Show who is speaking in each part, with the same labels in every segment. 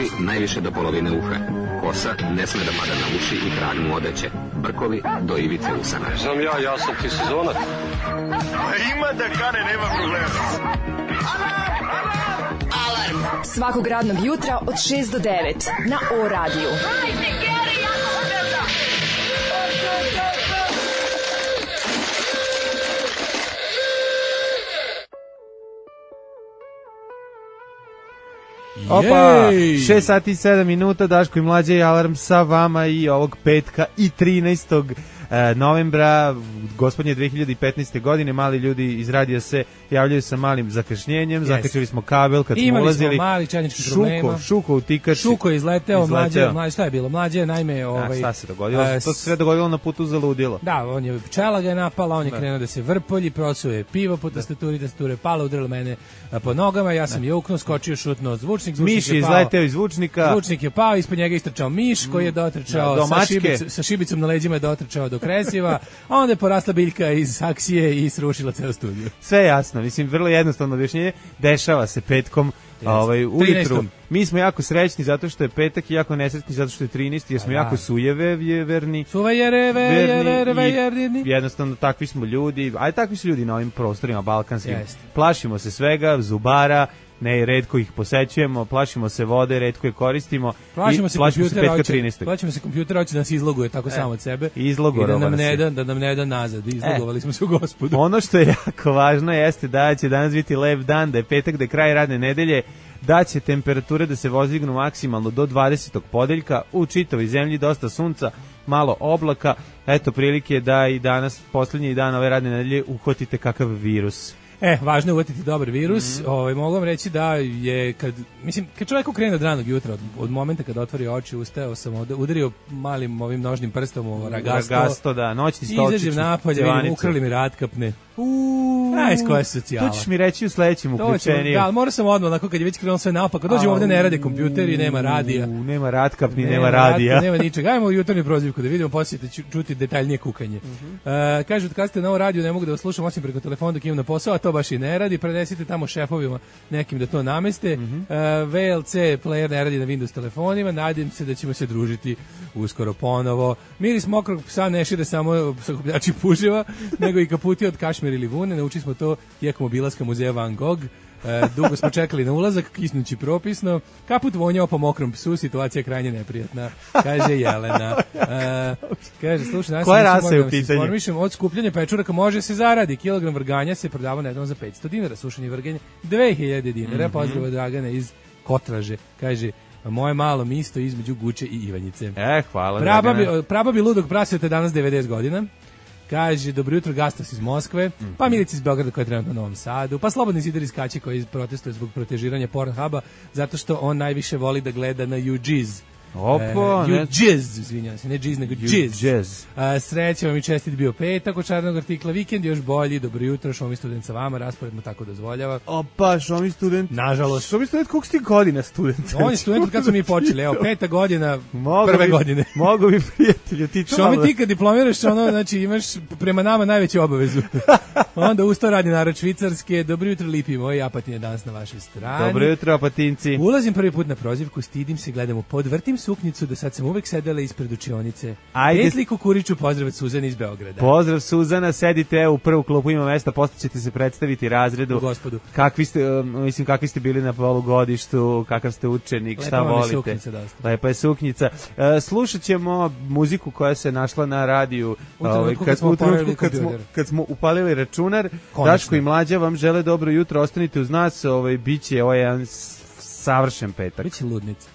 Speaker 1: Kafi najviše do polovine uha. Kosa ne sme da pada na uši i krag mu odeće. Brkovi do ivice usana.
Speaker 2: Znam ja sam ti sezonac.
Speaker 3: Ima da kane, nema problema.
Speaker 4: Alarm svakog radnog jutra od 6 do 9 na O-radiju.
Speaker 5: Opa, 6 sati i 7 minuta, Daško i Mlađa i Alarm sa vama i ovog petka i 13. novembra, gospodnje 2015. godine. Mali ljudi iz radija se javljaju sa malim zakašnjenjem, zakačili smo kabel kad smo ulazili.
Speaker 6: Imali smo mali čajnički problema.
Speaker 5: Šuko utikač.
Speaker 6: Šuko je izleteo, Mlađe, šta je bilo? Mlađe je naime...
Speaker 5: šta se dogodilo? To se sve dogodilo na putu za ludilo.
Speaker 6: Da, on je pčela ga je napala, on je krenuo da se vrpolji, prosuje pivo po tastaturi, tastature pala, udarila mene po nogama, ja sam je uknuo, skočio, šutno zvučnik
Speaker 5: miš je izleteo iz zvučnika.
Speaker 6: Zvučnik je pao, ispod njega istrčao miš koji je dotrčao sa šibicom na leđima je dotrčao do kresiva, a onda je porasla biljka iz saksije i srušila ceo studio.
Speaker 5: Sve jasno, mislim, vrlo jednostavno objašnjenje, dešava se petkom ujutru. Mi smo jako srećni zato što je petak i jako nesrećni zato što je 13. jer smo jako sujeverni. Jednostavno takvi smo ljudi, a takvi su ljudi na ovim prostorima balkanskim. Plašimo se svega, zubara, ne, redko ih posećujemo, plašimo se vode, redko je koristimo.
Speaker 6: Plašimo se
Speaker 5: petka 13.
Speaker 6: Plašimo se kompjutera, hoće da nas izloguje tako samo od sebe.
Speaker 5: Izlogorova
Speaker 6: da nam ne da nazad. Izlogovali smo se u Gospodu.
Speaker 5: Ono što je jako važno jeste da će danas biti lep dan, da je petak, da je kraj radne nedelje, da će temperature da se vozdignu maksimalno do 20. podeljka, u čitavoj zemlji dosta sunca, malo oblaka, eto prilike da i danas, posljednji dan ove radne nedelje, uhvatite kakav virus.
Speaker 6: Važno je uvatiti dobar virus. Mogu vam reći da je, kad čovjek krene od ranog jutra, od momenta kada otvori oči, ustao sam, udario malim ovim nožnim prstom u ragasto,
Speaker 5: da, noćni stolčić,
Speaker 6: izađem napolje, vidim, ukrali mi ratkapne. Iz koje socijala.
Speaker 5: To ćeš mi reći u sledećem uključenju.
Speaker 6: Da, mora sam odmah, kad je već krenuo sve naopako, dođemo ovde, ne rade kompjuteri, nema radija.
Speaker 5: Nema ratkapni, nema radija.
Speaker 6: Nema ničega. Ajmo u jutarnju prozivku da vidimo, poslije čuti detaljnije kukanje. Kažu, kad ste na ovo radiju, ne mogu da vas slušam osim preko telefona dok imam na posao, a to baš i ne radi. Prenesite tamo šefovima nekim da to nameste. VLC player ne radi na Windows telefonima. Nadam se da ćemo se družiti uskoro ponovo. Miris mokrog psa ne šire samo sakupljači puževa, nego i kaputi od kašmir ili vune. Naučili smo to tijekom obilaska muzeja Van Gogh. Dugo smo čekali na ulazak, kisnući propisno. Kaput vonjao po mokrom psu, situacija je krajnje neprijatna, kaže Jelena. Kaže, slušaj,
Speaker 5: koja rasa je u pitanju?
Speaker 6: Od skupljanja pečuraka može se zaradi. Kilogram vrganja se prodava netom za 500 dinara, sušenje vrganje 2000 dinara. Pozdrav Dragana iz Kotraže, kaže, moje malo misto između Guče i Ivanjice.
Speaker 5: Hvala.
Speaker 6: Prababi ludog prasveta danas 90 godina. Kaže, dobro jutro, Gastos iz Moskve, pa Milica iz Beograda koja je trenutno u Novom Sadu, pa Slobodni zidar iz Kaće koji protestuje zbog protežiranja Pornhuba, zato što on najviše voli da gleda na YouJizz. YouJizz, izvinjam se, ne Jizz, nego Jizz. Sreća vam i čestit bio petak od čarnog artikla, vikend još bolji, dobro jutro, Šomi student sa vama, raspored mu tako dozvoljava.
Speaker 5: Opa, Šomi student.
Speaker 6: Nažalost.
Speaker 5: Šomi student, koliko si ti godina student?
Speaker 6: On je student od kad smo mi počeli, evo, 5. godina prve godine.
Speaker 5: Mogu bi prijatelju, ti to
Speaker 6: Šomi, ti kad diplomiraš, znači imaš prema nama najveću obavezu. Onda ustao radi narod Švicarske, dobro jutro lipi moji, Apatin je danas na vašoj strani.
Speaker 5: Dobro jutro, Apatinci.
Speaker 6: Ulazim prvi put na prozivku, stidim se, gledam podvrtim suknjicu, da sad sam uvek sedela ispred učionice.
Speaker 5: Petli
Speaker 6: Kukuriću, pozdrav od Suzane iz Beograda.
Speaker 5: Pozdrav Suzana, sedite u prvu klupu, ima mesta, posle ćete se predstaviti razredu.
Speaker 6: U Gospodu.
Speaker 5: Kakvi ste bili na polugodištu, kakav ste učenik, šta volite. Lepa je suknjica. Slušat ćemo muziku koja se našla na radiju kad smo upalili računar. Daško i Mlađa vam žele dobro jutro, ostanite uz nas, biće jedan savršen petak.
Speaker 6: Biće ludnica.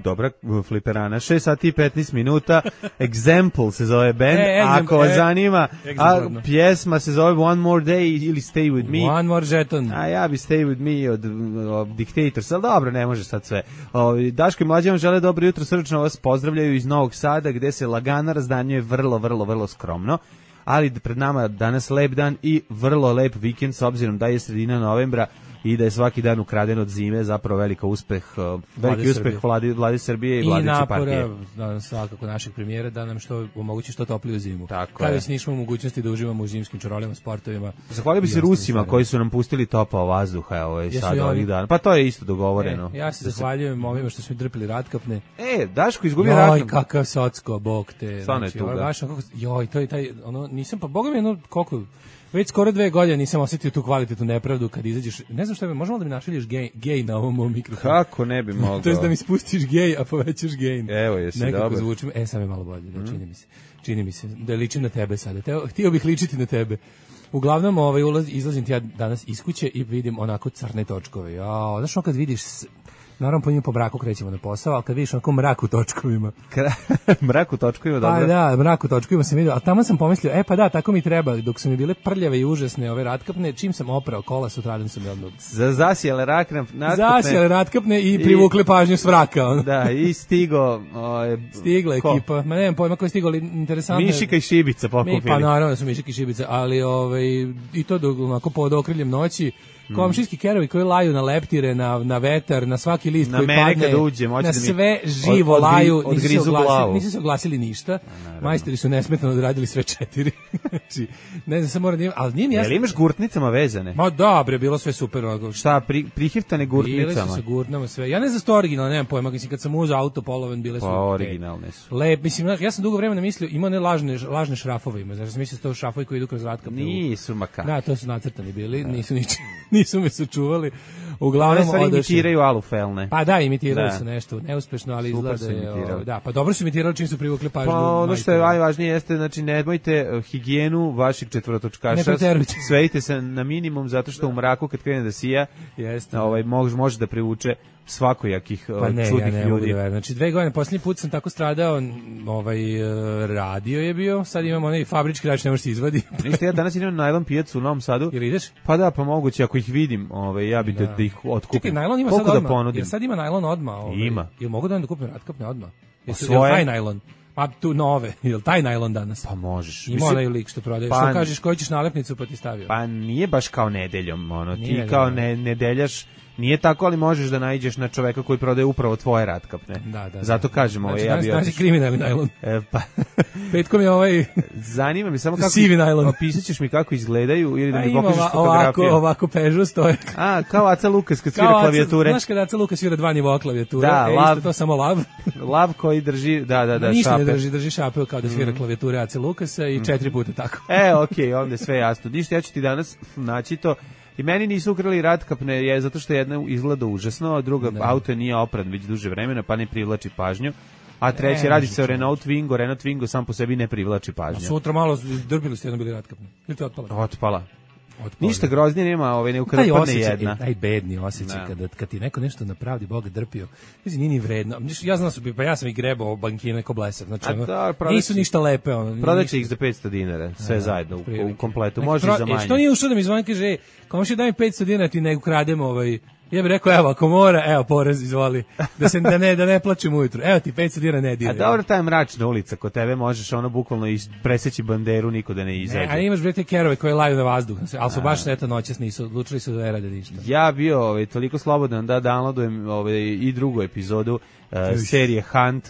Speaker 5: Dobra fliperana. 6 sati i 15 minuta. Example se zove band. Ako vas zanima, a pjesma se zove One More Day ili Stay With Me.
Speaker 6: One More Jeton.
Speaker 5: A ja bi Stay With Me od Dictators, ali dobro, ne može sad sve. Daško i Mlađe vam žele dobro jutro, srdačno vas pozdravljaju iz Novog Sada, gde se lagana razdanjuje vrlo skromno. Ali pred nama danas lep dan i vrlo lep vikend, s obzirom da je sredina novembra. i da je svaki dan ukraden od zime zapravo veliki uspeh vlade Srbije i vladajuće partije.
Speaker 6: I napora svakako našeg premijera da nam što omogući što topliju zimu.
Speaker 5: Tako
Speaker 6: Kada
Speaker 5: je.
Speaker 6: već nismo u mogućnosti da uživamo u zimskim čorolima, sportovima.
Speaker 5: Zahvalio bi se Rusima koji su nam pustili topao vazduha sad ovih dana. Pa to je isto dogovoreno.
Speaker 6: Ja se zahvaljujem ovima što smo drpili ratkapne.
Speaker 5: Daško izgubio ratkapne.
Speaker 6: Joj, kakav socko, bog te.
Speaker 5: Stvarno je tuga.
Speaker 6: Joj, to je taj, nisam, pa boga mi koliko, već skoro 2 godine nisam osjetio tu kvalitetnu nepravdu kad izađeš, ne znam šta je, možemo da mi našaljiš gej na ovom mom mikrofonu?
Speaker 5: Kako ne bi mogao?
Speaker 6: To je da mi spustiš gej, a povećaš gain.
Speaker 5: Evo, jesi
Speaker 6: nekako
Speaker 5: dobar.
Speaker 6: Zvučim, sad je malo bolje, čini mi se, da ličim na tebe sada, htio bih ličiti na tebe. Uglavnom, izlazim ti ja danas iz kuće i vidim onako crne točkove. Znaš kad vidiš, naravno po braku krećemo na posao, ali kad vidiš onako mrak u točkovima.
Speaker 5: Mrak u točkovima, dobro.
Speaker 6: Pa da, mrak u točkovima sam vidio, a tamo sam pomislio, pa da, tako mi treba, dok su mi bile prljave i užasne ove ratkapne, čim sam oprao kola, sutradan sam je odmah.
Speaker 5: Zasijale
Speaker 6: ratkapne i privukle pažnju s vraka.
Speaker 5: Da, i stigo...
Speaker 6: Stigla ekipa, ma nemam pojma ko je stigao, ali interesantno.
Speaker 5: Mišika i Šibica pokupili.
Speaker 6: Pa naravno da su Mišika i Šibica, ali i to onako pod okriljem noći, komšijski kerovi koji laju na leptire, na vetar, na svaki list koji padne, na sve živo laju, nisu se oglasili ništa. Majstori su nesmetano odradili sve 4. Znači, ne znam, sam moram da imam, ali nije mi jasno.
Speaker 5: Jel imaš gurtnicama vezane?
Speaker 6: Ma da, bre, bilo sve super.
Speaker 5: Šta, prihiftane gurtnicama?
Speaker 6: Bile su se gurtnama sve. Ja ne znam što originalno, nemam pojma, kad sam uzao auto poloven, bile su...
Speaker 5: Pa originalne su.
Speaker 6: Lep, mislim, ja sam dugo vremena mislio, ima one lažne šrafove ima, znači sam mislio da to šrafovi koji idu kroz ratkapne.
Speaker 5: Nisu makar.
Speaker 6: Da, to su nacrtani bili, nisu me sačuvali. Uglavnom
Speaker 5: imitiraju alufelne.
Speaker 6: Pa da, imitirali su nešto neuspešno, ali izgleda da, pa dobro su imitirali čim su privukli pažnju.
Speaker 5: Pa ono što je najvažnije jeste, znači nemojte higijenu vaših četvorotočkaša, svedite se na minimum zato što u mraku kad krene da sija, može da privuče svakojakih čudnih ljudi.
Speaker 6: Znači 2 godine, posljednji put sam tako stradao, radio je bio, sad imam onaj fabrički rač, ne može se izvadi.
Speaker 5: Ništa, ja danas idem na najlon pijacu u Novom Sadu.
Speaker 6: Ili ideš?
Speaker 5: Pa da, pa moguće, ako ih vidim, ja bi da ih otkupim.
Speaker 6: Čekaj, najlon ima sad odmah, jer sad ima najlon odmah.
Speaker 5: Ima.
Speaker 6: Jel mogu da kupim ratkapne odmah? Jel taj najlon? Pa tu nove, jel taj najlon danas?
Speaker 5: Pa možeš.
Speaker 6: Ima onaj lik što prodaješ, što kažeš koju ćeš nalepnicu pa ti stavio.
Speaker 5: Pa nije baš kao nedeljom, ti kao nedeljaš, nije tako, ali možeš da naiđeš na čoveka koji prodaje upravo tvoje ratkapne. Da. Zato kažem, ja bi...
Speaker 6: Znači kriminalni najlon.
Speaker 5: Pa...
Speaker 6: Petkom je
Speaker 5: Zanima me samo kako...
Speaker 6: Sivi najlon.
Speaker 5: Opisat ćeš mi kako izgledaju ili da mi pokažeš fotografiju.
Speaker 6: Ovako Peugeot stoje.
Speaker 5: Kao Aca Lukas kad svira klavijature.
Speaker 6: Znaš kada Aca Lukas svira 2 nivoa klavijature? Isto to samo lav.
Speaker 5: Lav koji drži, da,
Speaker 6: ništa
Speaker 5: šape.
Speaker 6: Ne drži šape kao da svira klavijature Aca Lukasa i 4 puta tako.
Speaker 5: Okej, onda je sve jasno. Ništa, ja ću ti danas naći to. I meni nisu ukrali ratkapne zato što jedna izgleda užasno, a druga auto nije opran već duže vremena, pa ne privlači pažnju. A treći radi se o Renault Twingo sam po sebi ne privlači pažnju.
Speaker 6: A sutra malo drbili ste jedno bili ratkapne. Ili te
Speaker 5: otpala? Ništa groznije nema, ne ukradne jedna.
Speaker 6: Taj bedni osjećaj kad ti neko nešto napravi, Bog drpio. Mislim, nije ni vredno. Ja znam pa ja sam ih grebao bankine ko blesav. Znači, nisu ništa lepe.
Speaker 5: Prodaće ih za 500 dinara, sve zajedno, u kompletu. Može za manje.
Speaker 6: Što nije ušao da mi zvoni, kaže, komši daj mi 500 dinara, ti ne ukrademo Ja bih rekao, evo, ako mora, porez, izvoli, da ne plaćem ujutru. Evo ti 500 dinara ne diraj.
Speaker 5: A dobro, ta je mračna ulica, kod tebe možeš bukvalno preseći banderu, niko da ne izađe.
Speaker 6: A imaš te kerove koje laju na vazduh, ali su baš noćas nisu, odlučili su da ne rade ništa.
Speaker 5: Ja bio toliko slobodan da downloadujem i drugu epizodu serije Hunt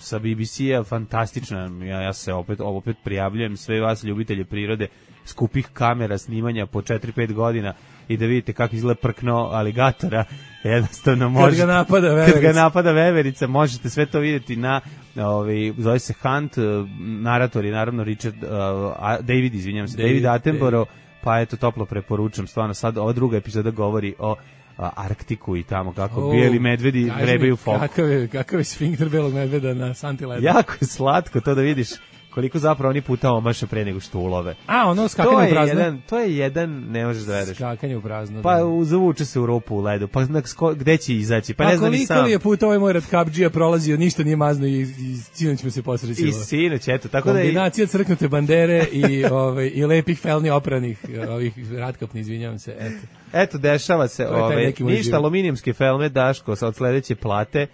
Speaker 5: sa BBC-a, fantastična. Ja se opet prijavljujem sve vas ljubitelje prirode, skupih kamera snimanja po 4-5 godina i da vidite kako izgleda prkno aligatora, jednostavno možete... Kad ga napada veverica, možete sve to vidjeti na, zove se Hunt, narator je naravno David Attenborough, pa eto, toplo preporučam, stvarno sad ova druga epizoda govori o Arktiku i tamo kako bijeli medvedi vrebaju folk.
Speaker 6: Kakav je sfinkter belog medveda na santi ledu?
Speaker 5: Jako je slatko to da vidiš koliko zapravo oni puta omaše pre nego što ulove.
Speaker 6: Ono skakanje u prazno?
Speaker 5: To je jedan, ne možeš da veruješ.
Speaker 6: Skakanje u prazno.
Speaker 5: Pa zavuče se u rupu u ledu, pa gde će izaći? Pa ne znam ni sam.
Speaker 6: Koliko je puta ovaj moj Ratkapdžija prolazio, ništa nije mazno i sinoć mu se posrećilo.
Speaker 5: I sinoć, eto. Tako
Speaker 6: kombinacija crknute bandere i lepih felni opranih, ovih ratkapni, izvinjavam se,
Speaker 5: Eto, dešava se, ništa, aluminijumske felme, Daško, od sledeće plate,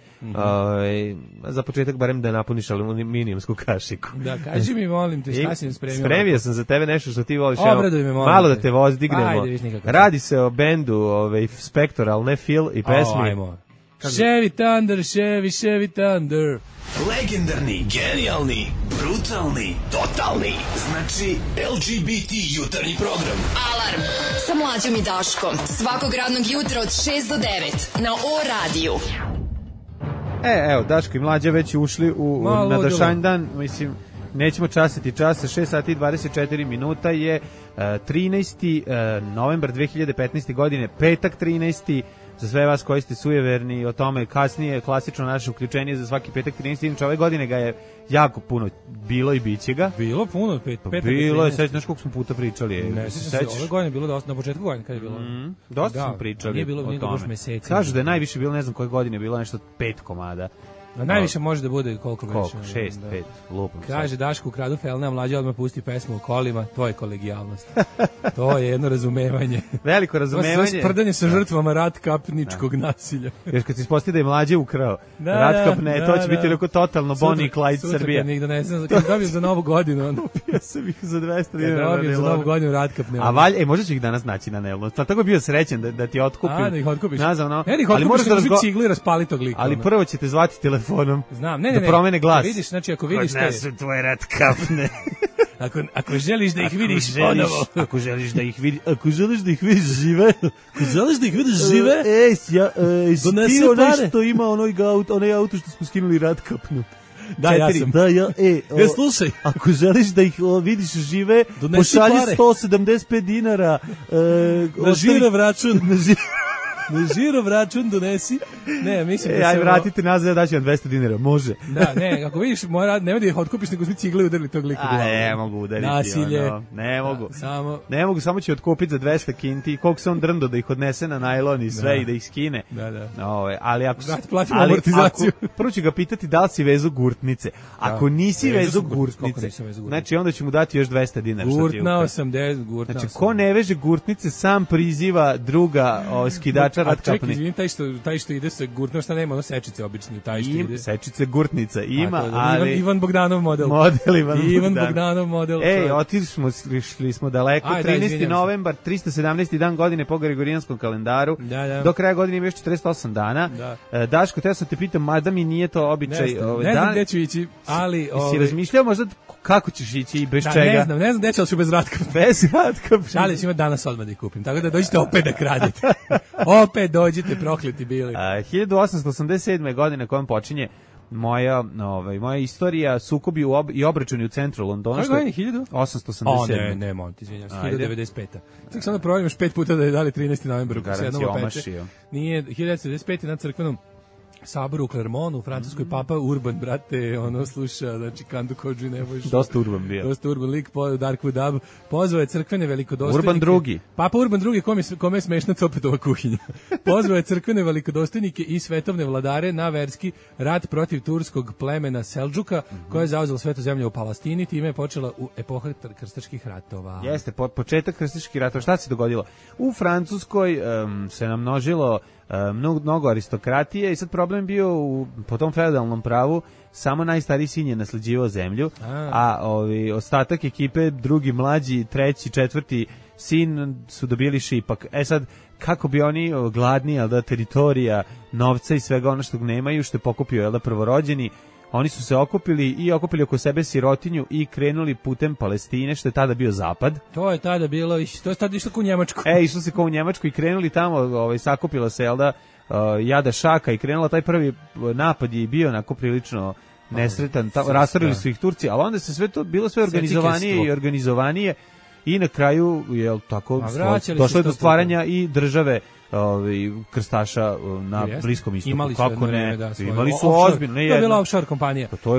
Speaker 5: Za početak barem da napuniš aluminijumsku kašiku.
Speaker 6: Da, kaži mi, molim te, šta si nam spremio?
Speaker 5: Spremio sam za tebe nešto što ti voliš.
Speaker 6: Obraduj me, molim
Speaker 5: malo
Speaker 6: te.
Speaker 5: da te vozdignemo.
Speaker 6: Ajde, viš nikako.
Speaker 5: Radi se o bendu Spectoral, ne Phil i pesmi.
Speaker 6: Ajmo. Chevy Thunder, Chevy Thunder.
Speaker 7: Legendarni, genijalni, brutalni, totalni. Znači LGBT jutarnji program.
Speaker 4: Alarm sa Mlađom i Daškom. Svakog radnog jutra od 6 do 9 na O-radiju.
Speaker 5: Evo, Daško i Mlađa već ušli na današnji dan, mislim, nećemo časiti časa, 6 sati i 24 minuta je 13. novembar 2015. godine, petak 13. Za sve vas koji ste sujeverni o tome kasnije, klasično naše uključenje za svaki petak 13. Inače, ove godine ga je jako puno bilo i biće ga.
Speaker 6: Bilo puno, petak
Speaker 5: bilo je, znaš koliko smo puta pričali.
Speaker 6: Ne, sećaš? Ove godine je bilo dosta, na početku godine kada je bilo.
Speaker 5: Dosta smo pričali
Speaker 6: nije bilo,
Speaker 5: o tome.
Speaker 6: Meseci.
Speaker 5: Kažu da je najviše bilo, ne znam koje godine je bilo, nešto 5 komada.
Speaker 6: A najviše može da bude koliko
Speaker 5: već? 6, 5, lupam.
Speaker 6: Kaže Daško, ukradu felne, a Mlađa odmah pusti pesmu o kolima, to je kolegijalnost. To je jedno razumevanje.
Speaker 5: Veliko razumevanje.
Speaker 6: To je sprdanje sa žrtvama ratkapničkog nasilja.
Speaker 5: Još kad se ispostavi da je Mlađe ukrao ratkapne, to će biti liko totalno Bonnie i Clyde Srbija.
Speaker 6: Sutra kad ne znam, kad dobijem za novu godinu.
Speaker 5: Kupio sam ih za 200 dinara.
Speaker 6: Kad dobijem za novu godinu ratkapne.
Speaker 5: A možda će ih danas naći na Nelnu. Tako je bio srećen da ti otkupim.
Speaker 6: Da ih otkupiš.
Speaker 5: Nazavno.
Speaker 6: Ali moraš da cigli raspali tog lika.
Speaker 5: Ali prvo ćete zvati telefonom.
Speaker 6: Znam,
Speaker 5: da promene glas.
Speaker 6: Vidiš, znači ako vidiš te...
Speaker 5: Odnesu tvoje ratkapne.
Speaker 6: Ako želiš da ih vidiš ponovo.
Speaker 5: Ako želiš da ih vidiš žive.
Speaker 6: Ako želiš da ih vidiš žive.
Speaker 5: Donesi onaj što ima onaj auto što smo skinuli ratkapnu.
Speaker 6: Da, ja sam.
Speaker 5: Da,
Speaker 6: slušaj.
Speaker 5: Ako želiš da ih vidiš žive, pošalji 175 dinara.
Speaker 6: Na žirov račun. Na žirov račun donesi. Ne, mislim da
Speaker 5: aj vratite nazad, ja daću vam 200 dinara, može.
Speaker 6: Da, ne, ako vidiš, nemoj da ih otkupiš, nego svi cigle udarili tog lika u glavu.
Speaker 5: Ne mogu udariti.
Speaker 6: Nasilje.
Speaker 5: Ne mogu, samo ću otkupiti za 200 kinti, koliko se on drndo da ih odnese na najlon i sve i da ih skine.
Speaker 6: Da.
Speaker 5: Ali ako
Speaker 6: platimo amortizaciju.
Speaker 5: Prvo ću ga pitati da li si vezu gurtnice. Ako nisi vezu gurtnice, znači onda ću mu dati još 200 dinara.
Speaker 6: Gurtnao sam.
Speaker 5: Znači, ko ne veže gurtnice, sam priziva druga skidača ratkapne.
Speaker 6: Čekaj, izvini, taj što ide sa gurtnom, šta nema, ono sečice obični, taj što ide.
Speaker 5: Sečice gurtnica ima, ali...
Speaker 6: Ivan Bogdanov model. Ivan Bogdanov model.
Speaker 5: Išli smo daleko. 13. novembar, 317. dan godine po Gregorijanskom kalendaru. Do kraja godine ima još 48 dana. Daško, teo sam te pitam, mada mi nije to običaj.
Speaker 6: Ne znam gde ću ići, ali...
Speaker 5: Si razmišljao možda kako ćeš ići i bez čega?
Speaker 6: Ne znam gde ću, ali ću bez ratkapne.
Speaker 5: Bez ratkapne.
Speaker 6: Šalim ću ima danas odmah da ih kupim, tako da dođite opet da kradete. Opet dođite, prokleti bili.
Speaker 5: 1887. godine kojom počinje moja istorija, sukobi i obračuni u centru Londona.
Speaker 6: Koje godine?
Speaker 5: 1887.
Speaker 6: Ne, Monti, izvinjam se, 1995. Ček sam da provjerim još 5 puta da je dali 13. novembar.
Speaker 5: Garancija omašio.
Speaker 6: Nije, 1995. na crkvenom saboru u Clermontu, u Francuskoj papa Urban, brate, sluša, znači Kandu Kodži Nebojšu.
Speaker 5: Dosta Urban bio.
Speaker 6: Dosta Urban lik, Dark Wood Dub, pozvao je crkvene velikodostojnike.
Speaker 5: Urban drugi.
Speaker 6: Papa Urban drugi, kome je smešna Copetova kuhinja. Pozvao je crkvene velikodostojnike i svetovne vladare na verski rat protiv turskog plemena Seldžuka, koja je zauzela svetu zemlju u Palestini, time je počela u epoha krstaških ratova.
Speaker 5: Jeste, početak krstaških ratova. Šta se dogodilo? U Francuskoj se namnožilo mnogo aristokratije i sad problem bio po tom feudalnom pravu samo najstariji sin je nasleđivao zemlju, a ostatak ekipe, drugi, mlađi, treći, četvrti sin su dobili šipak. Sad, kako bi oni gladni, teritorija, novca i svega ono što nemaju, što je pokupio prvorođeni, oni su se okupili oko sebe sirotinju i krenuli putem Palestine, što je tada bio zapad.
Speaker 6: To je tada bilo, to je tada išlo kao u Njemačku.
Speaker 5: Išlo se kao u Njemačku i krenuli tamo, sakupila se, jada šaka i krenula, taj prvi napad je bio onako prilično nesretan, rastorili su ih Turci, ali onda se sve to bilo sve organizovanije i na kraju je tako došlo do stvaranja i države krstaša na Bliskom istoku. Imali su ozbiljno.
Speaker 6: To je bila offshore kompanija.
Speaker 5: To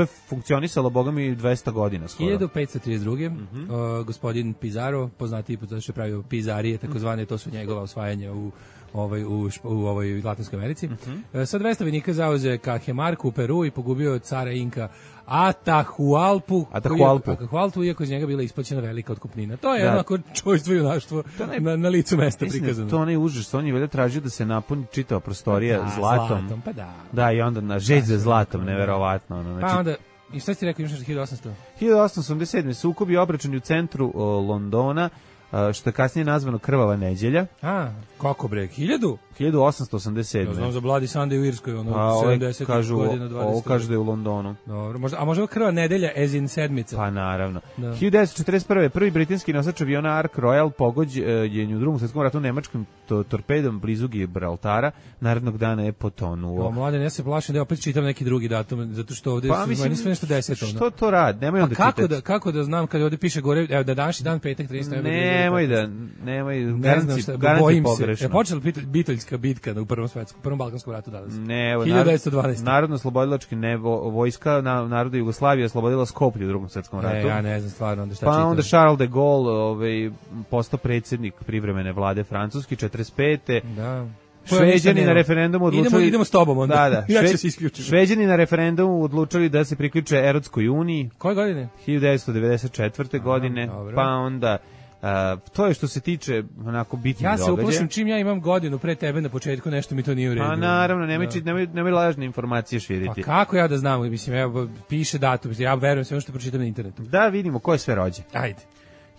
Speaker 5: je funkcionisalo, boga mi, 200 godina skoro.
Speaker 6: 1532. Gospodin Pizarro, poznatiji zato što je pravio pizarije, takozvane, to su njegova osvajanja u ovoj Latinskoj Americi. Sa 200 vojnika zauze Cajamarca u Peru i pogubio od cara Inka Atahualpu, iako iz njega bila isplaćena velika otkupnina. To je onako čojstvo i junaštvo na licu mesta prikazano.
Speaker 5: To onaj užas, on je valjda tražio da se napuni čitava prostorija zlatom.
Speaker 6: Pa da.
Speaker 5: Da, i onda na žeđ za zlatom, neverovatno. Znači,
Speaker 6: pa onda, i šta si ti rekao, imaš 1800?
Speaker 5: 1887. sukobi obračuni u centru Londona, što je kasnije nazvano Krvava neđelja.
Speaker 6: Kako bre, 1000?
Speaker 5: 1887.
Speaker 6: Ja znam za Bloody Sunday u Irskoj, 70 godina, 20.
Speaker 5: Ovo kažu da je u Londonu.
Speaker 6: Dobro, a možda Krvava nedelja, as in sedmica?
Speaker 5: Pa naravno. 1941. prvi britanski nosač aviona Ark Royal pogođen u Drugom svjetskom ratu nemačkim torpedom blizu Gibraltara, narednog dana je potonuo.
Speaker 6: Mladen, ja se plašim da opet čitam neki drugi datum, zato što ovde meni sve nešto 10.
Speaker 5: Što to radi? Nemoj onda čitati.
Speaker 6: Kako da znam kad ovde piše gore, evo da današnji dan petak 13.
Speaker 5: Nemoj,
Speaker 6: bojim se. Počela Bitoljska bitka u prvom Balkanskom ratu danas. 1912.
Speaker 5: Narodno-slobodilački vojska naroda Jugoslavije oslobodila Skoplje u Drugom svjetskom ratu.
Speaker 6: Ja ne znam stvarno onda šta čitam.
Speaker 5: Pa onda Charles de Gaulle postao predsjednik privremene vlade Francuske 45.
Speaker 6: Da.
Speaker 5: Šveđani na referendumu odlučili...
Speaker 6: Idemo s tobom onda.
Speaker 5: Da.
Speaker 6: Ja ću se isključiti.
Speaker 5: Šveđani na referendumu odlučili da se priključe Erotskoj uniji.
Speaker 6: Koje godine?
Speaker 5: 1994. godine.
Speaker 6: Dobro.
Speaker 5: Pa onda... to je što se tiče onako bitnih događaja.
Speaker 6: Ja se uplašim čim ja imam godinu pre tebe na početku, nešto mi to nije u redu.
Speaker 5: Pa naravno, nemoj lažne informacije širiti.
Speaker 6: Pa kako ja da znam, mislim, evo, piše datum, ja verujem sve što pročitam na internetu.
Speaker 5: Da vidimo ko je sve rođen.
Speaker 6: Ajde.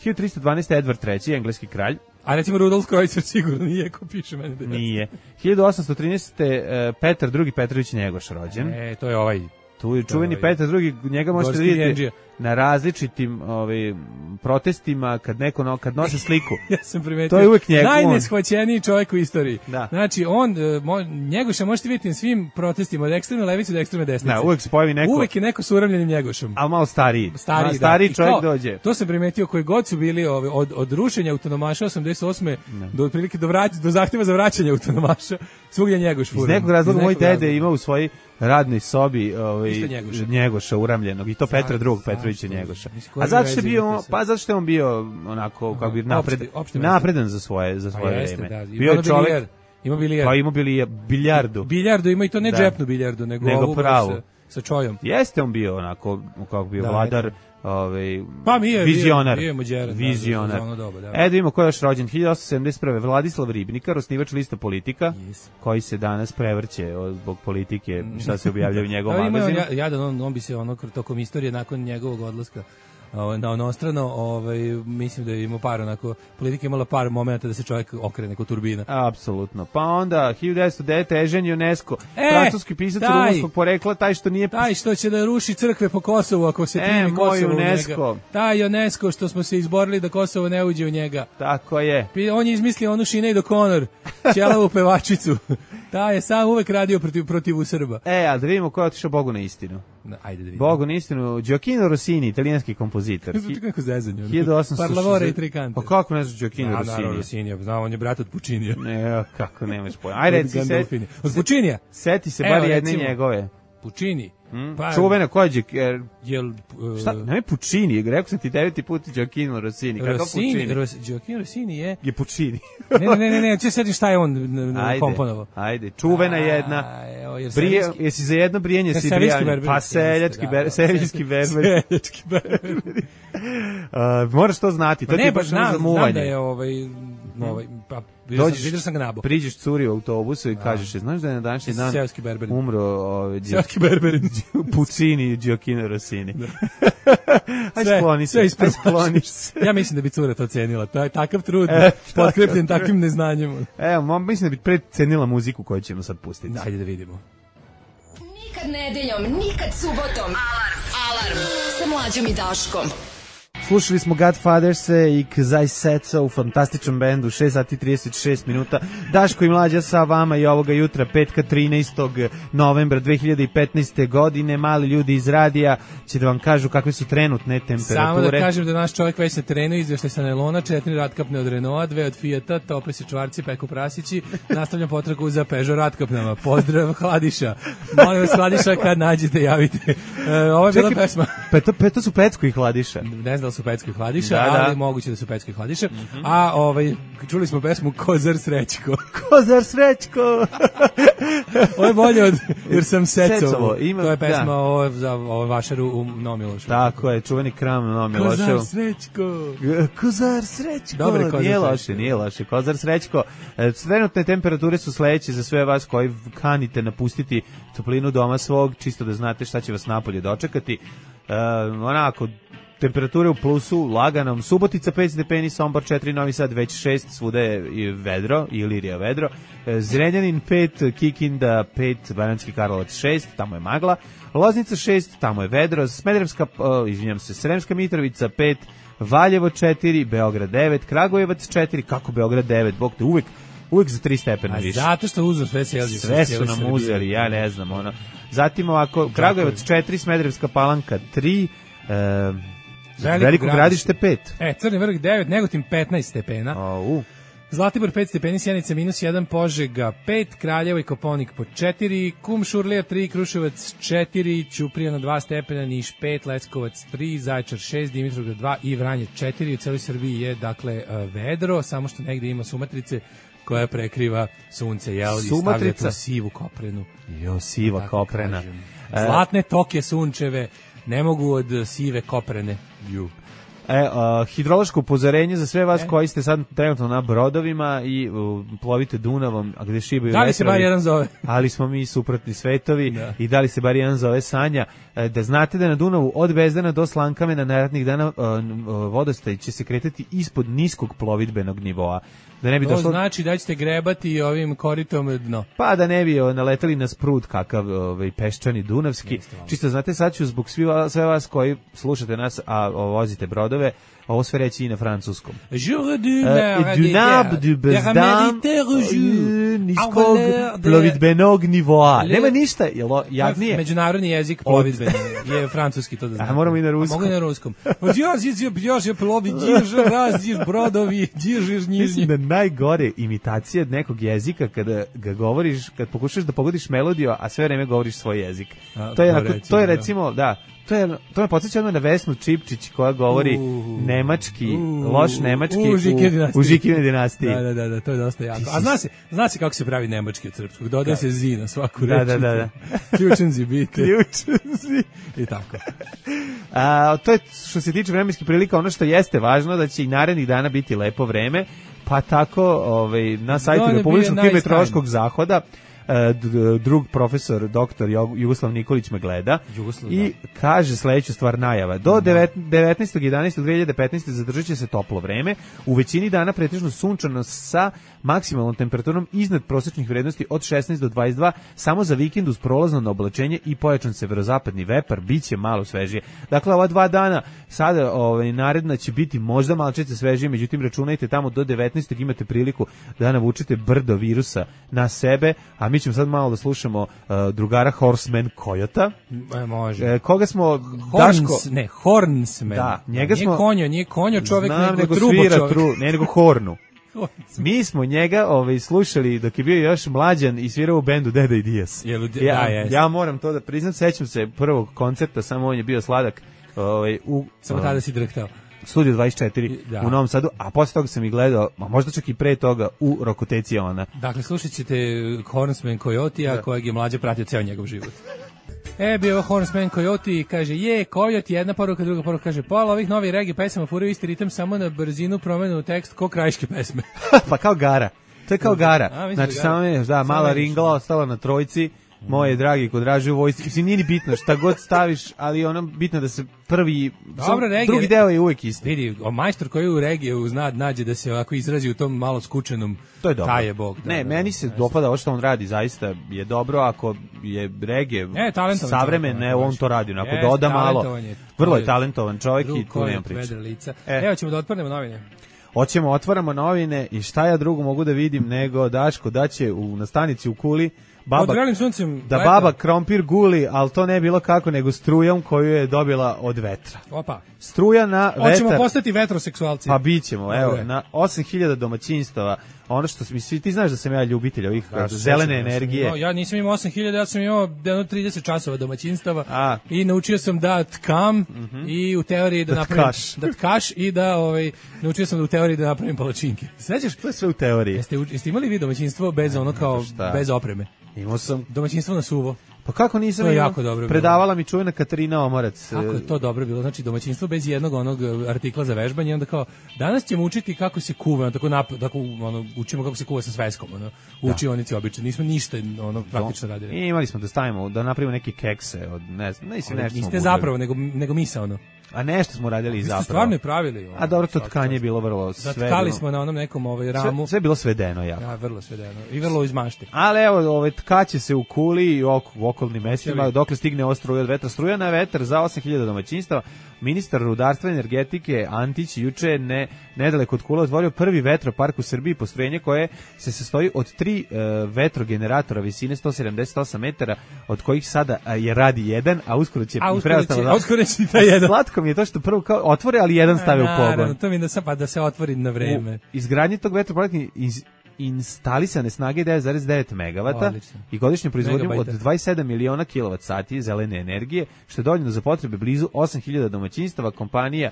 Speaker 5: 1312. Edward III, engleski kralj.
Speaker 6: A recimo Rudolf Kreutzer sigurno nije, ko piše meni da je.
Speaker 5: Nije. 1813. Petar II. Petrović Njegoš rođen.
Speaker 6: To je ovaj.
Speaker 5: Tu je čuveni Petar II. Njega možete vidjeti na različitim protestima kad nose sliku.
Speaker 6: Ja sam primetio.
Speaker 5: To je uvijek njegov.
Speaker 6: Najneshvaćeniji čovjek u istoriji.
Speaker 5: Da.
Speaker 6: Znači, Njegoša možete vidjeti na svim protestima od ekstremne levice do ekstremne desnice.
Speaker 5: Da, uvijek se pojavi neko.
Speaker 6: Uvijek je neko s uramljenim Njegošom.
Speaker 5: Ali malo stariji. Stariji čovjek dođe.
Speaker 6: To sam primetio koji god su bili od rušenja autonomaša 88. do otprilike do zahtjeva za vraćanje autonomaša. Svugdje Njegoš fura.
Speaker 5: Iz nekog razloga moj dede ima u svojoj radnoj sobi Njegoša uramljenog i to Petra II. Petrovića Njegoša. A zato što je on bio onako kako bi napredan za svoje vreme. Bio je čovjek.
Speaker 6: Ima bilijar.
Speaker 5: Pa ima biljardu.
Speaker 6: Biljardu ima i to ne džepnu biljardu, nego pravu sa čojom.
Speaker 5: Jeste on bio onako kako bi vladar,
Speaker 6: pa
Speaker 5: vizionar.
Speaker 6: Vizionar.
Speaker 5: Da vidimo ko je još rođen. 1871. Vladislav Ribnikar, osnivač lista Politika, koji se danas prevrće zbog politike, šta se objavlja u njegovom magazinu.
Speaker 6: On bi se tokom istorije nakon njegovog odlaska na onostrano, mislim da je imao par onako, politika imala par momenta da se čovjek okrene kod turbina.
Speaker 5: Apsolutno. Pa onda 1909. Eugene Ionesco, francuski pisac rumunskog porekla, taj što će
Speaker 6: da ruši crkve po Kosovu ako se primi Kosovo u njega. Taj Ionesco što smo se izborili da Kosovo ne uđe u njega.
Speaker 5: Tako je.
Speaker 6: On je izmislio onu Sinead O'Connor, ćelavu pevačicu. Taj je sam uvek radio protiv Srba.
Speaker 5: A da vidimo ko je otišao Bogu na istinu.
Speaker 6: Ajde da vidimo.
Speaker 5: Bogu na istinu, Gioacchino Rossini, italijanski kompozitor.
Speaker 6: Zvuči kako zezanje.
Speaker 5: 1860.
Speaker 6: Parlavore i tri kante.
Speaker 5: Pa kako ne znaš Gioacchino Rossini?
Speaker 6: Naravno Rossini, znam, on je brat od Puccinija.
Speaker 5: Ne, kako nemaš pojma. Ajde, reci se.
Speaker 6: Od Puccinija?
Speaker 5: Seti se bar jedne njegove.
Speaker 6: Puccini.
Speaker 5: Čuvena kođe. Šta?
Speaker 6: Ne,
Speaker 5: Puccini. Rekao sam ti 9. put Gioacchino Rossini. Kako Puccini?
Speaker 6: Gioacchino Rossini je
Speaker 5: Puccini.
Speaker 6: Ne, če setim šta je on komponovao.
Speaker 5: Ajde, čuvena jedna. Jesi za jedno brijenje si brijanje? Pa seljački berber. Moraš to znati. To ti je baš za muvanje.
Speaker 6: Znam da je vidio sam ga nabo.
Speaker 5: Priđeš curi u autobusu i kažeš, znaš da je na današnji dan umro
Speaker 6: Seoski berberin
Speaker 5: Puccini i Gioacchino Rossini. Aj skloniš se.
Speaker 6: Ja mislim da bi cura to cenila. To je takav trud potkrepljen takvim neznanjem.
Speaker 5: Evo, mislim da bi precenila muziku koju ćemo sad pustiti.
Speaker 6: Ajde da vidimo.
Speaker 4: Nikad nedeljom, nikad subotom. Alarm sa Mlađom i Daškom.
Speaker 5: Slušali smo Godfathers-e i Kzaj Setsa u fantastičnom bendu, 6 sati 36 minuta. Daško i Mlađa sa vama i ovoga jutra, petka 13. novembra 2015. godine. Mali ljudi iz radija će da vam kažu kakve su trenutne temperature.
Speaker 6: Samo da kažem da naš čovjek već na terenu izveštaj sa Nelona, 4 ratkapne od Renaulta, 2 od Fijata, tople se čvarci, peku prasići. Nastavljam potragu za Peugeot ratkapnama. Pozdrav Hladiša. Molim vas Hladiša, kad nađete, javite. Ovo je bila pesma.
Speaker 5: Peto su Pecko i Hladiša.
Speaker 6: Ne znam su Pecko i Hladiša,
Speaker 5: Da, da.
Speaker 6: ali moguće da su Pecko i Hladiša. A čuli smo pesmu Kozar Srećko.
Speaker 5: Kozar Srećko!
Speaker 6: Ovo je bolje od Jer sam Secovo.
Speaker 5: Ima,
Speaker 6: To je pesma
Speaker 5: da.
Speaker 6: za Vašaru u Novom Milošu.
Speaker 5: Tako je, čuveni kram na Novom Milošu.
Speaker 6: Kozar Srećko.
Speaker 5: Kozar Srećko.
Speaker 6: Dobre, Kozar
Speaker 5: Nije
Speaker 6: Srećko.
Speaker 5: loše, nije loše. Kozar Srećko. Trenutne temperature su sledeće za sve vas koji kanite napustiti toplinu doma svog, čisto da znate šta će vas napolje dočekati. Onako, temperature u plusu, laganom. Subotica 5 stepeni, Sombor 4, Novi Sad već 6, svuda je i vedro, Ilirija vedro. Zrenjanin 5, Kikinda 5, Banatski Karlovac 6, tamo je magla. Loznica 6, tamo je vedro. Sremska Mitrovica 5, Valjevo 4, Beograd 9, Kragujevac 4, kako Beograd 9, bog te uvek za 3 stepena više.
Speaker 6: Zato što uzem sve selđe.
Speaker 5: Sve su nam uzeli, ja ne znam, ono. Zatim ovako, Kragujevac 4, Smederevska Palanka 3, Veliko Gradište 5.
Speaker 6: Crni vrh 9, Negotin 15 stepena. Zlatibor 5 stepeni, Sjenica -1, Požega 5, Kraljevo i Koponik po 4, Kumšurlija 3, Kruševac 4, Ćuprija na 2 stepena, Niš 5, Leskovac 3, Zaječar 6, Dimitrovgrad 2 i Vranje 4. U celoj Srbiji je, dakle, vedro, samo što negde ima sumatrice koja prekriva sunce, jel? I stavlja tu sivu koprenu.
Speaker 5: Jo, siva koprena.
Speaker 6: Zlatne toke sunčeve ne mogu od sive koprene.
Speaker 5: Hidrološko upozorenje za sve vas koji ste sad trenutno na brodovima i plovite Dunavom, a gde šibaju
Speaker 6: vetrovi. Da li se bar jedan zove?
Speaker 5: Ali smo mi suprotni svetovi i da li se bar jedan zove Sanja. Da znate da na Dunavu od Bezdana do Slankamena narednih dana vodostaj će se kretati ispod niskog plovidbenog nivoa. Da ne bi
Speaker 6: to
Speaker 5: došlo...
Speaker 6: znači da ćete grebati ovim koritom dno.
Speaker 5: Pa da ne bi naletali na sprud kakav peščani dunavski. Čisto znate, sad ću zbog sve vas koji slušate nas, a vozite brodove, ovo sve reći i na francuskom. Du nab, du bezdam, niskog plovidbenog nivoa. Nema ništa, jadnije.
Speaker 6: Međunarodni jezik plovidbeni je francuski, to da znate.
Speaker 5: A moramo i na ruskom.
Speaker 6: Mogu i na ruskom. Djože plovi, dježe razdiš brodovi, dježeš njiznji.
Speaker 5: Mislim da najgore imitacija nekog jezika kada ga govoriš, kad pokušaš da pogodiš melodiju, a sve vreme govoriš svoj jezik. To je recimo, da, to me podsjeća na Vesnu Čipčić koja govori nemački, loš nemački u Žikine dinastiji.
Speaker 6: Da, to je dosta jako. A zna se kako se pravi nemački od srpskog, dodaje se zi na svaku reč.
Speaker 5: Da.
Speaker 6: Ključenzi biti. I tako.
Speaker 5: To je što se tiče vremenskih prilika, ono što jeste važno da će i narednih dana biti lepo vreme, pa tako na sajtu Republičkog hidrometeorološkog zahoda drug profesor, doktor Jugoslav Nikolić me gleda i kaže sledeću stvar najava. Do 19.11.2015. zadržat će se toplo vreme, u većini dana pretežno sunčano sa maksimalnom temperaturom iznad prosečnih vrednosti od 16 do 22, samo za vikend uz prolazno na oblačenje i pojačan severozapadni vepar, bit će malo svežije. Dakle, ova 2 dana sada naredna će biti možda malčice svežije, međutim računajte tamo do 19. imate priliku da navučete brdo virusa na sebe, a mi ćemo sad malo da slušamo drugara Horseman Kojota.
Speaker 6: Može.
Speaker 5: Koga smo...
Speaker 6: Hornsman.
Speaker 5: Da, njega smo...
Speaker 6: Nije konjo čovjek, nego
Speaker 5: svira
Speaker 6: čovjek.
Speaker 5: nego hornu. Mi smo njega slušali dok je bio još mlađan i svirao u bendu Deda i Dijas. Ja moram to da priznam, sećam se prvog koncerta, samo on je bio sladak.
Speaker 6: Samo tada si drhtao.
Speaker 5: Studio 24 u Novom Sadu, a posle toga sam i gledao, a možda čak i pre toga, u Rokoteci ona.
Speaker 6: Dakle, slušat ćete Hornsman Coyote-a, kojeg je mlađe pratio ceo njegov život. Bio je Hornsman Coyote i kaže, Coyote, jedna poruka, druga poruka, kaže, pola ovih novih reggae pesama furaju isti ritam, samo na brzinu promenu tekst ko krajiške pesme.
Speaker 5: Pa kao Gara. To je kao Gara. Znači, samo je, mala ringla ostala na trojci, moje dragi ko draži u vojsci, mislim, nije ni bitno šta god staviš, ali ono bitno da se prvi, drugi deo je uvek isti.
Speaker 6: Vidi, majstor koji u regiju nađe da se ovako izrazi u tom malo skučenom,
Speaker 5: to je dobro.
Speaker 6: Taj je bog.
Speaker 5: Meni se dopada ovo što on radi, zaista je dobro, ako je regije savremene, on to radi, ako doda malo, vrlo je talentovan čovjek i tu nema priče.
Speaker 6: Evo ćemo da otvorimo novine.
Speaker 5: Hoćemo, otvaramo novine i šta ja drugo mogu da vidim nego Daško da će na stanici u Kuli baba krompir guli, ali to ne bilo kako nego strujom koju je dobila od vetra.
Speaker 6: Opa.
Speaker 5: Struja na vetar.
Speaker 6: Hoćemo postati vetroseksualci.
Speaker 5: Pa bićemo, evo, na 8000 domaćinstava ono što ti znaš da sam ja ljubitelj ovih zelene energije.
Speaker 6: Ja nisam imao 8000, ja sam imao 30 časova domaćinstava i naučio sam da tkam i u teoriji da napravim da tkaš i da naučio sam da u teoriji da napravim palačinke. Sećaš?
Speaker 5: To je sve u teoriji.
Speaker 6: Jeste imali vi domaćinstvo bez ono kao bez opreme?
Speaker 5: Imao sam
Speaker 6: domaćinstvo na suvo.
Speaker 5: Pa kako nisam
Speaker 6: to je jako dobro
Speaker 5: predavala mi čuvena Katarina Omorac.
Speaker 6: Kako je to dobro bilo, znači domaćinstvo bez jednog onog artikla za vežbanje, onda kao danas ćemo učiti kako se kuva, tako učimo kako se kuva sa sveskom, učionici obično, nismo ništa praktično radili.
Speaker 5: I imali smo da napravimo neke kekse od ne znam,
Speaker 6: niste zapravo nego misa
Speaker 5: A nešto smo radili zapravo.
Speaker 6: Vi ste stvarno pravili.
Speaker 5: A dobro, to tkanje je bilo vrlo sve.
Speaker 6: Tkali smo na onom nekom ramu.
Speaker 5: Sve je bilo svedeno jako.
Speaker 6: Ja, vrlo svedeno. I vrlo iz mašte.
Speaker 5: Ali evo, tkaće se u Kuli i u okolnim mestima, dokle stigne ova struja od vetra. Struja na vetar za 8000 domaćinstava. Ministar rudarstva i energetike Antić juče nedaleko od Kule otvorio prvi vetropark u Srbiji, postrojenje koje se sastoji od 3 vetrogeneratora visine 178 metara, od kojih sada je radi jedan, a uskoro će
Speaker 6: uskoro će taj jedan.
Speaker 5: Slatko mi je to što prvo kao otvore, ali jedan stave u pogon.
Speaker 6: Naravno, to mi je da se otvori na vreme.
Speaker 5: U izgradnji tog vetroparka instalisane snage 9,9 MW i godišnju proizvodnju od 27 miliona kWh zelene energije, što je dovoljno za potrebe blizu 8000 domaćinstava. Kompanija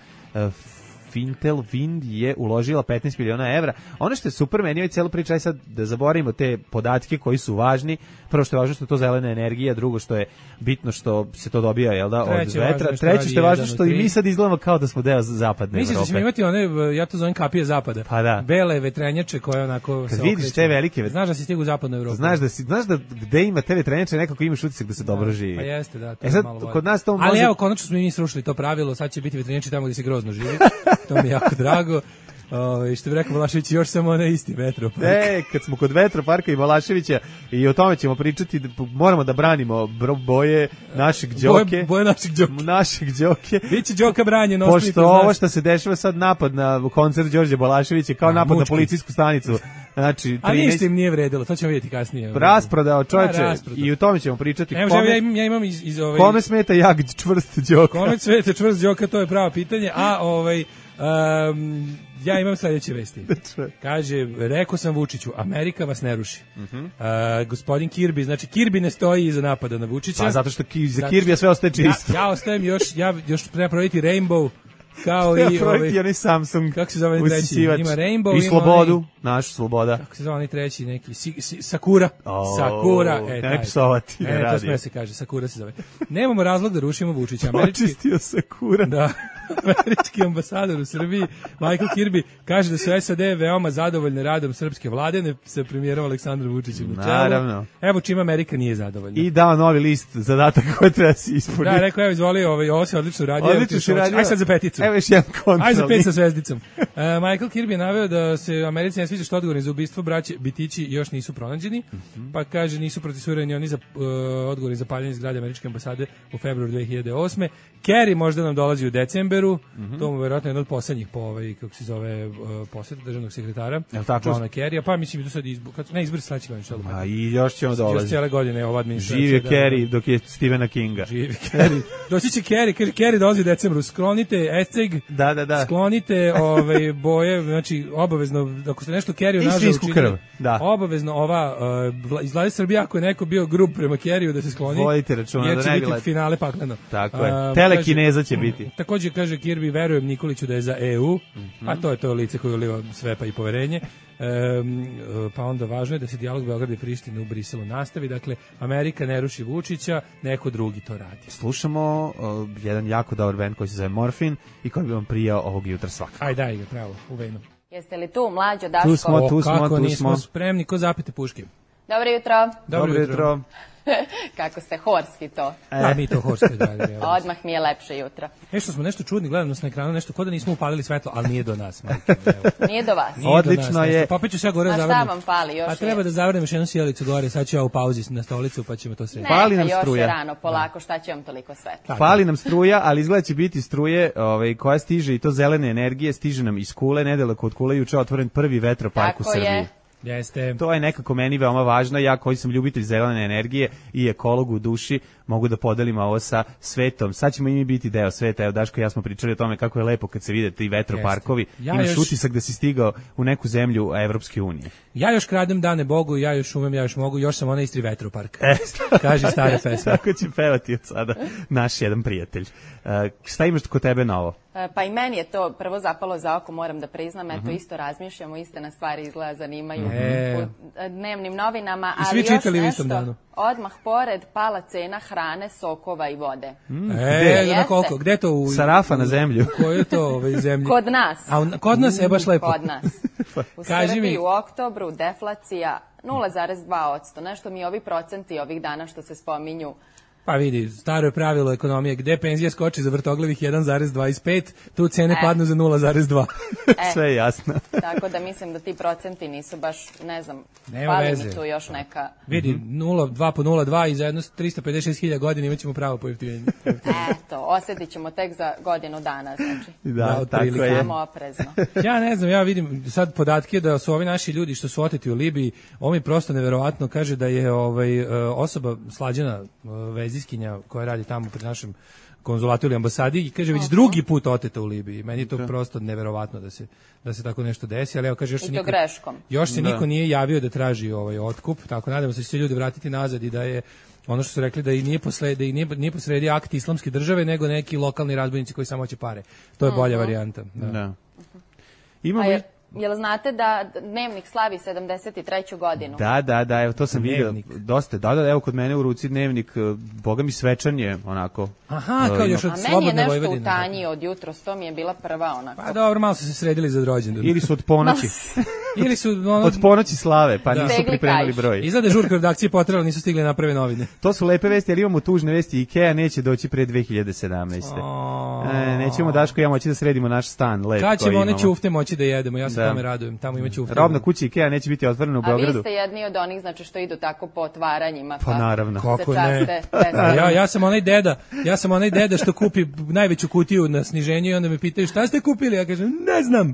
Speaker 5: Fintel Wind je uložila 15 miliona evra. Ono što je super meni je cijela priča, sad da zaboravimo te podatke koji su važni. Prvo što je važno što je to zelena energija, drugo što je bitno što se to dobija, jel da, od vetra. Treće što je važno što i mi sad izgledamo kao da smo deo zapadne Evrope.
Speaker 6: Misliš da ćemo imati one, ja to zovem kapije zapada.
Speaker 5: Pa da.
Speaker 6: Bele vetrenjače koje onako
Speaker 5: kad vidiš te velike
Speaker 6: znaš da si stigao u zapadnu Evropu.
Speaker 5: Znaš da gde ima te vetrenjače nekako imaš utisak da se dobro živi.
Speaker 6: Pa jeste, da.
Speaker 5: To sad, kod nas to može...
Speaker 6: Ali evo, konačno smo mi srušili to pravilo, sad će biti vetrenjači tamo gdje se grozno živi. To mi je jako drago. Što bi rekao Balašević, još samo onaj isti vetropark.
Speaker 5: Kad smo kod vetroparka i Balaševića i o tome ćemo pričati, moramo da branimo boje našeg Đoke.
Speaker 6: Boje našeg
Speaker 5: Đoke.
Speaker 6: Biće Đoka branjen.
Speaker 5: Pošto ovo što se dešava sad napad na koncert Đorđe Balaševića kao napad na policijsku stanicu. Znači, 13...
Speaker 6: Ali ništa im nije vredilo, to ćemo vidjeti kasnije.
Speaker 5: Rasprodao čovječe i o tome ćemo pričati.
Speaker 6: Ja imam iz
Speaker 5: Kome smeta jak čvrst Đoka?
Speaker 6: Kome smeta čvrst Đoka, to je pravo pitanje. A ja imam sledeće vesti. Kaže, rekao sam Vučiću, Amerika vas ne ruši. Gospodin Kirby, znači Kirby ne stoji iza napada na Vučića.
Speaker 5: Pa zato što za Kirby sve ostaje čisto.
Speaker 6: Ja ostajem još treba provjeriti Rainbow. Kao i
Speaker 5: onaj Samsung.
Speaker 6: Kako se zove treći? Ima Rainbow
Speaker 5: i slobodu, našu sloboda.
Speaker 6: Kako se zove onaj treći neki Sakura. Sakura,
Speaker 5: ne psovati, ne radi.
Speaker 6: To sme se kaže, Sakura se zove. Nemamo razlog da rušimo Vučića.
Speaker 5: Očistio Sakura.
Speaker 6: Da. Američki ambasador u Srbiji Michael Kirby kaže da su SAD veoma zadovoljne radom srpske vlade sa premijerom Aleksandrom Vučićem na čelu.
Speaker 5: Naravno.
Speaker 6: Evo čime Amerika nije zadovoljna.
Speaker 5: I dao novi list zadataka koje treba se ispuniti.
Speaker 6: Da, rekao, evo izvoli, ovo se odlično radio. Aj sad za peticu.
Speaker 5: Evo još jedan kontrol.
Speaker 6: Aj za 5 sa zvezdicom. Michael Kirby je naveo da se Americi ne sviđa što odgovorni za ubistvo braće Bitići još nisu pronađeni, pa kaže nisu procesuirani oni za odgovorni za paljenje zgrade američke ambasade u februaru 2008. Kerry možda nam dolazi u decemberu, to mu vjerojatno jedan od poslednjih po kako se zove poseta državnog sekretara Johna Kerrya, pa mislim da sad izbor sledeće godine.
Speaker 5: A i još ćemo dolaziti.
Speaker 6: Još cijele godine ova administracija.
Speaker 5: Živi Kerry dok je Stephena Kinga.
Speaker 6: Živi Kerry. Doći će Kerry, kaže Kerry dolazi u decembru, sklonite esceg, sklonite boje, znači obavezno, ako ste nešto Kerryu nažal učinili, obavezno iz vlade Srbije, ako je neko bio grub prema Kerryu da se skloni,
Speaker 5: vodite računa
Speaker 6: jer će biti finale pakleno.
Speaker 5: Tako je, telekineza će biti.
Speaker 6: Također kaže Kirby, verujem Nikoliću da je za EU, a to je to lice koje uliva sve pa i poverenje. Pa onda važno je da se dijalog Beograda i Prištine u Briselu nastavi, dakle Amerika ne ruši Vučića, neko drugi to radi.
Speaker 5: Slušamo jedan jako dobar band koji se zove Morfin i koji bi vam prijao ovog jutra svakako.
Speaker 6: Aj daj ga, pravo, u venu.
Speaker 8: Jeste li tu, mlađo Daško?
Speaker 5: Tu smo.
Speaker 6: Kako nismo spremni, ko zapite puške.
Speaker 8: Dobro jutro.
Speaker 5: Dobro jutro.
Speaker 8: Kako ste horski to.
Speaker 6: A mi to horski radimo.
Speaker 8: Odmah mi je lepše jutro.
Speaker 6: Što smo nešto čudni, gledamo nas na ekranu, nešto ko da nismo upalili svetlo, ali nije do nas.
Speaker 8: Nije do vas.
Speaker 5: Odlično je.
Speaker 6: Pa opet ću sve gore zavrnuti.
Speaker 8: A šta vam fali još?
Speaker 6: A treba da zavrnem još jednu sjelicu gore, sad ću ja u pauzi na stolicu pa ćemo to srediti.
Speaker 5: Fali nam struja.
Speaker 8: Još je rano, polako, šta će vam toliko svetlo?
Speaker 5: Fali nam struja, ali izgleda će biti struje koja stiže i to zelene energije, stiže nam iz Kule, nedaleko od Kule, juče otvoren prvi vetropark u Srbiji.
Speaker 6: Jeste.
Speaker 5: To je nekako meni veoma važno. Ja koji sam ljubitelj zelene energije i ekolog u duši, mogu da podelim ovo sa svetom. Sad ćemo i mi biti deo sveta. Evo, Daško i ja smo pričali o tome kako je lepo kad se vide ti vetroparkovi. Imaš utisak da si stigao u neku zemlju Evropske unije.
Speaker 6: Ja još kradem dane Bogu, ja još umem, ja još mogu, još sam onaj Istri vetropark. Kaže stara pesma.
Speaker 5: Tako će pevati od sada naš jedan prijatelj. Šta imaš kod tebe novo?
Speaker 8: Pa i meni je to prvo zapalo za oko, moram da priznam, eto isto razmišljamo, iste nas stvari izgleda zanimaju u dnevnim novinama, ali još nešto, odmah pored pala cena hrane, sokova i vode.
Speaker 6: Na koliko? Gde to?
Speaker 5: Sa rafa na zemlju.
Speaker 6: Koje je to zemlje?
Speaker 8: Kod nas.
Speaker 6: Kod nas je baš lepo.
Speaker 8: Kod nas. U Srbiji u oktobru deflacija 0,2%, nešto mi ovi procenti ovih dana što se spominju.
Speaker 6: Pa vidi, staro je pravilo ekonomije, gde penzija skoči za vrtoglivih 1,25, tu cene padnu za 0,2.
Speaker 5: Sve je jasno.
Speaker 8: Tako da mislim da ti procenti nisu baš, ne znam,
Speaker 6: nema
Speaker 8: fali
Speaker 6: veze.
Speaker 8: Mi tu još neka...
Speaker 6: Vidi, 2 po 0,2 i za jedno 356.000 godina imat ćemo pravo pojeftinjenje.
Speaker 8: Eto, osjetit ćemo tek za godinu dana, znači.
Speaker 5: Da, tako je.
Speaker 8: Samo oprezno.
Speaker 6: Ja ne znam, ja vidim sad podatke da su ovi naši ljudi što su oteti u Libiji, ovo mi prosto neverovatno kaže da je osoba Slađana Veziskinja koja radi tamo pri našem konzulatu ili ambasadi i kaže već drugi put oteta u Libiji. Meni je to prosto neverovatno da se tako nešto desi, ali evo kaže još se niko nije javio da traži otkup, tako nadamo se da će se ljudi vratiti nazad i da je ono što su rekli da i nije posredi akt islamske države, nego neki lokalni razbojnici koji samo hoće pare. To je bolja varijanta. Da.
Speaker 5: Imamo
Speaker 8: Jel znate da Dnevnik slavi 73. godinu?
Speaker 5: Da, evo to sam vidio dosta. Da, evo kod mene u ruci Dnevnik, boga mi svečan je onako.
Speaker 6: Aha, kao još od Slobodne Vojvodine.
Speaker 8: A meni je nešto u tanji od jutros, to mi je bila prva onako.
Speaker 6: Pa dobro, malo su se sredili za rođendan.
Speaker 5: Ili su od ponoći.
Speaker 6: Ili su
Speaker 5: od ponoći slave, pa nisu pripremili broj.
Speaker 6: Izgleda žurka redakcije potrela, nisu stigli naprave novine.
Speaker 5: To su lepe vesti, ali imamo tužne vesti. IKEA neće doći pre 2017. Nećemo Daško i ja moći da sredimo naš stan lep.
Speaker 6: Kad ćemo one ćufte moći da jedemo, ja se tome radujem. Tamo ima ćufte.
Speaker 5: Robna kuća IKEA neće biti otvorena u Beogradu.
Speaker 8: A vi ste jedni od onih, znači što idu tako po otvaranjima.
Speaker 5: Pa naravno.
Speaker 6: Kako ne? Ja sam onaj deda što kupi najveću kutiju na sniženju i onda me pitaju šta ste kupili? Ja kažem, ne znam.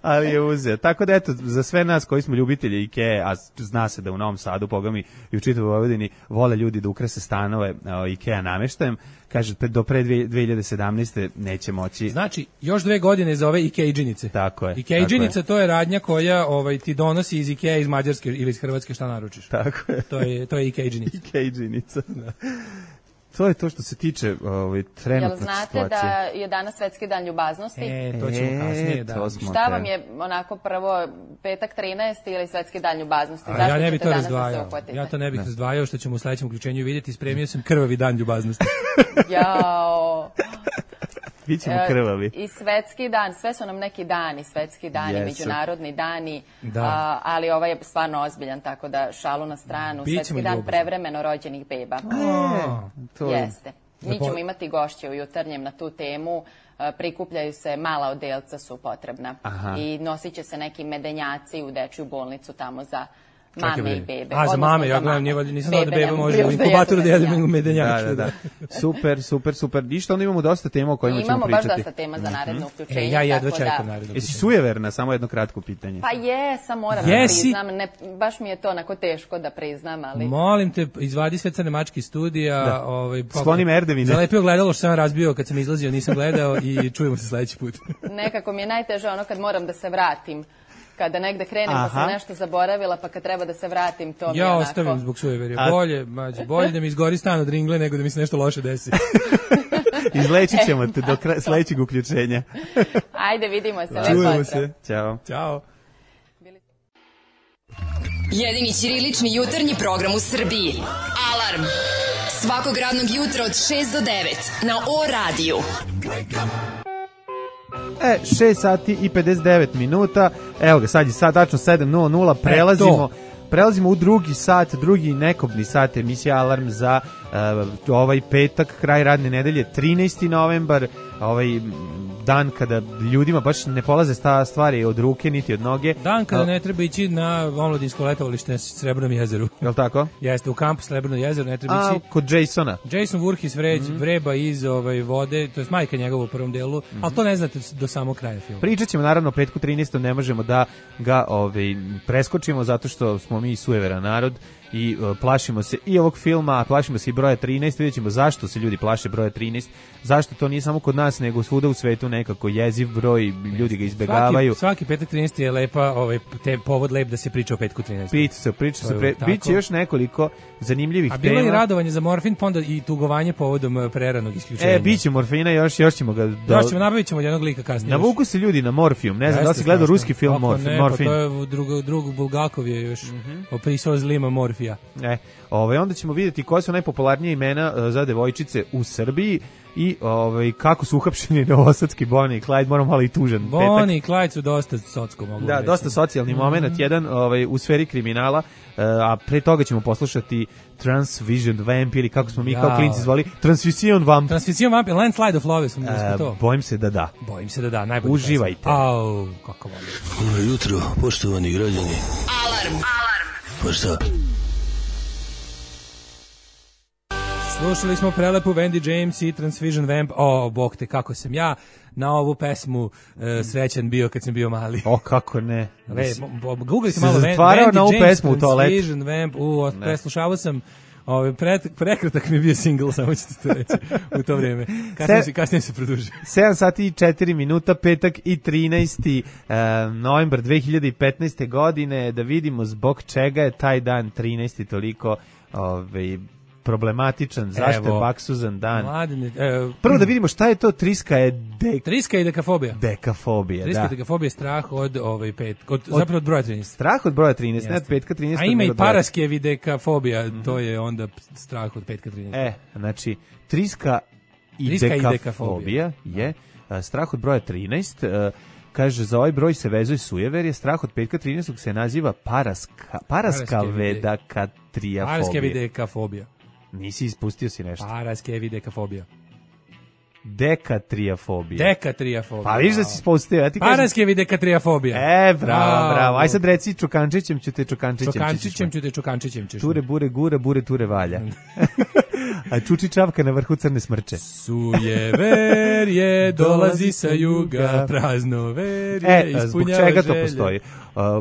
Speaker 5: Ali je uzeo. Tako da eto, za sve nas koji smo ljubitelji IKEA, a zna se da u Novom Sadu, bogami i u čitavoj Vojvodini, vole ljudi da ukrase stanove IKEA nameštajem, kaže do pre 2017. neće moći.
Speaker 6: Znači, još 2 godine za ove IKEA džinice.
Speaker 5: Tako je.
Speaker 6: IKEA džinica to je radnja koja ti donosi iz IKEA, iz Mađarske ili iz Hrvatske šta naručiš.
Speaker 5: Tako je.
Speaker 6: To je IKEA džinica.
Speaker 5: IKEA džinica. Da. To je to što se tiče trenutne situacije.
Speaker 8: Jel znate da je danas Svetski dan ljubaznosti?
Speaker 6: To ćemo kasnije.
Speaker 8: Šta vam je onako prvo petak 13. ili Svetski dan ljubaznosti?
Speaker 6: Ja ne bih to razdvajao. Ja to ne bih razdvajao, što ćemo u sledećem uključenju vidjeti. Spremio sam krvavi dan ljubaznosti.
Speaker 8: Jao.
Speaker 5: Bićemo krvavi.
Speaker 8: I Svetski dan, sve su nam neki dani, Svetski dani, međunarodni dani, ali ovaj je stvarno ozbiljan, tako da šalu na stranu. Svetski dan prevremeno rođenih beba. Jeste. Mi ćemo imati gošće u jutarnjem na tu temu, prikupljaju se, mala odelca su potrebna i nosit će se neki medenjaci u dečju bolnicu tamo za mame i bebe.
Speaker 6: Za mame, ja gledam, nisam znao da beba može u inkubatoru da jedem medenjač.
Speaker 5: Da. Super. Ništa, onda imamo dosta tema o kojima ćemo pričati.
Speaker 8: Imamo baš dosta tema za naredno uključenje.
Speaker 6: Ja jedva čekam naredno.
Speaker 5: Jesi sujeverna, samo jedno kratko pitanje.
Speaker 8: Pa sam moram da priznam, baš mi je to onako teško da priznam, ali...
Speaker 6: Molim te, izvadi sve crne mačke studija.
Speaker 5: Sklonim Erdevine.
Speaker 6: Zalepio gledalo što sam razbio kad sam izlazio, nisam gledao i čujemo se sledeći put.
Speaker 8: Nekako mi je najteže ono kad moram da se vratim. Kada negde krenem pa sam nešto zaboravila, pa kad treba da se vratim, to mi je onako...
Speaker 6: Ja ostavim zbog sujeverja. Bolje da mi izgori stan od ringle nego da mi se nešto loše desi.
Speaker 5: Izlečit ćemo te do sledećeg uključenja.
Speaker 8: Ajde, vidimo se.
Speaker 5: Čujemo se.
Speaker 6: Ćao.
Speaker 4: Jedini ćirilični jutarnji program u Srbiji. Alarm. Svakog radnog jutra od 6 do 9 na O-radiju.
Speaker 5: 6 sati i 59 minuta. Evo ga, sad je tačno 7:00. Prelazimo u drugi sat, drugi nekobni sat emisija Alarm za ovaj petak, kraj radne nedelje, 13. novembar. dan kada ljudima baš ne polaze stvari od ruke niti od noge.
Speaker 6: Dan kada ne treba ići na omladinsko letovalište na Srebrnom jezeru.
Speaker 5: Je li tako?
Speaker 6: Jeste, u kampu Srebrno jezero ne treba ići.
Speaker 5: Kod Jasona.
Speaker 6: Jason Voorhees vreba iz vode, to je majka njegova u prvom delu, ali to ne znate do samog kraja filma.
Speaker 5: Pričat ćemo naravno o petku 13. ne možemo da ga preskočimo zato što smo mi sujeveran narod i plašimo se i ovog filma, a plašimo se i broja 13, vidjet ćemo zašto se ljudi plaše broja 13, zašto to nije samo kod nas, nego svuda u svetu nekako jeziv broj, ljudi ga izbegavaju.
Speaker 6: Svaki petak 13 je lepa, povod lep da se priča o petku 13.
Speaker 5: Priča se, biće još nekoliko zanimljivih tema.
Speaker 6: A bilo je radovanje za morfin, pa onda i tugovanje povodom preranog isključenja.
Speaker 5: Biće morfina, još ćemo ga...
Speaker 6: Nabavit ćemo jednog lika kasnije.
Speaker 5: Navuku se ljudi na morfijum, ne znam da li si gledao ruski film Morfin.
Speaker 6: Pa to je drug Bulgakov je još opisao zlima morfija.
Speaker 5: Onda ćemo vidjeti koje su najpopularnije imena za devojčice u Srbiji i kako su uhapšeni novosadski Bonnie i Clyde, moram malo i tužan petak.
Speaker 6: Bonnie i Clyde su dosta socko mogu reći.
Speaker 5: Dosta socijalni moment, jedan u sferi kriminala, a pre toga ćemo poslušati Transvision Vamp ili kako smo mi kao klinci zvali, Transvision Vamp.
Speaker 6: Transvision Vamp, Landslide of Love smo to.
Speaker 5: Bojim se da da.
Speaker 6: Najbolje.
Speaker 5: Uživajte.
Speaker 6: Kako volim.
Speaker 7: Dobro jutro, poštovani građani.
Speaker 4: Alarm.
Speaker 7: Pa šta?
Speaker 6: Slušali smo prelepu Wendy James i Transvision Vamp. Bog te, kako sam ja na ovu pesmu srećan bio kad sam bio mali.
Speaker 5: Kako ne.
Speaker 6: Googlite malo Wendy James, Transvision Vamp. Preslušavao sam prekratak mi je bio single, samo ćete to reći u to vrijeme. Kasnije se produžio.
Speaker 5: 7 sati i 4 minuta, petak i 13. novembar 2015. godine, da vidimo zbog čega je taj dan 13. toliko problematičan, zašto je baksuzan dan. Prvo da vidimo šta je to triska i
Speaker 6: dekafobija.
Speaker 5: Triska
Speaker 6: i dekafobija je strah od zapravo od broja 13.
Speaker 5: Strah od broja 13, ne od petka 13.
Speaker 6: A ima i paraskevi dekafobija, to je onda strah od petka 13.
Speaker 5: Znači, triska i dekafobija je strah od broja 13. Kaže, za ovaj broj se vezuje sujeverje, strah od petka 13. se naziva paraskavedekatrijafobija. Nisi ispustio si nešto.
Speaker 6: Paraskevidekafobija.
Speaker 5: Dekatrijafobija.
Speaker 6: Pa
Speaker 5: viš da si ispustio.
Speaker 6: Paraskevidekatrijafobija.
Speaker 5: Bravo. Aj sad reci čukančićem ću te
Speaker 6: čukančićem.
Speaker 5: Ture bure gura, bure ture valja. A čuči čavka na vrhu crne smrče.
Speaker 6: Sujeverje dolazi sa juga, praznoverje ispunjava želje.
Speaker 5: Zbog čega to postoji?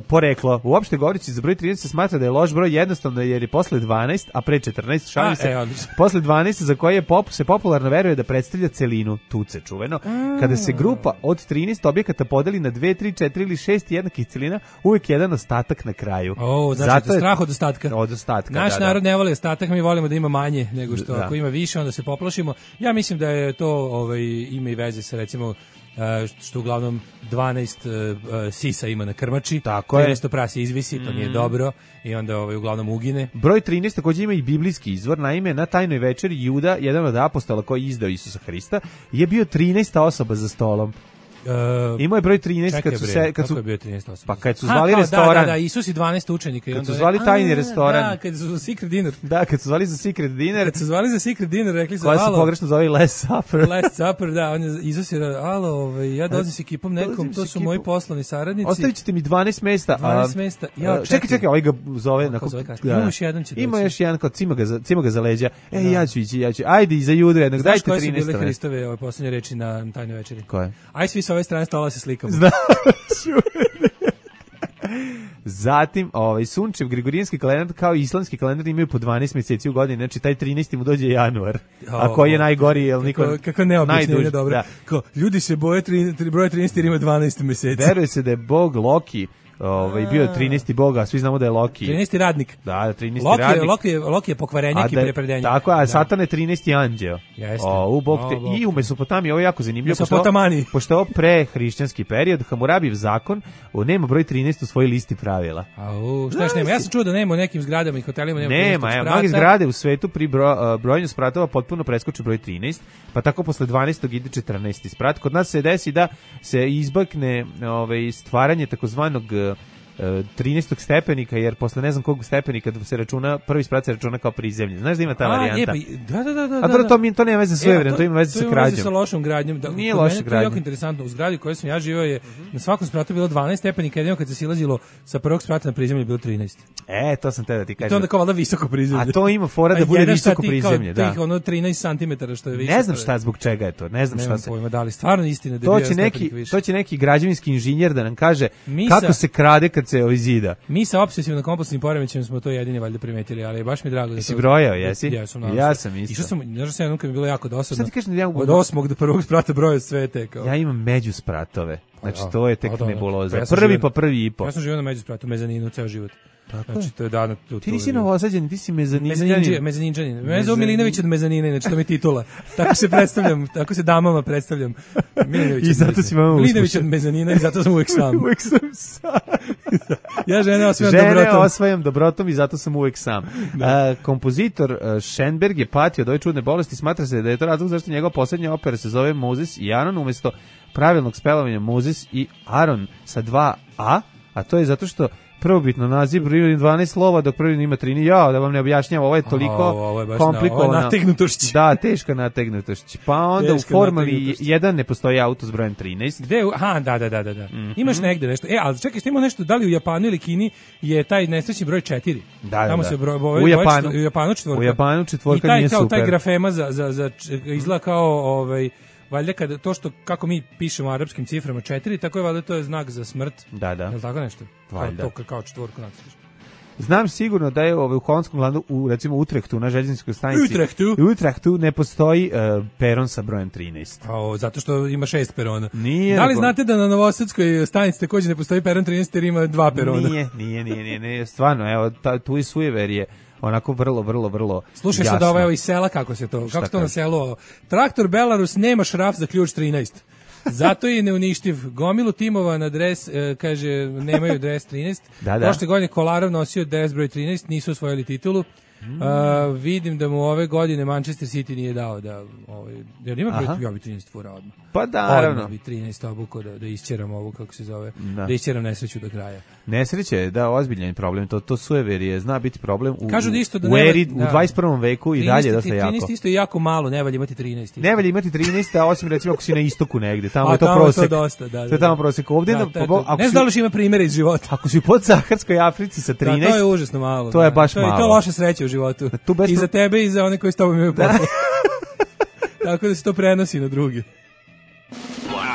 Speaker 5: Poreklo. Uopšte govoreći za broj 13 se smatra da je loš broj jednostavno jer je posle 12, a pre 14, šalim se, posle 12 za koje se popularno veruje da predstavlja celinu, tuce čuveno. Kada se grupa od 13 objekata podeli na 2, 3, 4 ili 6 jednakih celina, uvijek jedan ostatak na kraju.
Speaker 6: Znači strah od ostatka.
Speaker 5: Od ostatka,
Speaker 6: naš narod ne voli ostatak, mi volimo da ima manje nego što ako ima više onda se poplašimo. Ja mislim da je to ima i veze sa recimo što uglavnom 12 sisa ima na krmači,
Speaker 5: tako je.
Speaker 6: 13 prasi izvisi, to nije dobro i onda uglavnom ugine.
Speaker 5: Broj 13 također ima i biblijski izvor, naime na tajnoj večeri Juda, jedan od apostola koji je izdao Isusa Hrista, je bio 13. osoba za stolom. Imao je broj 13
Speaker 6: kako je bio 13 osoba?
Speaker 5: Pa kad su zvali restoran.
Speaker 6: Da, Isus i 12 učenika.
Speaker 5: Kad su zvali tajni restoran.
Speaker 6: Da, kad su za secret dinner.
Speaker 5: Kad su zvali za secret dinner.
Speaker 6: Rekli su,
Speaker 5: koja su pogrešno zvali Last Supper.
Speaker 6: Last Supper, da. Isus je, ja dolazim s ekipom nekom, to su moji poslovni saradnici.
Speaker 5: Ostavit ćete mi 12 mesta.
Speaker 6: 12 mesta.
Speaker 5: Čekaj, ovaj ga zove.
Speaker 6: Ima još jedan će doći.
Speaker 5: Ima još jedan, kao cima ga za leđa. Ja ću ići. Ajde, i za Judu jednog, dajte 13.
Speaker 6: Znaš koje su bile Hristove posljednje reči na tajnoj večeri?
Speaker 5: Koje?
Speaker 6: Aj svi sa ove strane stola se slikamo.
Speaker 5: Zatim, sunčev gregorijanski kalendar kao i islamski kalendar imaju po 12 mjeseci u godini, znači taj 13. mu dođe januar. A koji je najgori, jel niko
Speaker 6: kako neobično je dobro. Da. Ljudi se boje broja 13 jer ima 12 mjeseci.
Speaker 5: Veruje se da je bog Loki bio 13. boga, svi znamo da je Loki.
Speaker 6: 13. radnik.
Speaker 5: Da, 13. radnik.
Speaker 6: Loki je pokvarenjak i prepredenjak.
Speaker 5: Tako, a Satan je 13. anđeo.
Speaker 6: Jeste.
Speaker 5: I u Mesopotamiji, ovo je jako zanimljivo. Pošto je ovo prehrišćanski period, Hamurabijev zakon nema broj 13 u svojoj listi pravila.
Speaker 6: Šta još nema? Ja sam čuo da nema u nekim zgradama i hotelima.
Speaker 5: Nema, mnogi zgrade u svetu pri brojenju spratova potpuno preskoče broj 13, pa tako posle 12. ide 14. sprat. Kod nas se desi da se izbakne stvaranje takozvanog 13. stepenika, jer posle ne znam kog stepenika se računa, prvi sprat se računa kao prizemlje. Znaš da ima ta varijanta?
Speaker 6: Da.
Speaker 5: A dobro, to nema veze sa sujevernim, to ima veze sa krađom.
Speaker 6: To ima veze sa lošom gradnjom.
Speaker 5: Nije loša gradnja.
Speaker 6: To je jako interesantno. U zgradi u kojoj sam ja živio je na svakom spratu bilo 12 stepenika, jedino kad se silazilo sa prvog sprata na prizemlje bilo 13.
Speaker 5: To sam te da ti kažem.
Speaker 6: I to onda kao valjda visoko prizemlje.
Speaker 5: A to ima fora da bude visoko prizemlje, da.
Speaker 6: Tih ono 13 cm što je više.
Speaker 5: Ne znam šta zbog čega je to. Ne znam šta se.
Speaker 6: Pojma, da li stvarno istina da je
Speaker 5: to će neki građevinski inženjer da nam kaže kako se krade kad se zida.
Speaker 6: Mi sa obsesivno kompulsivnim poremećajem smo to jedini valjda primetili, ali baš mi je drago da
Speaker 5: si brojao, jesi?
Speaker 6: Ja
Speaker 5: sam isto.
Speaker 6: Išao sam, znaš da mi je bilo jako dosadno.
Speaker 5: Šta ti kažeš da ja
Speaker 6: od 8. do 1. sprata broja sve tekao.
Speaker 5: Ja imam među spratove. Znači to je tek nebuloza. Prvi pa prvi i po.
Speaker 6: Ja sam živio na među spratu, mezaninu ceo život. Znači to je dano tu.
Speaker 5: Ti nisi novosađen, ti si mezaninđanin.
Speaker 6: Mezaninđanin. Mene zove Milinović od mezanine, znači to mi je titula. Tako se predstavljam, tako se damama predstavljam.
Speaker 5: I zato si mama
Speaker 6: Milinović od mezanina i zato sam uvek sam.
Speaker 5: Uvek sam sam.
Speaker 6: Ja žene
Speaker 5: osvajam dobrotom i zato sam uvek sam. Kompozitor Schoenberg je patio od ove čudne bolesti, smatra se da je to razlog zašto njegova poslednja opera se zove Mozes i Aron umesto pravilnog spelovanja Mozes i Aron sa 2 A, a to je zato što prvobitno naziv broj 12 slova, dok prvi ima 13. Ja, da vam ne objašnjam, ovo je toliko komplikovano.
Speaker 6: Ovo je nategnutošć.
Speaker 5: Da, teška nategnutošć. Pa onda u formuli 1 ne postoji auto s brojem 13.
Speaker 6: Gde? Aha, da. Imaš negde nešto. Ali čekaj, što ima nešto, da li u Japanu ili Kini je taj nesrećni broj 4?
Speaker 5: Da.
Speaker 6: Tamo se
Speaker 5: U
Speaker 6: Japanu četvorka.
Speaker 5: U Japanu četvorka nije super.
Speaker 6: I taj grafema za izgleda kao valjda kada to što kako mi pišemo arapskim ciframa 4, tako je valjda to je znak za smrt.
Speaker 5: Da.
Speaker 6: Je li tako nešto?
Speaker 5: Valjda.
Speaker 6: To kao četvorku nacrtaš.
Speaker 5: Znam sigurno da je u holandskom gradu, recimo Utrechtu, na željezničkoj stanici. Utrechtu ne postoji peron sa brojem 13.
Speaker 6: Zato što ima 6 perona.
Speaker 5: Nije.
Speaker 6: Da li znate da na novosadskoj stanici takođe ne postoji peron 13 jer ima 2 perona?
Speaker 5: Nije. Stvarno, evo, tu i sujeverje. Onako vrlo
Speaker 6: Slušaj
Speaker 5: jasno.
Speaker 6: sad ovo iz sela kako se to, kako se to na selu. Traktor Belarus nema šraf za ključ 13. Zato je neuništiv. Gomilu timova na dres, kaže, nemaju dres 13.
Speaker 5: Da.
Speaker 6: Prošle godine Kolarov nosio dres broj 13, nisu osvojili titulu. Vidim da mu ove godine Manchester City nije dao da jer ima broj, ja bi 13 fura odmah.
Speaker 5: Pa da, naravno.
Speaker 6: Odmah bi 13 obuko da isćeram ovo, kako se zove, da isćeram nesreću do kraja.
Speaker 5: Nesreće je, da, ozbiljan problem, to sujeverije zna biti problem u
Speaker 6: 21.
Speaker 5: veku i dalje dosta jako.
Speaker 6: 13 isto je jako malo, ne valja imati 13.
Speaker 5: Ne valja imati 13, a osim recimo ako si na istoku negde, tamo je to prosek.
Speaker 6: To dosta, da.
Speaker 5: To je tamo prosek. Ovdje
Speaker 6: ne znam da li ima primjere iz života.
Speaker 5: Ako si u podsaharskoj Africi sa 13,
Speaker 6: to je užasno malo.
Speaker 5: To je baš malo.
Speaker 6: To je loša sreća u životu. I za tebe i za one koji s tobom imaju posla. Tako da se to prenosi na druge.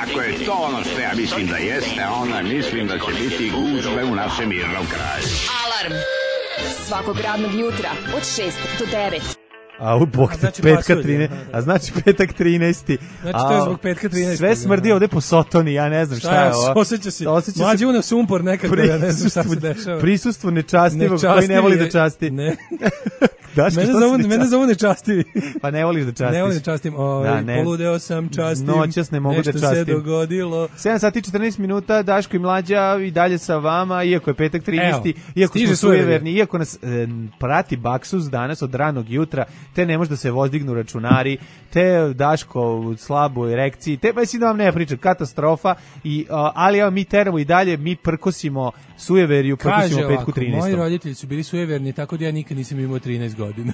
Speaker 9: Ako je to ono što ja mislim da jeste, onda mislim da će biti gužve u našem mirnom kraju.
Speaker 4: Alarm svakog radnog jutra od 6 do 9.
Speaker 5: Petak 13. A znači petak 13.
Speaker 6: Znači to je zbog petka 13.
Speaker 5: Sve smrdi ovde po Sotoni, ja ne znam šta je ovo.
Speaker 6: Osjeća se. Mlađi unav sumpor nekako, ja ne znam šta se dešava.
Speaker 5: Prisustvo nečastivog koji ne voli da časti.
Speaker 6: Ne. Mene zovu nečastivi.
Speaker 5: Pa ne voliš da častiš.
Speaker 6: Ne volim da častim. Poludeo sam, častim.
Speaker 5: Noćas ne mogu da častim.
Speaker 6: Nešto se dogodilo.
Speaker 5: 7 sati 14 minuta, Daško i Mlađa i dalje sa vama, iako je petak 13. Iako smo sujeverni, iako nas prati baksus danas od ranog jutra, te ne može da se vozdignu računari, te Daško u slaboj erekciji, te mislim da vam ne pričam, katastrofa, ali evo mi teramo i dalje, mi prkosimo sujeveriju, prkosimo petku 13.
Speaker 6: Kaže, moji roditelji su bili sujeverni, tako da ja nikad nisam imao 13 godina.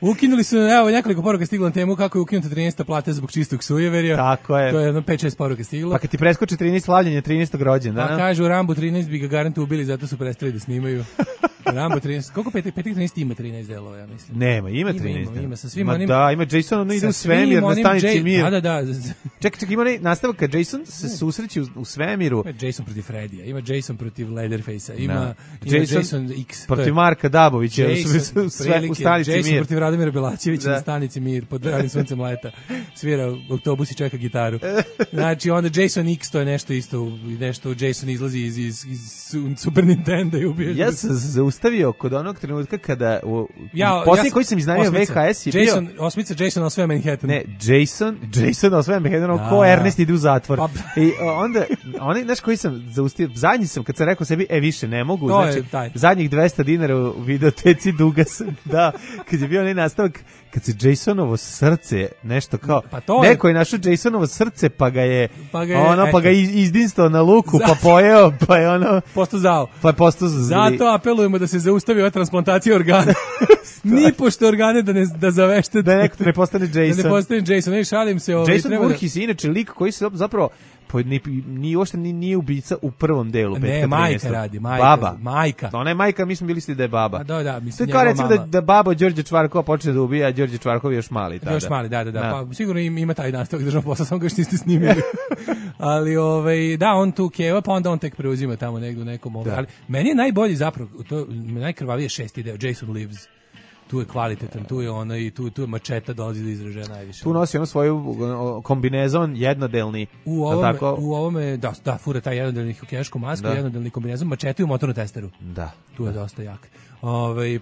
Speaker 6: Ukinuli su, evo, nekoliko poruka stiglo na temu kako je ukinuta 13. plata zbog čistog sujeverja.
Speaker 5: Tako je.
Speaker 6: To je jedno 5-6 poruka stiglo.
Speaker 5: Pa kad ti preskoči 13 slavljenje 13. rođendana.
Speaker 6: Pa kažu, Rambo 13 bi ga garantu ubili, zato su prestali da snimaju. Rambo 13, koliko petak 13 ima 13 delova, ja mislim.
Speaker 5: Nema, ima 13.
Speaker 6: Ima sa svim onim.
Speaker 5: Da, ima Jason, ono ide u svemir na stanici Mir.
Speaker 6: Da.
Speaker 5: Čekaj, ima nastavak kad Jason se susreće u svemiru.
Speaker 6: Ima Jason protiv Fredija, ima Jason protiv Leatherface-a, ima Jason X.
Speaker 5: Protiv Marka Dabovića u stanici Mir.
Speaker 6: Jason protiv Radomira Belačevića na stanici Mir, pod ranim suncem leta. Svira u autobus i čeka gitaru. Znači, onda Jason X, to je nešto isto, nešto Jason izlazi iz Super Nintendo i ubije.
Speaker 5: Ja se zaustavio kod onog trenutka kada posljednji koji sam iznajmio VHS je bio
Speaker 6: Jason osvaja Manhattan.
Speaker 5: Ne, Jason osvaja Manhattan, ko Ernest ide u zatvor. I onda onaj naš koji sam zaustavio, zadnji sam kad sam rekao sebi više ne mogu, znači zadnjih $200 u videoteci duga sam. Da, kad je bio onaj nastavak kad se Jasonovo srce nešto kao neko je našao Jasonovo srce pa ga je izdinstao na luku pa pojeo pa je ono
Speaker 6: postao zao.
Speaker 5: Pa je postao zao.
Speaker 6: Zato apelujemo da se zaustavi ova transplantacija organa. Ni pošto organe da zavešte
Speaker 5: da neko ne postane Jason.
Speaker 6: Da ne postane Jason, ne šalim se.
Speaker 5: Jason Voorhees je inače lik koji se zapravo nije ubica u prvom delu.
Speaker 6: Ne, majka radi,
Speaker 5: baba.
Speaker 6: Majka.
Speaker 5: Ona je majka, mi smo mislili da je baba.
Speaker 6: Da, mislim
Speaker 5: to je kao recimo da baba Đorđe Čvarkova počne da ubija, a Đorđe Čvarkov je još mali. Tada.
Speaker 6: Još mali, da. Pa sigurno ima taj nastavak državnog posla, samo ga još niste snimili. Ali on tu keva, pa onda on tek preuzima tamo negdje u nekom ovom. Ali meni je najbolji zapravo, najkrvavije 6. deo, Jason Lives. Tu je kvalitetan, tu je ono i tu je mačeta dolazi do izražaja najviše.
Speaker 5: Tu nosi ono svoju kombinezon jednodelni.
Speaker 6: U ovome da fura taj jednodelni hokejašku masku, jednodelni kombinezon, mačetu i motornu testeru.
Speaker 5: Da.
Speaker 6: Tu je dosta jak.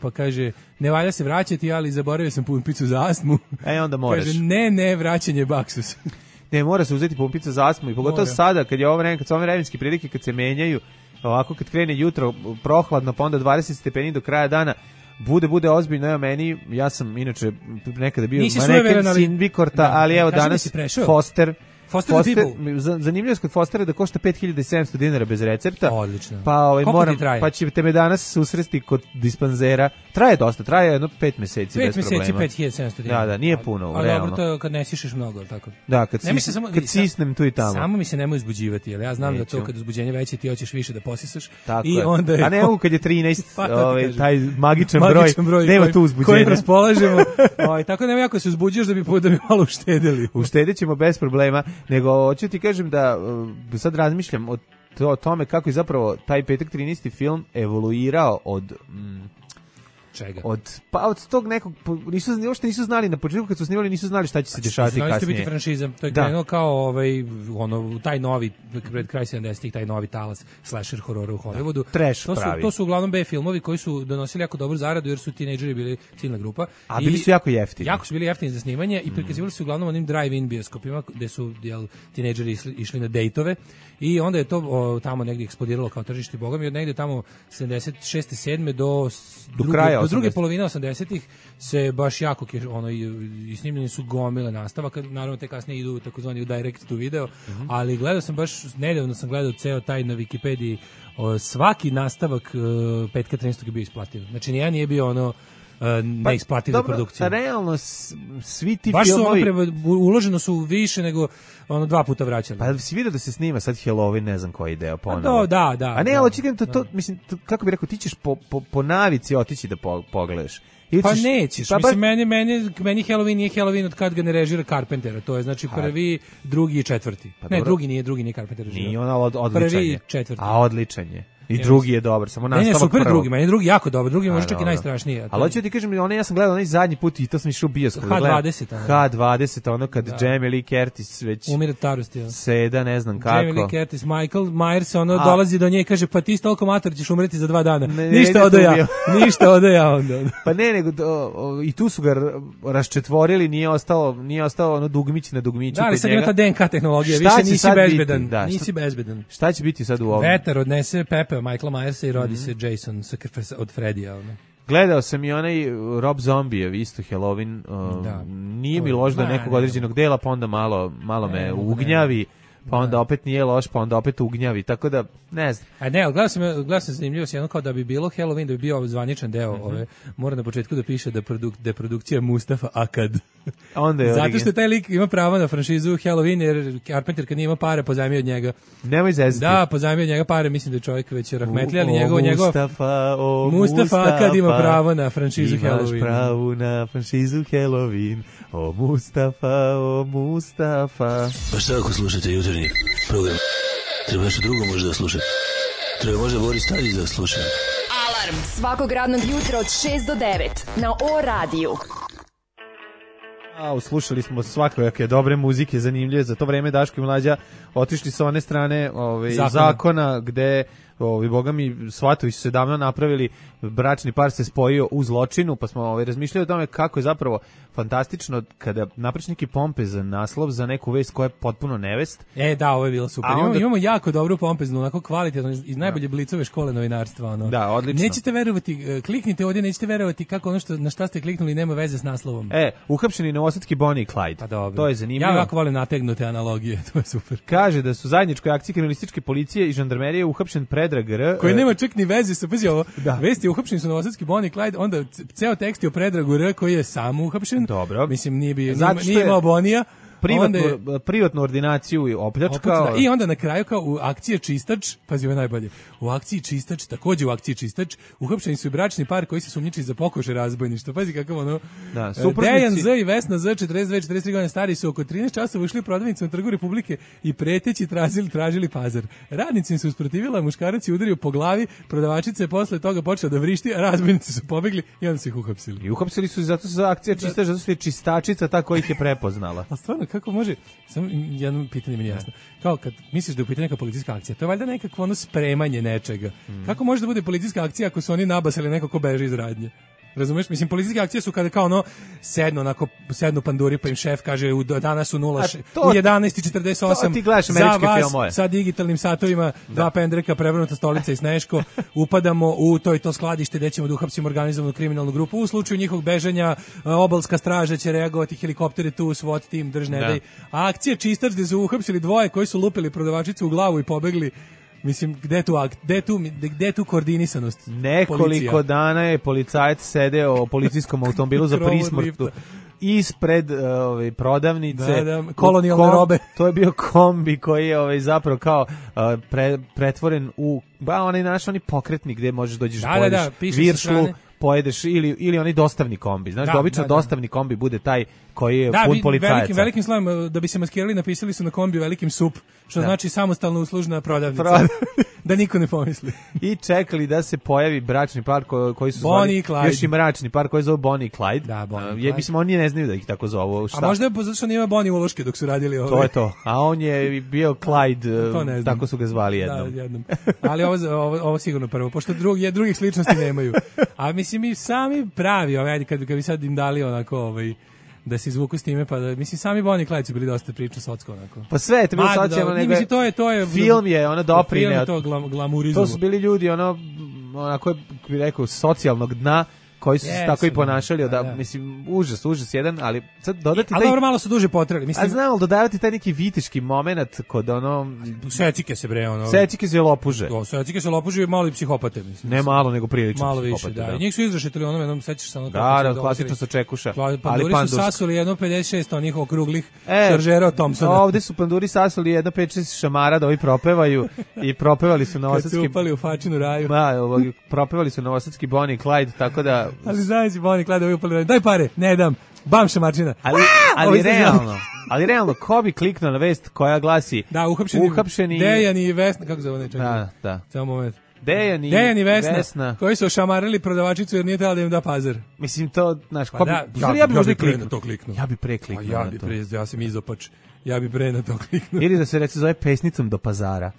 Speaker 6: Pa kaže, ne valja se vraćati, ali zaboravio sam pumpicu za astmu.
Speaker 5: Onda moraš.
Speaker 6: Kaže, ne, vraćanje baksus.
Speaker 5: Ne, mora se uzeti pumpica za astmu i pogotovo sada, kad je ovo vreme, kad su ove vremenske prilike, kad se menjaju, ovako kad krene jutro prohladno, pa onda 20 stepeni do kraja dana, bude ozbiljno, evo meni, ja sam inače nekada bio maneken Sinvikorta, ali evo danas Foster, zanimljivo je kod Fostera da košta $5.700 bez recepta.
Speaker 6: Odlično.
Speaker 5: Pa ćete me danas susresti kod dispanzera. Traje dosta, traje jedno 5 meseci bez problema.
Speaker 6: 5 meseci, $5.700.
Speaker 5: Da, nije puno,
Speaker 6: ali
Speaker 5: realno.
Speaker 6: Ali dobro, to je kad ne sišeš mnogo, tako?
Speaker 5: Da, kad sisnem tu i tamo.
Speaker 6: Samo mi se nemoj uzbuđivati, jer ja znam da to kad uzbuđenje veće ti hoćeš više da posisaš.
Speaker 5: Tako
Speaker 6: je.
Speaker 5: A ne mogu kad je 13, taj magičan broj, nema tu uzbuđenja.
Speaker 6: Koji raspolažemo. Tako nema jako se uzbuđuješ da bi malo uštedili.
Speaker 5: Uštedit ćemo bez problema. Nego, hoću ti kažem da sad razmišljam o tome kako je zapravo taj Petak 13. film evoluirao od...
Speaker 6: Čega?
Speaker 5: Od tog nekog, uopšte nisu znali na početku kad su snimali, nisu znali šta će se dešavati kasnije.
Speaker 6: Znali biti franšiza, to je krenuo kao taj novi, pred kraj 70-ih, taj novi talas slasher horora u Hollywoodu.
Speaker 5: Trash pravi.
Speaker 6: To su uglavnom B filmovi koji su donosili jako dobru zaradu jer su tinejdžeri bili ciljna grupa.
Speaker 5: A bili su jako jeftini.
Speaker 6: Jako su bili jeftini za snimanje i prikazivali su uglavnom onim drive-in bioskopima gde su tinejdžeri išli na dejtove i onda je to tamo negdje eksplodiralo kao tržište bogami i od negdje tamo 76. 7. do kraja do druge polovine 80-ih se baš jako i snimljeni su gomile nastavaka, naravno te kasnije idu takozvani u direct to video, ali gledao sam nedavno sam gledao ceo taj na Wikipediji, svaki nastavak Petka 13. je bio isplativ. Znači nijedan nije bio neisplativ za produkciju.
Speaker 5: Realno svi ti
Speaker 6: baš
Speaker 5: filmovi...
Speaker 6: uloženo su više nego 2 puta vraćali.
Speaker 5: Pa si vidio da se snima sad Halloween, ne znam koji deo ponovo.
Speaker 6: Da.
Speaker 5: A ne, ali očekaj, mislim, kako bi rekao, ti ćeš po navici otići da pogledaš.
Speaker 6: Pa nećeš, mislim, meni Halloween nije Halloween od kad ga ne režira Carpentera, to je znači prvi, drugi i četvrti. Ne, drugi nije Carpenter režirao.
Speaker 5: Nije ona odličan je.
Speaker 6: Prvi i četvrti.
Speaker 5: A odličan je. I drugi je dobar, samo nastavak
Speaker 6: prvo. Ne, super drugi, meni drugi jako dobar, drugi može čak i najstrašniji.
Speaker 5: Ali hoću ti kažem, ja sam gledao onaj zadnji put i to sam išao u bioskop.
Speaker 6: H20,
Speaker 5: ono kad Jamie Lee Curtis već
Speaker 6: umire od starosti.
Speaker 5: Seda, ne znam kako.
Speaker 6: Jamie Lee Curtis, Michael Myers, dolazi do nje i kaže, pa ti toliko mator ćeš umreti za 2 dana. Ništa odaja onda.
Speaker 5: Pa ne, nego i tu su ga raščetvorili, nije ostao ono dugmić na dugmiću.
Speaker 6: Da, ali sad ima ta DNK tehnologija, više nisi bezbedan.
Speaker 5: Šta će biti sad u ovom?
Speaker 6: Vetar odnese Pepe Michaela Myersa i rodi se Jason od Fredija.
Speaker 5: Gledao sam i onaj Rob Zombijev, isto Halloween, nije mi loš do nekog određenog dela, pa onda malo me ugnjavi, pa onda opet nije loš, pa onda opet ugnjavi, tako da, ne znam.
Speaker 6: A ne, gledao sam zanimljivost jedno kao da bi bilo Halloween, da bi bio zvaničan deo, mora na početku da piše da je produkcija Mustafa Akad. Zato što taj lik ima pravo na franšizu Halloween, jer Carpenter kad nije ima pare, pozajmio od njega.
Speaker 5: Nemoj zezati.
Speaker 6: Da, pozajmio od njega pare, mislim da je čovjek već rahmetli, ali Mustafa Akad ima pravo na franšizu Halloween.
Speaker 5: Imaš pravo na franšizu Halloween. O Mustafa.
Speaker 7: Pa šta ako slušate jutarnji program? Treba nešto drugo možda da slušate. Treba možda Boris Tadić da sluša.
Speaker 4: Alarm svakog radnog jutra od 6 do 9 na O radiju.
Speaker 5: Slušali smo svakojake dobre muzike, zanimljive. Za to vreme Daško i Mlađa otišli sa one strane zakona gde boga mi, svatovi su se davno napravili, bračni par se spojio u zločinu, pa smo razmišljali o tome kako je zapravo fantastično kada napraviš neki pompezan naslov za neku vest koja je potpuno nevest.
Speaker 6: Da, ovo je bilo super. Imamo jako dobru pompeznu, onako kvalitetno, iz najbolje Blicove škole novinarstva. Ono.
Speaker 5: Da, odlično.
Speaker 6: Nećete verovati, kliknite ovdje, nećete verovati kako ono na šta ste kliknuli nema veze s naslovom.
Speaker 5: Uhapšeni novosadski Bonnie i Clyde.
Speaker 6: Pa dobro.
Speaker 5: To je zanimljivo.
Speaker 6: Ja jako volim nategnute analogije, to je super.
Speaker 5: Kaže da su zajedničkoj akciji kriminalističke policije i žandarmerije uhapšen Predrag R.
Speaker 6: Koji nema čak ni veze sa, pazi ovo, vesti uhapšeni su novosadski Bonnie i Clyde, onda ceo tekst je o Predragu R koji je sam uhapšen.
Speaker 5: Dobro.
Speaker 6: Mislim, nije imao Bonija.
Speaker 5: Privatnu ordinaciju i opljačkao.
Speaker 6: I onda na kraju kao u akciji Čistač, pazi ovo najbolje, u akciji Čistač, takođe u akciji Čistač, uhapšeni su i bračni par koji se sumnjiči za pokušaj razbojništva. Pazi kakav ono.
Speaker 5: Da,
Speaker 6: Dejan Z i Vesna Z, 42-43 godine stari, su oko 13 časova ušli u prodavnicu na Trgu Republike i preteći tražili pazar. Radnici im se usprotivila, muškarac je udario po glavi, prodavačica je posle toga počela da vrišti, a razbojnici su pobegli i onda su ih uhapsili.
Speaker 5: I uhapsili su zato za akcija Čistač, zato što je čistačica ta koja ih je prepoznala.
Speaker 6: A stvarno, kako može, samo jedno pitanje mi je jasno. Kao kad misliš da je u pitanju neka policijska akcija, to je valjda nekakvo ono spremanje nečega. Kako može da bude policijska akcija ako su oni nabasali neko ko beži iz radnje? Razumeš? Mislim, policijske akcije su kada kao ono sednu panduri pa im šef kaže danas u 11:48 za vas sa digitalnim satovima, dva pendreka, prevrnuta stolica i sneško, upadamo u to skladište gde ćemo da uhapsimo organizovanu kriminalnu grupu. U slučaju njihovog bežanja obalska straža će reagovati, helikopteri tu, SWAT tim, držne dej. A akcija Čistač gde su uhapsili dvoje koji su lupili prodavačicu u glavu i pobegli. Mislim, gde tu koordinisanost?
Speaker 5: Nekoliko dana je policajac sedeo u policijskom automobilu za prismrtnu ispred prodavnice.
Speaker 6: Kolonijalne robe.
Speaker 5: To je bio kombi koji je zapravo kao pretvoren u oni pokretni gde možeš dođeš pojedeš viršlu, pojedeš ili onaj dostavni kombi. Znaš, obično dostavni kombi bude taj koji je pun policajaca.
Speaker 6: Velikim slovom, da bi se maskirali, napisali su na kombiju velikim SUP, što znači samostalno uslužna prodavnica. Da niko ne pomisli.
Speaker 5: I čekali da se pojavi bračni par koji su zvali, još i mračni par koji zove Bonnie i Clyde.
Speaker 6: Da, Bonnie i Clyde.
Speaker 5: Mislim, oni ne znaju da ih tako zovu.
Speaker 6: A možda je zato što nije Bonnie uloške dok su radili ovo.
Speaker 5: To je to. A on je bio Clyde, tako su ga zvali jednom.
Speaker 6: Da, jednom. Ali ovo sigurno prvo, pošto drugih sličnosti nemaju. A mislim, i sami pravi, kad bi sad im dali onako da se izvuku s time, pa da, mislim, sami Bonnie i Clyde su bili dosta priča socko, onako.
Speaker 5: Pa sve je to bilo socijalno, nego film je, doprineo.
Speaker 6: Film je to glamurizmu.
Speaker 5: To su bili ljudi, onako, bi rekao, socijalnog dna, koji su se tako i ponašali, mislim, užas jedan, ali sad dodati
Speaker 6: ali dobro, malo su duže potrali, mislim.
Speaker 5: A znam, dodavati taj neki vitiški moment kod
Speaker 6: secike se bre,
Speaker 5: secike se lopuže.
Speaker 6: Secike se lopuže i malo psihopate, mislim.
Speaker 5: Ne malo, nego prilično
Speaker 6: malo više, da. I njih su izrašetili jednom, sećaš se
Speaker 5: da, klasično sa čekuša.
Speaker 6: Panduri su sasuli jedno 56 onih okruglih šaržera od Thompsona.
Speaker 5: Ovde su panduri sasuli jedno 5-6 šamara da ovi propevaju i propevali su novosadski.
Speaker 6: Kad su upali u fačinu raju.
Speaker 5: Da, propevali su novosadski Bonnie i Clyde, tako da
Speaker 6: ali znaš Bonnie i Clyde upali, daj pare, ne dam, bam šamarčina.
Speaker 5: Ali realno, ko bi kliknuo na vest koja glasi uhapšeni
Speaker 6: Dejan i Vesna, kako zove ne čekaj.
Speaker 5: Da.
Speaker 6: Samo moment.
Speaker 5: Dejan i Vesna
Speaker 6: koji su ošamarili prodavačicu jer nije trebalo da im da pazar.
Speaker 5: Mislim to, znaš,
Speaker 6: ja bi možda kliknuo.
Speaker 5: Ja bi prekliknuo.
Speaker 6: Ja sam izopač. Ja bi pre na to kliknuo.
Speaker 5: Ili da se reče zove pesnicom do pazara.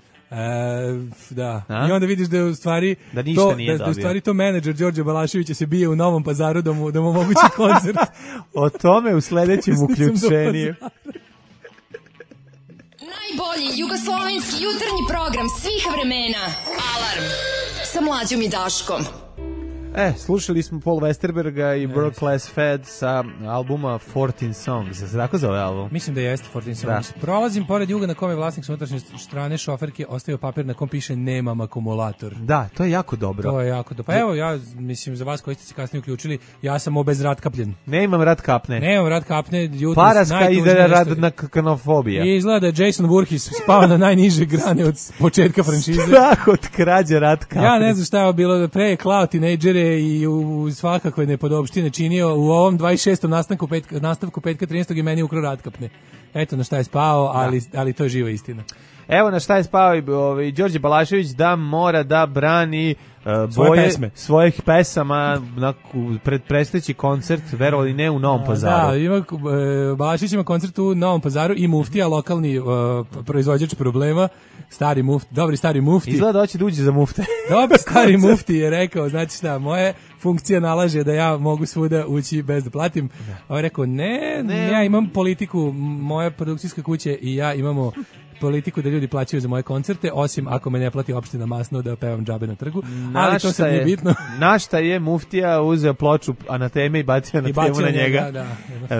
Speaker 6: Da. I onda vidiš da je u stvari
Speaker 5: da ništa nije dobio.
Speaker 6: Da je u stvari to menadžer Đorđe Balaševića se bije u Novom Pazaru da mu omogući koncert.
Speaker 5: O tome u sledećem uključenju.
Speaker 4: Najbolji jugoslovenski jutarnji program svih vremena. Alarm sa Mlađom i Daškom.
Speaker 5: Slušali smo Paul Westerberga i World Class Fed sa albuma 14 Songs. Se tako zove album?
Speaker 6: Mislim da jeste 14 Songs. Prolazim pored juga na kome vlasnik s unutrašnje strane šoferke ostavio papir na kom piše nemam akumulator.
Speaker 5: Da, to je jako dobro.
Speaker 6: To je jako dobro. Pa evo, ja mislim za vas koji ste se kasnije uključili, ja sam obezratkapljen.
Speaker 5: Nemam rad kapne.
Speaker 6: Paraska
Speaker 5: ide radna kanofobija.
Speaker 6: I izgleda da Jason Voorhees spava na najniže grane od početka franšize.
Speaker 5: Strah od krađe rad kapne.
Speaker 6: Ja ne znam šta je bilo, pre je klao tinejdžere i u svakakve nepodopštine činio u ovom 26. nastavku petka 13. i meni ukrao rad kapne. Eto na šta je spao, ali to je živa istina.
Speaker 5: Evo na šta je spao i Đorđe Balašević, da mora da brani boje svojih pesama pred predstojeći koncert, verovali ne, u Novom Pazaru.
Speaker 6: Da, ima, Balašević ima koncert u Novom Pazaru i Muftija, lokalni proizvođač problema, dobri stari Mufti.
Speaker 5: Izgleda hoće da uđe za Mufte.
Speaker 6: Dobri stari Mufti je rekao, znači šta, moje funkcija nalaže da ja mogu svuda ući bez da platim. On je rekao, ne, ja imam politiku, moja produkcijska kuća i ja imamo politiku da ljudi plaćaju za moje koncerte, osim ako me ne plati opština Masno da pevam džabe na trgu, ali to sad nije bitno.
Speaker 5: Našta je Muftija uzeo ploču Anateme i bacio na temu na njega.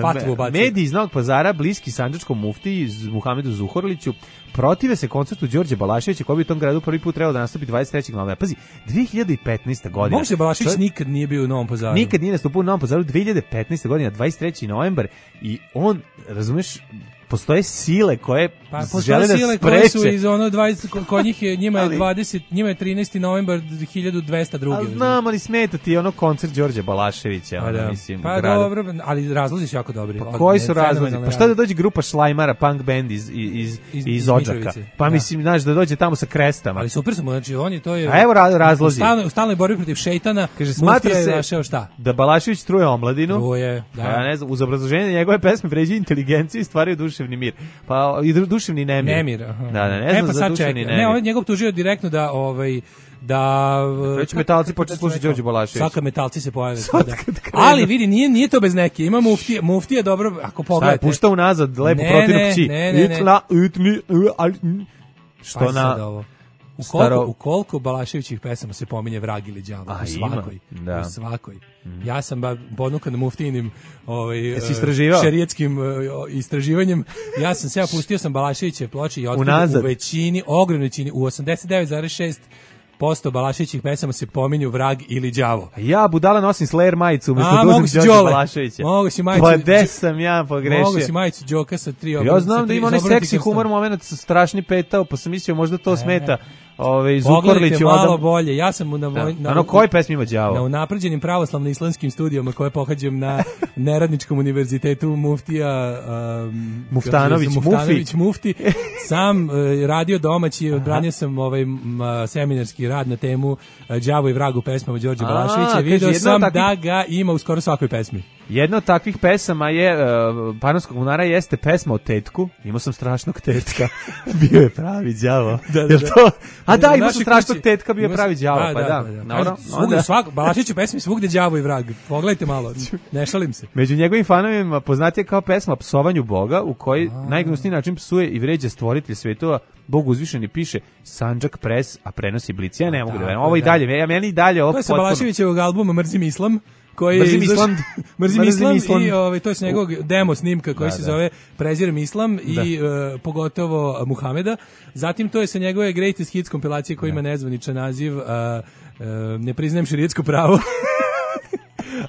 Speaker 6: Fatvu bacio.
Speaker 5: Mediji iz Novog Pazara, bliski sandžačkom muftiji Muhamedu Zuhorliću, protive se koncertu Đorđe Balaševića koji bi u tom gradu prvi put trebao da nastupi 23. novembra. Pazi, 2015. godina.
Speaker 6: Možda Balašević nikad nije bio u Novom Pazaru.
Speaker 5: Nikad nije nastupio u Novom Pazaru, 2015. godina, 23. novembar i on, razumeš, postoje sile koje žele da spreče.
Speaker 6: Koje su iz ono 20, kod njih je, njima je 20, njima je 13. novembar 1202.
Speaker 5: Ali znam, ali smeta ti ono koncert Đorđe Balaševića. Mislim,
Speaker 6: pa dobro, ali razlozi su jako dobri.
Speaker 5: Pa koji su razlozi? Pa šta da dođe grupa Šlajmara, punk band iz Odžaka? Pa mislim, znaš, da dođe tamo sa krestama.
Speaker 6: Ali super smo, znači oni to je...
Speaker 5: A evo razlozi.
Speaker 6: U stalnoj borbi protiv šejtana,
Speaker 5: kaže, smatra se
Speaker 6: našao šta?
Speaker 5: Da Balašević truje omladinu.
Speaker 6: Truje, da.
Speaker 5: Ja ne znam, uz obrazloženje njegove pesme vređaju inteligenciju i stvaraju duševni mir. Pa i duševni nemir.
Speaker 6: Da,
Speaker 5: ne znam za duševni nemir.
Speaker 6: Ne, on njegov tužio direktno da
Speaker 5: već metalci počeli slušati Đorđe Balašević.
Speaker 6: Svaka metalci se pojave. Ali vidi, nije to bez neke. Ima muftija dobro, ako pogledate.
Speaker 5: Šta je, pušta unazad, lepo protivno kći. Što na...
Speaker 6: U koliko Balaševićih pesama se pominje vrag ili đavo? U svakoj. Ja sam ponukan muftijinim šerijetskim istraživanjem. Ja sam se pustio sam Balaševiće ploče i otkrio u većini, ogromnoj većini, u 89,6% Balaševićih pesama se pominju vrag ili đavo.
Speaker 5: Ja budala nosim Slayer majicu umjesto dužnog Đorđe Balaševića.
Speaker 6: Mogu si majicu.
Speaker 5: Pa gde sam ja pogrešio?
Speaker 6: Mogu si majicu Đoka sa 3 obrnuta.
Speaker 5: Ja znam da ima onaj seksi humor moment sa strašni petao, pa sam mislio možda to smeta. Zukorlić
Speaker 6: malo bolje. Ja sam
Speaker 5: na koji pesmi ima đavo?
Speaker 6: Na unapređenim pravoslavno-islamskim studijama koje pohađam na Neradničkom univerzitetu Muftija
Speaker 5: Muftanović
Speaker 6: Mufti. Sam radio domaći, odbranio sam seminarski rad na temu đavo i vrag u pesmama Đorđe Balaševića. Video sam da ga ima u skoro svakoj pesmi.
Speaker 5: Jedna od takvih pesama je Panonskog bunara jeste pesma o tetku. Imao sam strašnog tetka. Bio je pravi đavo. Da, imao sam strašnog tetka, bio je pravi đavo. Pa da.
Speaker 6: Balašević u pesmi svugde đavo i vrag. Pogledajte malo, ne šalim se.
Speaker 5: Među njegovim fanovima poznatija kao pesma o psovanju Boga, u kojoj najgnusniji način psuje i vređa stvoritelj svetova. Bog uzvišeni piše Sandžak Pres, a prenosi Blic. Ja ne mogu da verujem. Ovo i dalje, meni i dalje ovo.
Speaker 6: To je sa Balaševićevog albuma Mrzim Islam.
Speaker 5: Mrzim Islam
Speaker 6: i to je s njegovog demo snimka koji se zove Prezirem Islam i pogotovo Muhameda. Zatim to je sa njegove Greatest Hits kompilacije koja ima nezvaničan naziv Ne priznajem šerijetsko pravo.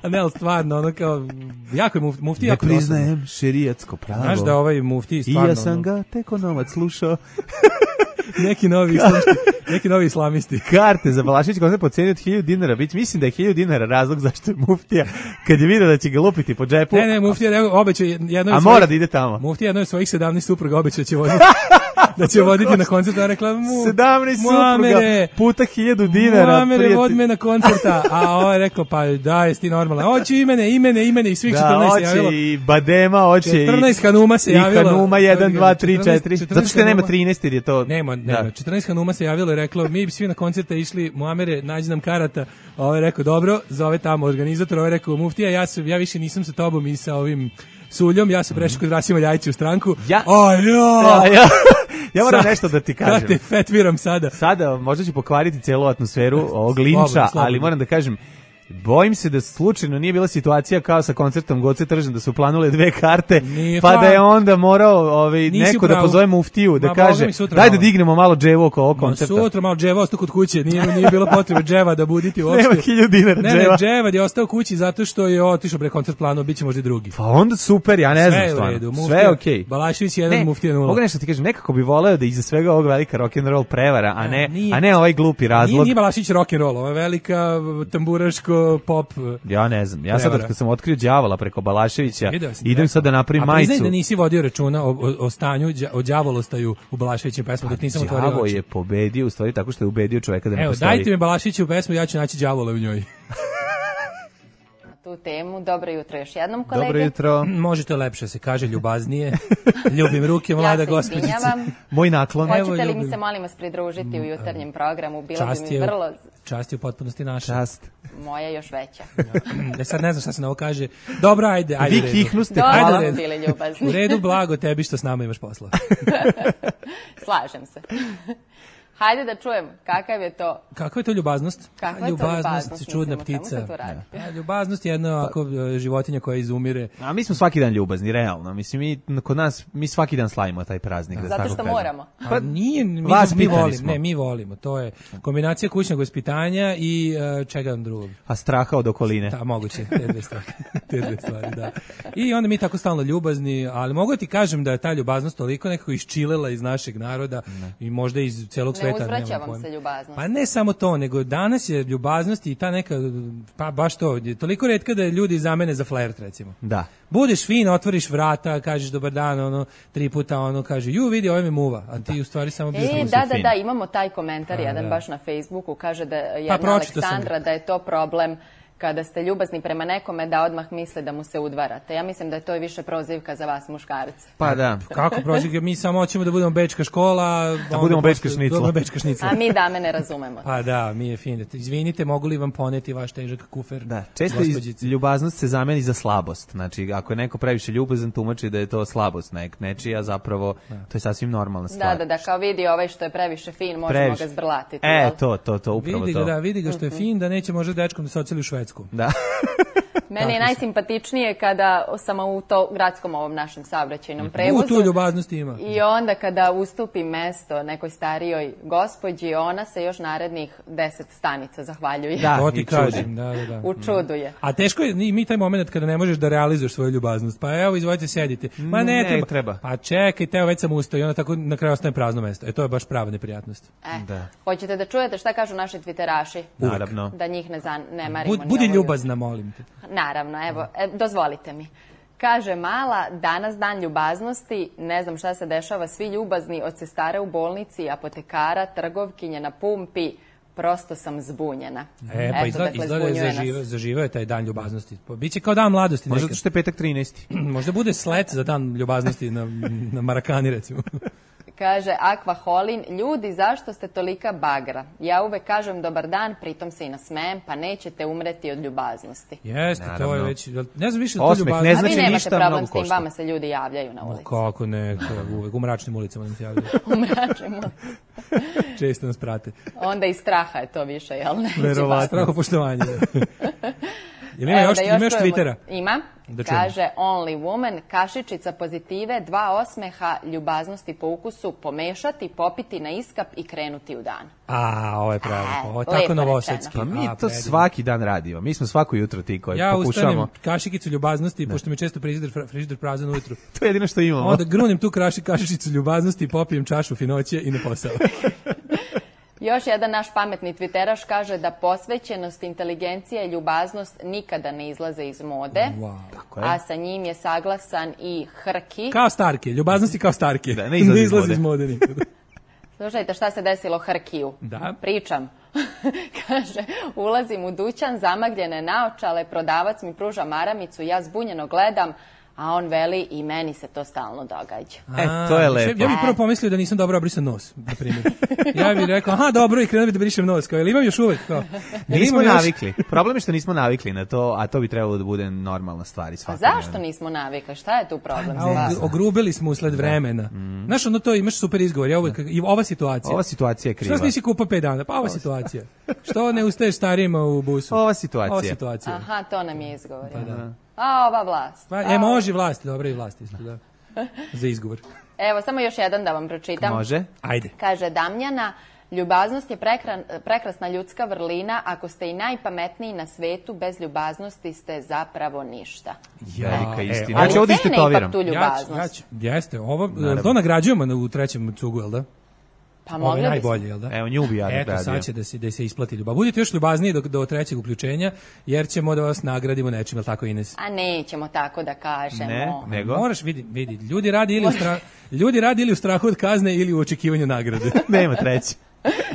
Speaker 6: A ne, ali stvarno, ono kao, jako je mufti jako
Speaker 5: ne priznajem šerijetsko pravo.
Speaker 6: Znaš da ovaj mufti stvarno...
Speaker 5: I ja sam ga tek onovac slušao.
Speaker 6: Neki novi islamisti.
Speaker 5: Karte za Balašević koncert po ceni od 1000 dinara. Mislim da je 1000 dinara razlog zašto je muftija, kad je vidio da će ga lupiti po džepu.
Speaker 6: Ne, muftija obećao jednoj
Speaker 5: a mora da ide tamo.
Speaker 6: Muftija jednoj svojih 17 supruga obećao da će voditi na koncert. A rekla
Speaker 5: 17 supruga puta 1000 dinara.
Speaker 6: Muamere, vod me na koncerta. A ovo je rekao, pa da, jesi ti normalno. Hoće imene i svih 14 se javilo.
Speaker 5: Da, hoće i Badema, hoće
Speaker 6: 14 Hanuma se javilo.
Speaker 5: I Hanuma 1, 2, 3, 4. Zato što nema 13 jer je to...
Speaker 6: Nema. 14 Hanuma se javilo i reklo, mi bi svi na koncerte išli, Muamere, nađi nam karata. A ovo je rekao, dobro, zove tamo organizator, ovo je rekao, muftija, ja više nisam sa tobom i sa ovim Suljom, ja sam prešao kod Rasima Ljajića u stranku.
Speaker 5: Ja moram nešto da ti kažem.
Speaker 6: Da te fetviram sada.
Speaker 5: Sada možda ću pokvariti celu atmosferu ovog linča, ali moram da kažem, bojim se da slučajno nije bila situacija kao sa koncertom Goce Tržan, da su planule 2 karte, pa da je onda morao neko da pozove muftiju, da kaže, daj da dignemo malo dževo oko ovog koncerta.
Speaker 6: Sutra malo dževa ostao kod kuće, nije bilo potrebe dževa da buditi uopšte.
Speaker 5: Nema 1000 dinara dževa.
Speaker 6: Ne, dževa je ostao kući zato što je otišao pre koncert planu, bit će možda i drugi.
Speaker 5: Pa onda super, ja ne znam stvarno. Sve je okej.
Speaker 6: Balašević 1, muftija 0.
Speaker 5: Mogu nešto ti kažem, nekako bi voleo da iza svega ovog velika rock'n'roll prevara, a ne ovaj glupi razlog.
Speaker 6: Nije Balašević rock'n'roll, ovo je velika tamburaško pop.
Speaker 5: Ja ne znam. Ja sad kad sam otkrio đavola preko Balaševića, idem sad da napravim majicu.
Speaker 6: A priznaj da nisi vodio računa o stanju, o đavolostaju u Balaševićem pesmu, dok nisam otvorio oči.
Speaker 5: Đavo je pobedio u stvari tako što je ubedio čoveka da ne postoji.
Speaker 6: Evo, dajte mi Balaševiću pesmu, ja ću naći đavola u njoj.
Speaker 8: Tu temu. Dobro jutro još jednom, kolege.
Speaker 5: Dobro jutro.
Speaker 6: Možete lepše se kaže, ljubaznije. Ljubim ruke, mlada gospođice.
Speaker 8: Ja se izvinjavam.
Speaker 5: Moj naklon.
Speaker 8: Hoćete li mi se, molim vas, pridružiti u jutarnjem programu? Bilo bi mi vrlo...
Speaker 6: Čast je u potpunosti naša.
Speaker 5: Čast.
Speaker 8: Moja još veća.
Speaker 6: Sad ne znam šta se na ovo kaže. Dobro, ajde.
Speaker 5: Vi kihnuste.
Speaker 8: Dobro smo bili ljubazni.
Speaker 6: U redu, blago tebi što s nama imaš posla.
Speaker 8: Slažem se. Hajde da čujem, kakav je to...
Speaker 6: Kakva je to ljubaznost?
Speaker 8: Kakva je to ljubaznost?
Speaker 6: Čudna ptica. Ljubaznost je jedna životinja koja izumire.
Speaker 5: A mi smo svaki dan ljubazni, realno. Mislim, kod nas, mi svaki dan slavimo taj praznik.
Speaker 8: Zato što moramo.
Speaker 6: Pa nije, mi volimo. To je kombinacija kućnog vaspitanja i čega drugog.
Speaker 5: A straha od okoline.
Speaker 6: Da, moguće, te dve stvari, da. I onda mi tako stalno ljubazni, ali mogu ti kažem da je ta ljubaznost toliko nekako isčilela iz našeg naroda i možda iz celog sveta.
Speaker 8: Ne uzvraćavam se ljubaznost.
Speaker 6: Pa ne samo to, nego danas je ljubaznost i ta neka, pa baš to, toliko retka da ljudi zamene za flert, recimo.
Speaker 5: Da.
Speaker 6: Budeš fin, otvoriš vrata, kažeš dobar dan, 3 puta kaže, vidi, ovo me muva, a ti u stvari samo bio
Speaker 8: Da, imamo taj komentar jedan baš na Facebooku, kaže da jedna Aleksandra da je to problem kada ste ljubazni prema nekome da odmah misle da mu se udvarate. Ja mislim da je to više prozivka za vas muškarce.
Speaker 5: Pa da.
Speaker 6: Kako prozivka? Mi samo hoćemo da budemo bečka škola.
Speaker 5: Da budemo bečka šnicla.
Speaker 8: A mi dame ne razumemo.
Speaker 6: Pa da, mi je fino. Izvinite, mogu li vam poneti vaš težak kufer?
Speaker 5: Da, često ljubaznost se zameni za slabost. Znači, ako je neko previše ljubazan, tumači da je to slabost nečija, zapravo to je sasvim normalna stvar.
Speaker 8: Da, kao vidi ovaj što je previše fin, možemo ga zbrlatiti.
Speaker 5: To, upravo to.
Speaker 6: Vidi ga što je fin, da neće može dečkom da se oceli u Švedsku.
Speaker 5: Da.
Speaker 8: Meni je najsimpatičnije kada sam u to gradskom ovom našem saobraćajnom prevozu.
Speaker 6: Tu ljubaznosti ima.
Speaker 8: I onda kada ustupi mesto nekoj starijoj gospođi, ona se još narednih 10 stanica zahvaljuje.
Speaker 6: Da, to ti kažem.
Speaker 8: U čudu je.
Speaker 6: A teško je, mi taj moment kada ne možeš da realizuješ svoju ljubaznost. Pa evo, izvolite, sedite. Ma ne treba. Pa čekajte, evo već sam ustao i onda tako na kraju ostane prazno mesto. To je baš prava neprijatnost.
Speaker 8: Hoćete da čujete šta kažu naši twitteraši?
Speaker 5: Naravno.
Speaker 8: Da njih ne marimo.
Speaker 6: Budi ljubazna, molim te.
Speaker 8: Naravno, evo, dozvolite mi. Kaže Mala, danas dan ljubaznosti, ne znam šta se dešava, svi ljubazni od sestare u bolnici, apotekara, trgovkinje na pumpi, prosto sam zbunjena.
Speaker 6: Pa izgleda zaživao je taj dan ljubaznosti. Biće kao dan mladosti.
Speaker 5: Možda što je petak 13.
Speaker 6: Možda bude slet za dan ljubaznosti na Marakani, recimo.
Speaker 8: Kaže Aqua Holin, ljudi, zašto ste tolika bagra? Ja uvek kažem dobar dan, pritom se i nasmejem, pa nećete umreti od ljubaznosti.
Speaker 6: Jeste, to je već, ne znam više to ljubaznost.
Speaker 5: Ne znači
Speaker 8: ništa mnogo
Speaker 5: košta.
Speaker 8: A vi nemate problem s tim, vama se ljudi javljaju na ulici.
Speaker 6: Kako ne, uvek u mračnim ulicama nam se javljaju.
Speaker 8: U mračnim ulicama.
Speaker 6: Često nas prate.
Speaker 8: Onda iz straha je to više, jel ne?
Speaker 6: Verovatno, strahopoštovanje. Ima još Twittera?
Speaker 8: Ima. Kaže Only Woman, kašičica pozitive, 2 osmeha, ljubaznosti po ukusu, pomešati, popiti na iskap i krenuti u dan.
Speaker 6: Ovo je pravilno. Ovo je tako novosadski.
Speaker 5: Pa mi to svaki dan radimo. Mi smo svako jutro ti koji pokušamo.
Speaker 6: Ja ustanem kašikicu ljubaznosti, pošto mi često frižider prazan ujutru.
Speaker 5: To je jedino što imamo.
Speaker 6: Onda grunim tu kašičicu ljubaznosti, popijem čašu finoće i na posao.
Speaker 8: Još jedan naš pametni twitteraš kaže da posvećenost, inteligencija i ljubaznost nikada ne izlaze iz mode, a sa njim je saglasan i Hrki.
Speaker 6: Kao Starke, ljubaznosti kao Starke.
Speaker 5: Da, ne izlaze
Speaker 6: iz mode nikada.
Speaker 8: Slušajte šta se desilo Hrkiju.
Speaker 6: Da.
Speaker 8: Pričam. Kaže, ulazim u dućan, zamagljene naočale, prodavac mi pruža maramicu, ja zbunjeno gledam, a on veli i meni se to stalno događa.
Speaker 5: To je lepo.
Speaker 6: Ja bih prvo pomislio da nisam dobro obrisan nos, na primjer. Ja bih rekao, dobro, i krenuo bih da brišem nos, kao, ili imam još uvek?
Speaker 5: Nismo navikli. Problem je što nismo navikli na to, a to bi trebalo da bude normalna stvar.
Speaker 8: A zašto nismo navikli? Šta je tu problem?
Speaker 6: Ogrubili smo usled vremena. Znaš, to imaš super izgovor. Ova situacija.
Speaker 5: Ova situacija je kriva.
Speaker 6: Što nisi kupao 5 dana? Pa ova situacija. Što ne ustaješ starijima u busu?
Speaker 5: Ova situacija.
Speaker 8: Aha, to nam je izgovor. A ova vlast.
Speaker 6: Može vlasti, dobre i vlasti isto, da. Za izgovor.
Speaker 8: Evo, samo još jedan da vam pročitam.
Speaker 5: Može.
Speaker 6: Ajde.
Speaker 8: Kaže Damjana, ljubaznost je prekrasna ljudska vrlina, ako ste i najpametniji na svetu, bez ljubaznosti ste zapravo ništa.
Speaker 5: Velika istina.
Speaker 8: Ali cene ipak tu ljubaznost.
Speaker 6: Jeste, to nagrađujemo u trećem cugu, jel da?
Speaker 8: Pa mogli
Speaker 6: najbolje, jel da?
Speaker 5: Evo, nju bi ja nagradio.
Speaker 6: Eto, sad će da se isplati ljubav. Budite još ljubazniji do trećeg uključenja, jer ćemo da vas nagradimo nečim, jel tako, Ines?
Speaker 8: A nećemo tako da kažemo.
Speaker 5: Ne, nego?
Speaker 6: Moraš, vidi, ljudi radi ili u strahu od kazne ili u očekivanju nagrade.
Speaker 5: Nema treći.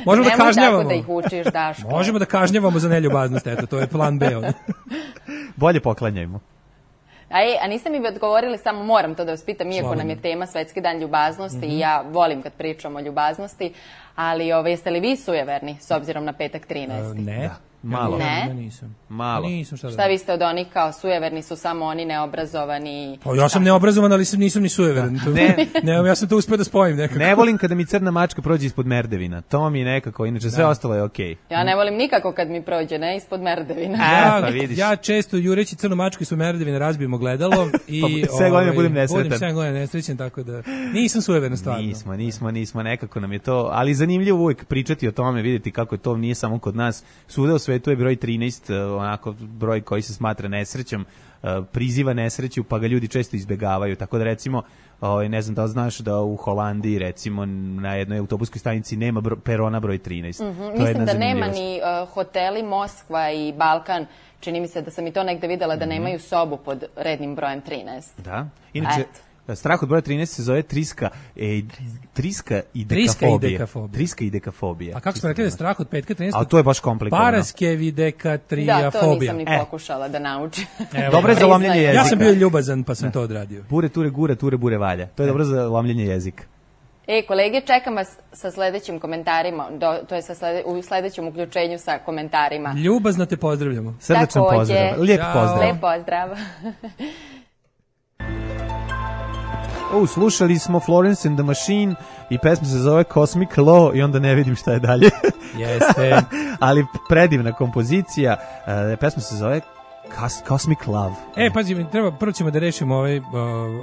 Speaker 6: Možemo da kažnjavamo.
Speaker 8: Nemoj tako da ih učiš, Daško.
Speaker 6: Možemo da kažnjavamo za neljubaznost, eto, to je plan B.
Speaker 5: Bolje poklanjajmo.
Speaker 8: A niste mi odgovorili, samo moram to da vas pitam, iako nam je tema Svetski dan ljubaznosti i ja volim kad pričam o ljubaznosti, ali jeste li vi sujeverni s obzirom na petak 13.
Speaker 6: Ne.
Speaker 5: Malo.
Speaker 8: Ne?
Speaker 6: Nisam.
Speaker 5: Malo.
Speaker 6: Nisam,
Speaker 8: šta vi ste od onih kao sujeverni su samo oni neobrazovani?
Speaker 6: Pa ja sam neobrazovan, ali nisam ni sujeveran. Ne, ja sam to uspeo da spojim nekako.
Speaker 5: Ne volim kada mi crna mačka prođe ispod merdevina. To mi je nekako, inače sve ostalo je okej.
Speaker 8: Ja ne volim nikako kad mi prođe, ne, ispod merdevina.
Speaker 6: Ja često jureći crnu mačku ispod merdevina razbijem ogledalo i
Speaker 5: sve godine budem nesretan.
Speaker 6: Budem sve godine nesrećen, tako da nisam sujeveran stvarno.
Speaker 5: Nismo, nekako nam je to, ali zanimljivo uvijek pričati o tome, vidjeti kako je to nije samo kod nas. Svuda u svetu je broj 13, onako broj koji se smatra nesrećom, priziva nesreću, pa ga ljudi često izbegavaju. Tako da recimo, ne znam da li znaš da u Holandiji recimo na jednoj autobuskoj stanici nema perona broj 13.
Speaker 8: Mislim da nema ni hoteli Moskva i Balkan. Čini mi se da sam i to negde videla da nemaju sobu pod rednim brojem 13.
Speaker 5: Da, inače... Strah od broja 13 se zove triska i dekafobija.
Speaker 6: A kako smo rekli da je strah od petka 13?
Speaker 5: A to je baš komplikovano.
Speaker 6: Paraskevidekatriafobija.
Speaker 8: Da, to nisam ni pokušala da naučim.
Speaker 5: Dobro je za lomljenje jezika.
Speaker 6: Ja sam bio ljubazan pa sam to odradio.
Speaker 5: Bure, ture, gura, ture, bure, valja. To je dobro za lomljenje jezika.
Speaker 8: Kolege, čekam vas sa sledećim komentarima, to je u sledećem uključenju sa komentarima.
Speaker 6: Ljubazno te pozdravljamo.
Speaker 5: Srdačan pozdrav. Lijep pozdrav.
Speaker 8: Lijep pozdrav.
Speaker 5: Slušali smo Florence and the Machine i pesma se zove Cosmic Law i onda ne vidim šta je dalje.
Speaker 6: Jeste.
Speaker 5: Ali predivna kompozicija. Pesma se zove Cosmic Love.
Speaker 6: Pazi, prvo ćemo da rešimo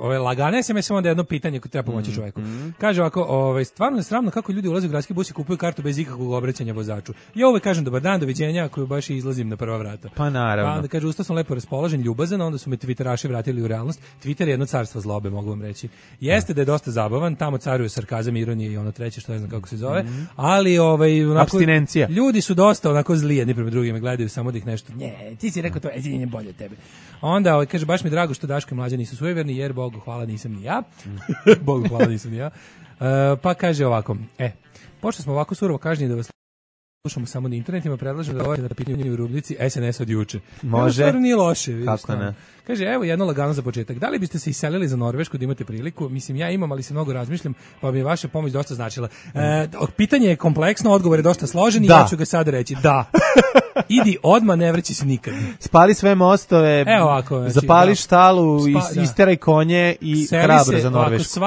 Speaker 6: ove lagane SMS, onda jedno pitanje koje treba pomoći čovjeku. Kaže ovako, stvarno je sramno kako ljudi ulaze u gradski bus i kupuju kartu bez ikakvog obraćanja vozaču. Ja uvek kažem dobar dan, doviđenja, ako baš izlazim na prva vrata.
Speaker 5: Pa naravno.
Speaker 6: Pa onda kaže, ustao sam lepo raspoložen, ljubazan, onda su me Twitteraši vratili u realnost. Twitter je jedno carstvo zlobe, mogu vam reći. Jeste da je dosta zabavan, tamo caruje sarkazam, ironija i ono treće, što ne znam kako se zove, ali
Speaker 5: apstinencija.
Speaker 6: Ljudi su dosta onako zli jedni prema drugima, gledaju samo da ih nešto. Ne, ti si rekao to, nije bolje od tebe. Onda kaže, baš mi drago što Daško i Mlađa nisu sujeverni, jer Bogu hvala nisam ni ja. Bogu hvala nisam ni ja. Pa kaže ovako, pošto smo ovako surovo kažnjeni da vas slušamo samo na internetima, predlažem da odgovorite na pitanje u rubrici SNS od juče.
Speaker 5: Može.
Speaker 6: Stvarno nije loše.
Speaker 5: Kako ne?
Speaker 6: Kaže, evo jedno lagano za početak. Da li biste se iselili za Norvešku da imate priliku? Mislim, ja imam, ali se mnogo razmišljam, pa mi je vaša pomoć dosta značila. Pitanje je kompleksno, odgovor je dosta složen i ja ću ga sad reći. Da. Idi odmah, ne vraći se nikad.
Speaker 5: Spali sve mostove, zapali štalu, isteraj konje i hrabro za Norvešku.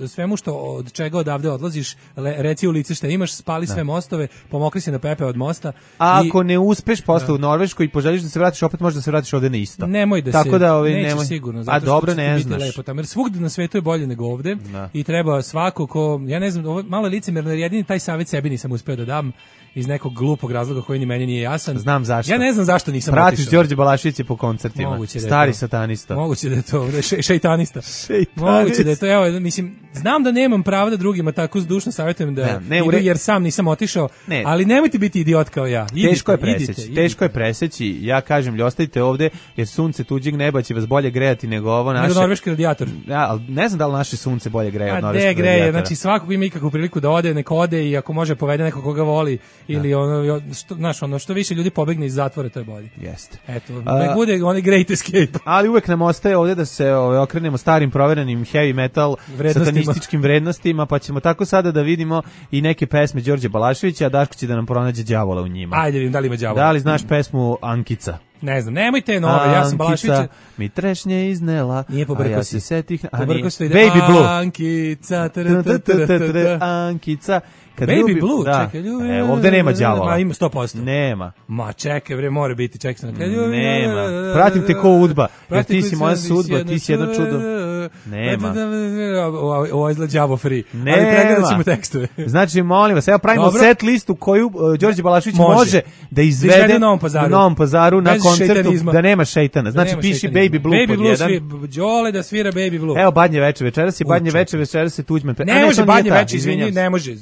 Speaker 6: Svemu što od čega odavde odlaziš, reci u lice šta imaš, spali sve mostove, pomokri se na pepe od mosta.
Speaker 5: A ako ne uspeš posle u Norvešku i poželiš da se vratiš, opet možeš da se vratiš ovde na isto.
Speaker 6: Nemoj da
Speaker 5: tako
Speaker 6: se,
Speaker 5: da
Speaker 6: neće sigurno, zato
Speaker 5: dobro,
Speaker 6: što
Speaker 5: ne
Speaker 6: biti lepo tamo, jer svugde na svetu je bolje nego ovde i treba svako ko, ja ne znam, ovo malo licemerno, jer jedini taj savjet sebi nisam uspeo da dam iz nekog glupog razloga koji ni meni nije jasan.
Speaker 5: Znam zašto.
Speaker 6: Ja ne znam zašto nisam otišao.
Speaker 5: Pratiš Đorđe Balaševića po koncertima. Stari satanista.
Speaker 6: Moguće da je to, šejtanista. Moguće da je to, evo, mislim, znam da nemam prava da drugima tako zdušno savjetujem da idu, jer sam nisam otišao, ali nemojte biti idiot kao ja.
Speaker 5: Teško je preseći. Ja kažem, ostavite ovde, jer sunce tuđeg neba će vas bolje grejati nego ovo naše.
Speaker 6: Nego norveški radijator.
Speaker 5: Ja, ali ne znam da li naše sunce bolje greje od norveškog radijatora.
Speaker 6: Znači svako ima ikakvu priliku da ode, nek ode i ako može povede nekog koga voli ili ono što više ljudi pobegne iz zatvora, to je bolje.
Speaker 5: Jeste.
Speaker 6: Eto, nek bude onaj great escape.
Speaker 5: Ali uvek nam ostaje ovdje da se okrenemo starim proverenim heavy metal satanističkim vrednostima, pa ćemo tako sada da vidimo i neke pesme Đorđe Balaševića, a Daško će da nam pronađe đavola u njima.
Speaker 6: Ajde, vidim da li ima đavola.
Speaker 5: Da li znaš pesmu Ankica?
Speaker 6: Ne znam, nemojte nove, ja sam Balašević.
Speaker 5: Ankica mi trešnje iznela,
Speaker 6: nije
Speaker 5: a ja se setih...
Speaker 6: Pobrko se ide,
Speaker 5: Baby Blue.
Speaker 6: Ankica,
Speaker 5: Ankica.
Speaker 6: Baby Blue, čekaj,
Speaker 5: ovdje nema đavola.
Speaker 6: Ima 100%.
Speaker 5: Nema.
Speaker 6: Ma čekaj, bre, mora biti, čekaj sam.
Speaker 5: Nema. Pratim te ko udba, jer ti si moja sudba, ti si jedno čudo. Nema.
Speaker 6: Ovo je đavo free. Ali pregledat ćemo tekstove.
Speaker 5: Znači, molim vas, evo pravimo set listu koju Đorđe Balašević može da izvede u Novom Pazaru na koncertu da nema šejtana. Znači, piši Baby Blue pod jedan.
Speaker 6: Đole da svira Baby Blue.
Speaker 5: Evo Badnje veče, večeras je Badnje veče, večeras je Tuđman.
Speaker 6: Ne može Badnje veče, izvini, ne može.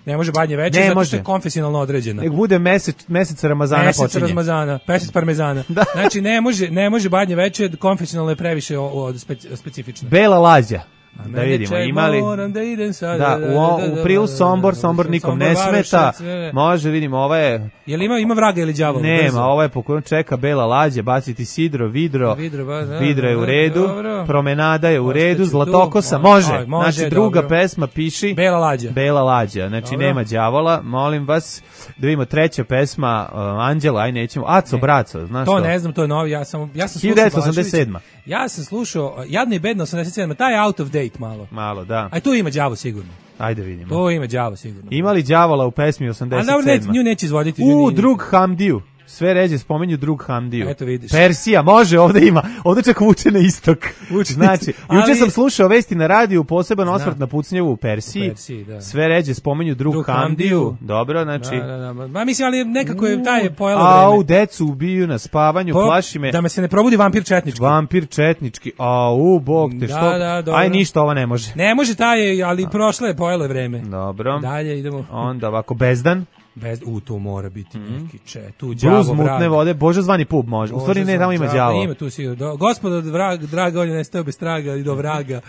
Speaker 6: Ne može Badnje veče, zato što je konfesionalno određena.
Speaker 5: Nek bude mesec Ramazana počinje.
Speaker 6: Mesec Ramazana, mesec parmezana. Znači, ne može Badnje veče, konfesionalno je previše specifično.
Speaker 5: Bela lađa. Da vidimo, imali u prilu Sombor nikom ne smeta, može, vidimo, ova je...
Speaker 6: Jel ima vraga ili đavola?
Speaker 5: Nema, ova je pokojan, čeka Bela lađa, baciti sidro, vidro je u redu, promenada je u redu, Zlatokosa, može, znači druga pesma, piši Bela lađa, znači nema đavola, molim vas, da vidimo treća pesma, Anđela, aj nećemo, Aco Braco, znaš to?
Speaker 6: To ne znam, to je novi, ja sam
Speaker 5: 1987.
Speaker 6: Ja sam slušao, jadno i bedno 87, taj je out of date malo.
Speaker 5: Malo, da.
Speaker 6: A tu ima đavo sigurno.
Speaker 5: Ajde vidimo.
Speaker 6: To ima đavo sigurno.
Speaker 5: Ima li đavola u pesmi 87?
Speaker 6: A dobro, nju neće izvoditi.
Speaker 5: Drug Hamdiju. Sve ređe spomenju drug Hamdiju.
Speaker 6: Eto vidiš.
Speaker 5: Persija, može, ovde ima. Ovde čak vuče na istok. Znači, juče sam slušao vesti na radiju, poseban osvrt na pucnjevu u Persiji. Da. Sve ređe spomenju drug Hamdiju. Dobro, znači.
Speaker 6: Da. Ma mislim, ali nekako je taj pojelo vreme.
Speaker 5: Au, decu ubiju na spavanju, plaši me.
Speaker 6: Da me se ne probudi vampir četnički.
Speaker 5: Vampir četnički. Bog te, što?
Speaker 6: Da,
Speaker 5: aj ništa, ova ne može.
Speaker 6: Ne može taj, ali prošlo je pojelo vreme.
Speaker 5: Dobro.
Speaker 6: Dalje idemo.
Speaker 5: Onda ovako Bezdan.
Speaker 6: To mora biti neki tu
Speaker 5: đavo vrag. Mutne vode, Bože zvani pub može. U stvari ne, tamo ima đavo.
Speaker 6: Ima tu sigurno. Gospodo draga, on je nestao bez traga i do vraga.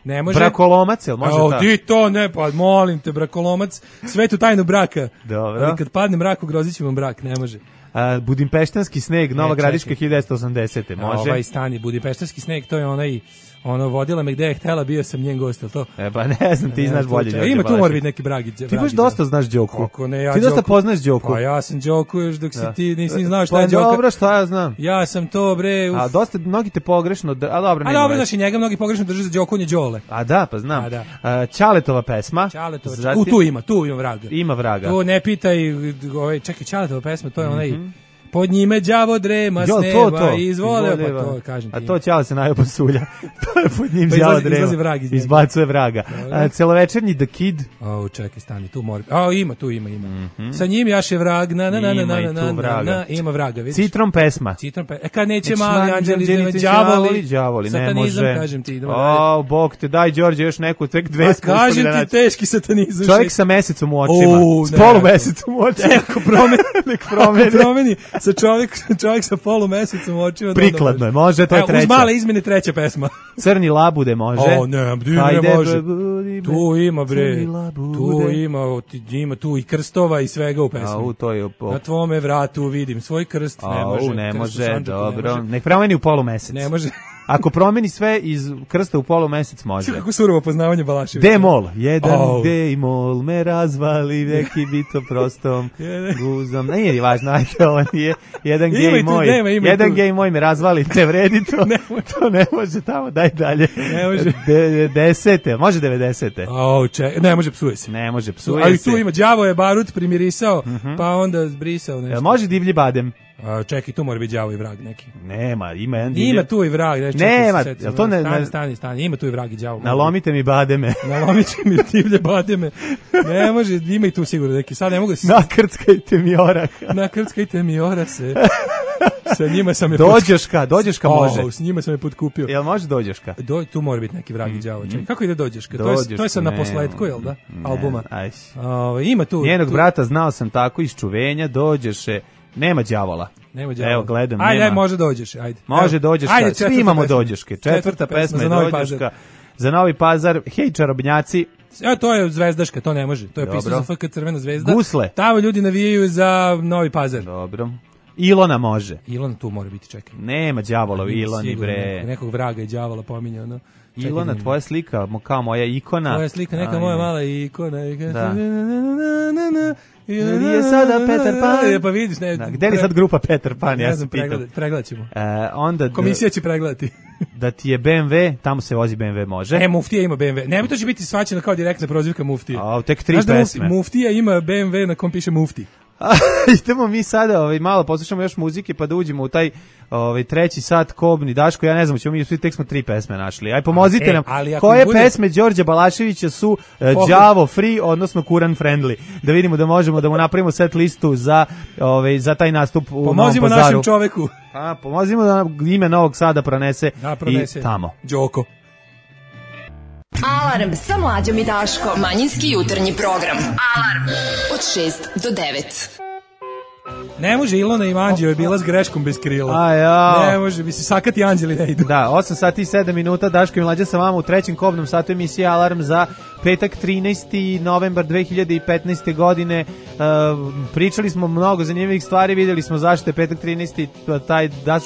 Speaker 6: Ne može.
Speaker 5: Brakolomac, jel može ta?
Speaker 6: Di to ne, pa molim te, brakolomac, svetu tajnu braka.
Speaker 5: Dobro.
Speaker 6: Ali kad padne mrak, ugrozit ću vam brak, ne može.
Speaker 5: Budimpeštanski sneg, Nova Gradiška 1980. Može.
Speaker 6: Ovaj stani, Budimpeštanski sneg, to je onaj vodila me gde je htela, bio sam njen gost, to.
Speaker 5: Pa ne znam, ti znaš bolje Đorđe.
Speaker 6: Ima tu mora biti neki bragi.
Speaker 5: Ti baš dosta znaš Đoku.
Speaker 6: Kako ne, ja
Speaker 5: ti dosta poznaš Đoku.
Speaker 6: Pa ja sam Đoku još dok si ti nisi znao šta je Đoka.
Speaker 5: Pa dobro, šta ja znam.
Speaker 6: Ja sam to, bre.
Speaker 5: A dosta, mnogi te pogrešno, a dobro, nema.
Speaker 6: A dobro, znaš i njega mnogi pogrešno drže za Đoku, on je Đole.
Speaker 5: A da, pa znam. Ćaletova pesma.
Speaker 6: Tu ima vraga.
Speaker 5: Ima vraga.
Speaker 6: To ne pitaj, čekaj, Ćaletova pesma, to je onaj... Pod njime đavo drema s neba izvole, pa to kažem ti.
Speaker 5: A to Ćale se najao pasulja. To je pod njim đavo drema. Izbacuje vraga. Celovečernji The Kid.
Speaker 6: Čekaj, stani, tu mora. Ima. Sa njim jaše vrag, ima vraga, vidiš.
Speaker 5: Citron pesma.
Speaker 6: Kad neće mali anđeli,
Speaker 5: đavoli, ne može.
Speaker 6: Satanizam, kažem ti.
Speaker 5: Bog te, daj Đorđe još neku, tek 200.
Speaker 6: Kažem ti, teški satanizam.
Speaker 5: Čovjek sa mesecom u očima. S polumesecom u očima.
Speaker 6: Nek promeni. Sa čovjek sa polumesecom u očima.
Speaker 5: Prikladno je, može, to je treća.
Speaker 6: Uz male izmene treća pesma.
Speaker 5: Crni labude može.
Speaker 6: Ne može. Tu ima, bre. Tu ima tu i krstova i svega u pesmi. Na tvome vratu vidim svoj krst.
Speaker 5: Ne može, dobro. Nek promeni u polumesec.
Speaker 6: Ne može.
Speaker 5: Ako promeni sve iz krsta u polumesec može.
Speaker 6: Kako surovo poznavanje Balaševića.
Speaker 5: D-mol. Jedan D-mol me razvali, neki bito prostom guzom. Nije li važno, ajde, ovo nije. Jedan gej moj me razvali, ne vredi to. To ne može tamo, daj dalje.
Speaker 6: Ne može.
Speaker 5: 90. Može 90.
Speaker 6: Ne može, psuje se.
Speaker 5: Ne može, psuje se.
Speaker 6: Ali tu ima, đavo je barut primirisao, pa onda zbrisao nešto.
Speaker 5: Može divlji badem.
Speaker 6: Čekaj, tu mora biti đavo i vrag neki.
Speaker 5: Nema, ima jedan
Speaker 6: divlji. Ima tu i vrag.
Speaker 5: Nema, jel to ne...
Speaker 6: Stani, ima tu i vrag i đavo.
Speaker 5: Nalomite mi bademe.
Speaker 6: Nalomite mi divlje bademe. Ne može, ima i tu sigurno neki. Sad ne mogu se...
Speaker 5: Nakrckajte mi oraha.
Speaker 6: Nakrckajte mi orase. Sa njima sam je...
Speaker 5: Dođeška može.
Speaker 6: S njima sam je potkupio.
Speaker 5: Jel može dođeška?
Speaker 6: Tu mora biti neki vrag i đavo. Kako ide dođeška? To je sad na posledku, jel da? Albuma. Ima tu...
Speaker 5: Njenog brata znao sam tako iz čuvenja, dođeše. Nema đavola. Evo, gledam, nema.
Speaker 6: Ajde, može dođeš, ajde.
Speaker 5: Može dođeška, svi imamo dođeške. Četvrta pesma je dođeška. Za Novi Pazar, hej čarobnjaci.
Speaker 6: To je zvezdaška, to ne može. To je pisao za FK Crvena zvezda.
Speaker 5: Gusle.
Speaker 6: Tamo ljudi navijaju za Novi Pazar.
Speaker 5: Dobro. Ilona može.
Speaker 6: Ilona tu mora biti, čekaj.
Speaker 5: Nema đavolov Iloni, bre.
Speaker 6: Nekog vraga i đavola pominjao, no.
Speaker 5: Ilona, tvoja slika, kao moja ikona.
Speaker 6: Tvoja slika, neka moja mala ikona.
Speaker 5: Da. Gdje je sada Peter Pan?
Speaker 6: Pa vidiš, ne.
Speaker 5: Gde li sad grupa Peter Pan? Ja sam
Speaker 6: pitao. Pregledat ćemo.
Speaker 5: Onda
Speaker 6: komisija će pregledati.
Speaker 5: Da ti je BMW, tamo se vozi BMW, može.
Speaker 6: Muftija ima BMW. Ne, to će biti svačeno kao direktna prozivka Muftije.
Speaker 5: Tek 3 pesme.
Speaker 6: Muftija ima BMW na kom piše Mufti.
Speaker 5: Idemo mi sada malo poslušamo još muzike pa da uđemo u taj treći sat kobni. Daško, ja ne znam, ćemo mi svi tek smo 3 pesme našli. Aj pomozite nam. Koje pesme Đorđa Balaševića su đavo free, odnosno Kuran friendly? Da vidimo da možemo da mu napravimo set listu za taj nastup u Novom Pazaru.
Speaker 6: Pomozimo našem čoveku.
Speaker 5: Pomozimo da ime Novog Sada pronese i tamo.
Speaker 6: Đoko.
Speaker 4: Alarm sa Mlađom i Daškom. Manjinski jutarnji program. Alarm od 6 do 9.
Speaker 6: Ne može, Ilona Ivanđeo je bila s greškom bez krila. Ne može, bi se sakati anđeli ne idu.
Speaker 5: Da, 8 sati i 7 minuta, Daško i Mlađa sa vama u trećem kobnom satu emisije Alarm za petak 13. novembar 2015. godine. Pričali smo mnogo zanimljivih stvari, vidjeli smo zašto je petak 13.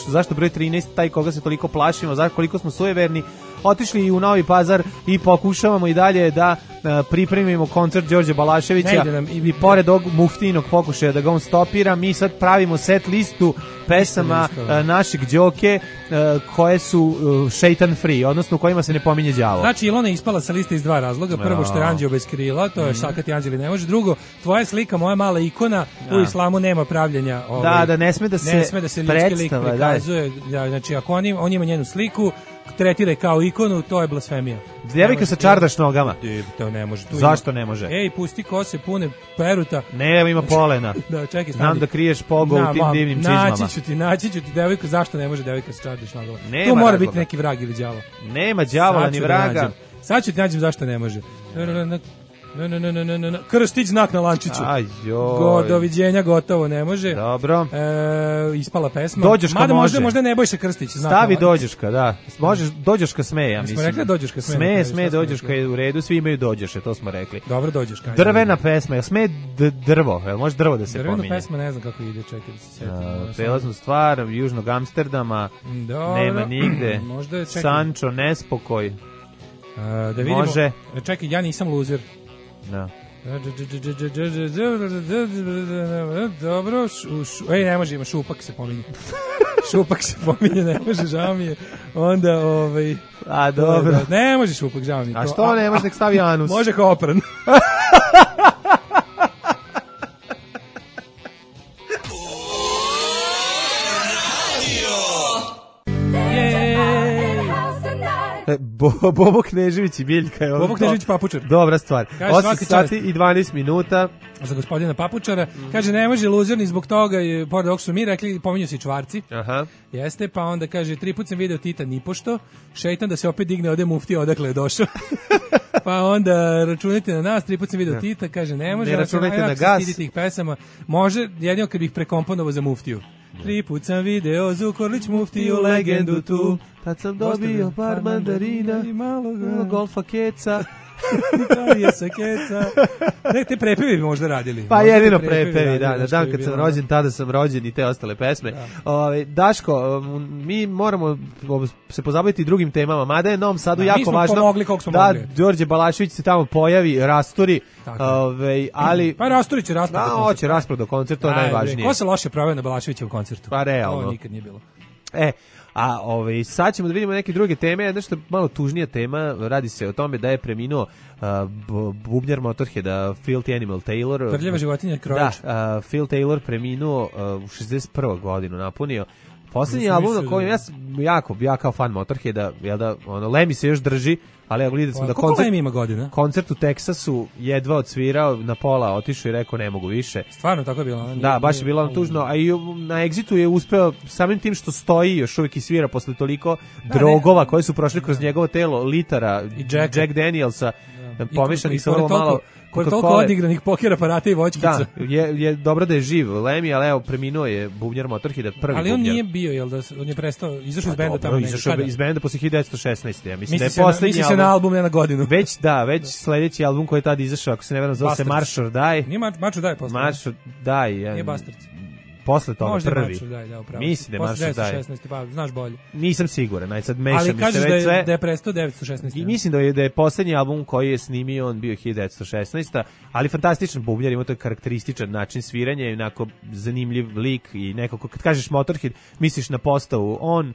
Speaker 5: Zašto broj 13, taj koga se toliko plašimo, koliko smo sujeverni. Otišli i u Novi Pazar i pokušavamo i dalje da pripremimo koncert Đorđa Balaševića i pored ovog muftinog pokušaja da ga on stopira, mi sad pravimo set listu pesama našeg Đoke koje su šeitan free, odnosno u kojima se ne pominje đavo.
Speaker 6: Znači Ilona je ispala sa liste iz 2 razloga. Prvo što je anđeo bez krila, to je sakati anđeli ne može. Drugo, tvoja slika, moja mala ikona, u islamu nema pravljenja.
Speaker 5: Da ne sme da se
Speaker 6: ljudski lik prikazuje. Znači ako on ima njenu sliku, tretira kao ikonu, to je blasfemija.
Speaker 5: Djevojka sa čardaš nogama.
Speaker 6: To ne može.
Speaker 5: Zašto ne može?
Speaker 6: Ej, pusti kose pune peruta.
Speaker 5: Ne, ima polena.
Speaker 6: Da, čekaj,
Speaker 5: znam da kriješ pogo u tim divnim čizmama.
Speaker 6: Naći ću ti devojku, zašto ne može devojka sa čardaš nogama? To mora biti neki vrag ili đavo.
Speaker 5: Nema đavola ni vraga.
Speaker 6: Sad ću ti nađem zašto ne može. Krstić znak na lančiću. Doviđenja, gotovo, ne može.
Speaker 5: Dobro.
Speaker 6: Ispala pesma.
Speaker 5: Dođoška može.
Speaker 6: Možda Nebojša Krstić.
Speaker 5: Stavi Dođoška, da. Možeš, Dođoška sme, ja mislim.
Speaker 6: Smo rekli Dođoška sme.
Speaker 5: Sme, Dođoška je u redu, svi imaju Dođoše, to smo rekli.
Speaker 6: Dobro, Dođoška.
Speaker 5: Drvena pesma, sme drvo, može drvo da se pominje.
Speaker 6: Drvena pesma, ne znam kako ide, čekaj da se sjetim.
Speaker 5: Prelaznu stvar, južnog Amsterdama, nema nigde. Sančo, nespokoj.
Speaker 6: Da vidimo.
Speaker 5: Može.
Speaker 6: Čekaj, ja nisam luzer.
Speaker 5: Da.
Speaker 6: Dobro, ne može, ima Šupak se pominje. Šupak se pominje, ne može, žao mi je. Onda,
Speaker 5: dobro.
Speaker 6: Ne može Šupak, žao mi je.
Speaker 5: A što ne može, nek stavi anus?
Speaker 6: Može kao opran.
Speaker 5: Bobo Knežević i Biljka je ovo.
Speaker 6: Bobo Knežević Papučar.
Speaker 5: Dobra stvar. 8 sati i 12 minuta.
Speaker 6: Za gospodina Papučara. Kaže, ne može luzer ni zbog toga, pored ovog su mi rekli, pominju se i čvarci.
Speaker 5: Aha.
Speaker 6: Jeste, pa onda kaže, 3 put sam video Tita nipošto, šeitan da se opet digne ode muftija odakle je došao. Pa onda računajte na nas, 3 put sam video Tita, kaže, ne može.
Speaker 5: Ne računajte na gas.
Speaker 6: Tih pesama. Može, jedino kad bih prekomponovao za muftiju. 3 put sam video Zukorlić muftiju legendu tu.
Speaker 5: Tad sam dobio par mandarina
Speaker 6: i malo
Speaker 5: golfa keca.
Speaker 6: Je sa keca. Te prepevi bi možda radili.
Speaker 5: Pa jedino prepevi, da. Dan kad sam rođen, tada sam rođen i te ostale pesme. Daško, mi moramo se pozabaviti drugim temama, mada je Novom Sadu jako važno da Đorđe Balašević se tamo pojavi, rasturi, ali...
Speaker 6: Pa rasturi će raspravo do koncerta.
Speaker 5: Hoće raspravo do koncerta, to je najvažnije.
Speaker 6: Ko se loše pravio na Balaševićevom koncertu?
Speaker 5: Pa realno.
Speaker 6: To nikad nije bilo.
Speaker 5: A sad ćemo da vidimo neke druge teme, nešto malo tužnija tema, radi se o tome da je preminuo bubnjar Motorheada Filthy Animal Taylor.
Speaker 6: Prljava životinja Krojač.
Speaker 5: Da, Phil Taylor preminuo u 61. godinu napunio. Posljednji album na kojem ja kao fan Motorheada, jel da, Lemmy se još drži, ali ja gledam sam da koncert u Teksasu jedva odsvirao, na pola otišao i rekao ne mogu više.
Speaker 6: Stvarno tako je bilo?
Speaker 5: Da, baš je bilo tužno, a i na Exitu je uspeo samim tim što stoji još uvijek i svira posle toliko drogova koje su prošli kroz njegovo telo, litara, Jack Danielsa, pomešanih sa vrlo malo...
Speaker 6: Koji je toliko odigranih poker aparata i voćkica.
Speaker 5: Da, je dobro da je živ Lemmy, ali evo, preminuo je bubnjar Motorheada, prvi
Speaker 6: ali
Speaker 5: bubnjar.
Speaker 6: On nije bio, jel da on je prestao, izašao iz benda tamo.
Speaker 5: Izašao iz benda posle 1916. Ja mislim da je
Speaker 6: poslednji album. Misli se na album, ne na godinu.
Speaker 5: Već sledeći album koji je tad izašao, ako se ne veram, zove se March or Die.
Speaker 6: Nije March or Die posle.
Speaker 5: March or Die.
Speaker 6: Nije Bastards.
Speaker 5: Posle toga
Speaker 6: možda
Speaker 5: prvi.
Speaker 6: Mislim
Speaker 5: da je March or Die.
Speaker 6: 16, pa znaš bolje.
Speaker 5: Nisam siguran, sad mešam
Speaker 6: ali
Speaker 5: mi se već sve.
Speaker 6: Ali kažeš da je prestao 916.
Speaker 5: I mislim da je poslednji album koji je snimio on bio 1916. Ali fantastičan bubnjar, ima to karakterističan način sviranja i onako zanimljiv lik i nekako, kad kažeš Motorhead, misliš na postavu on,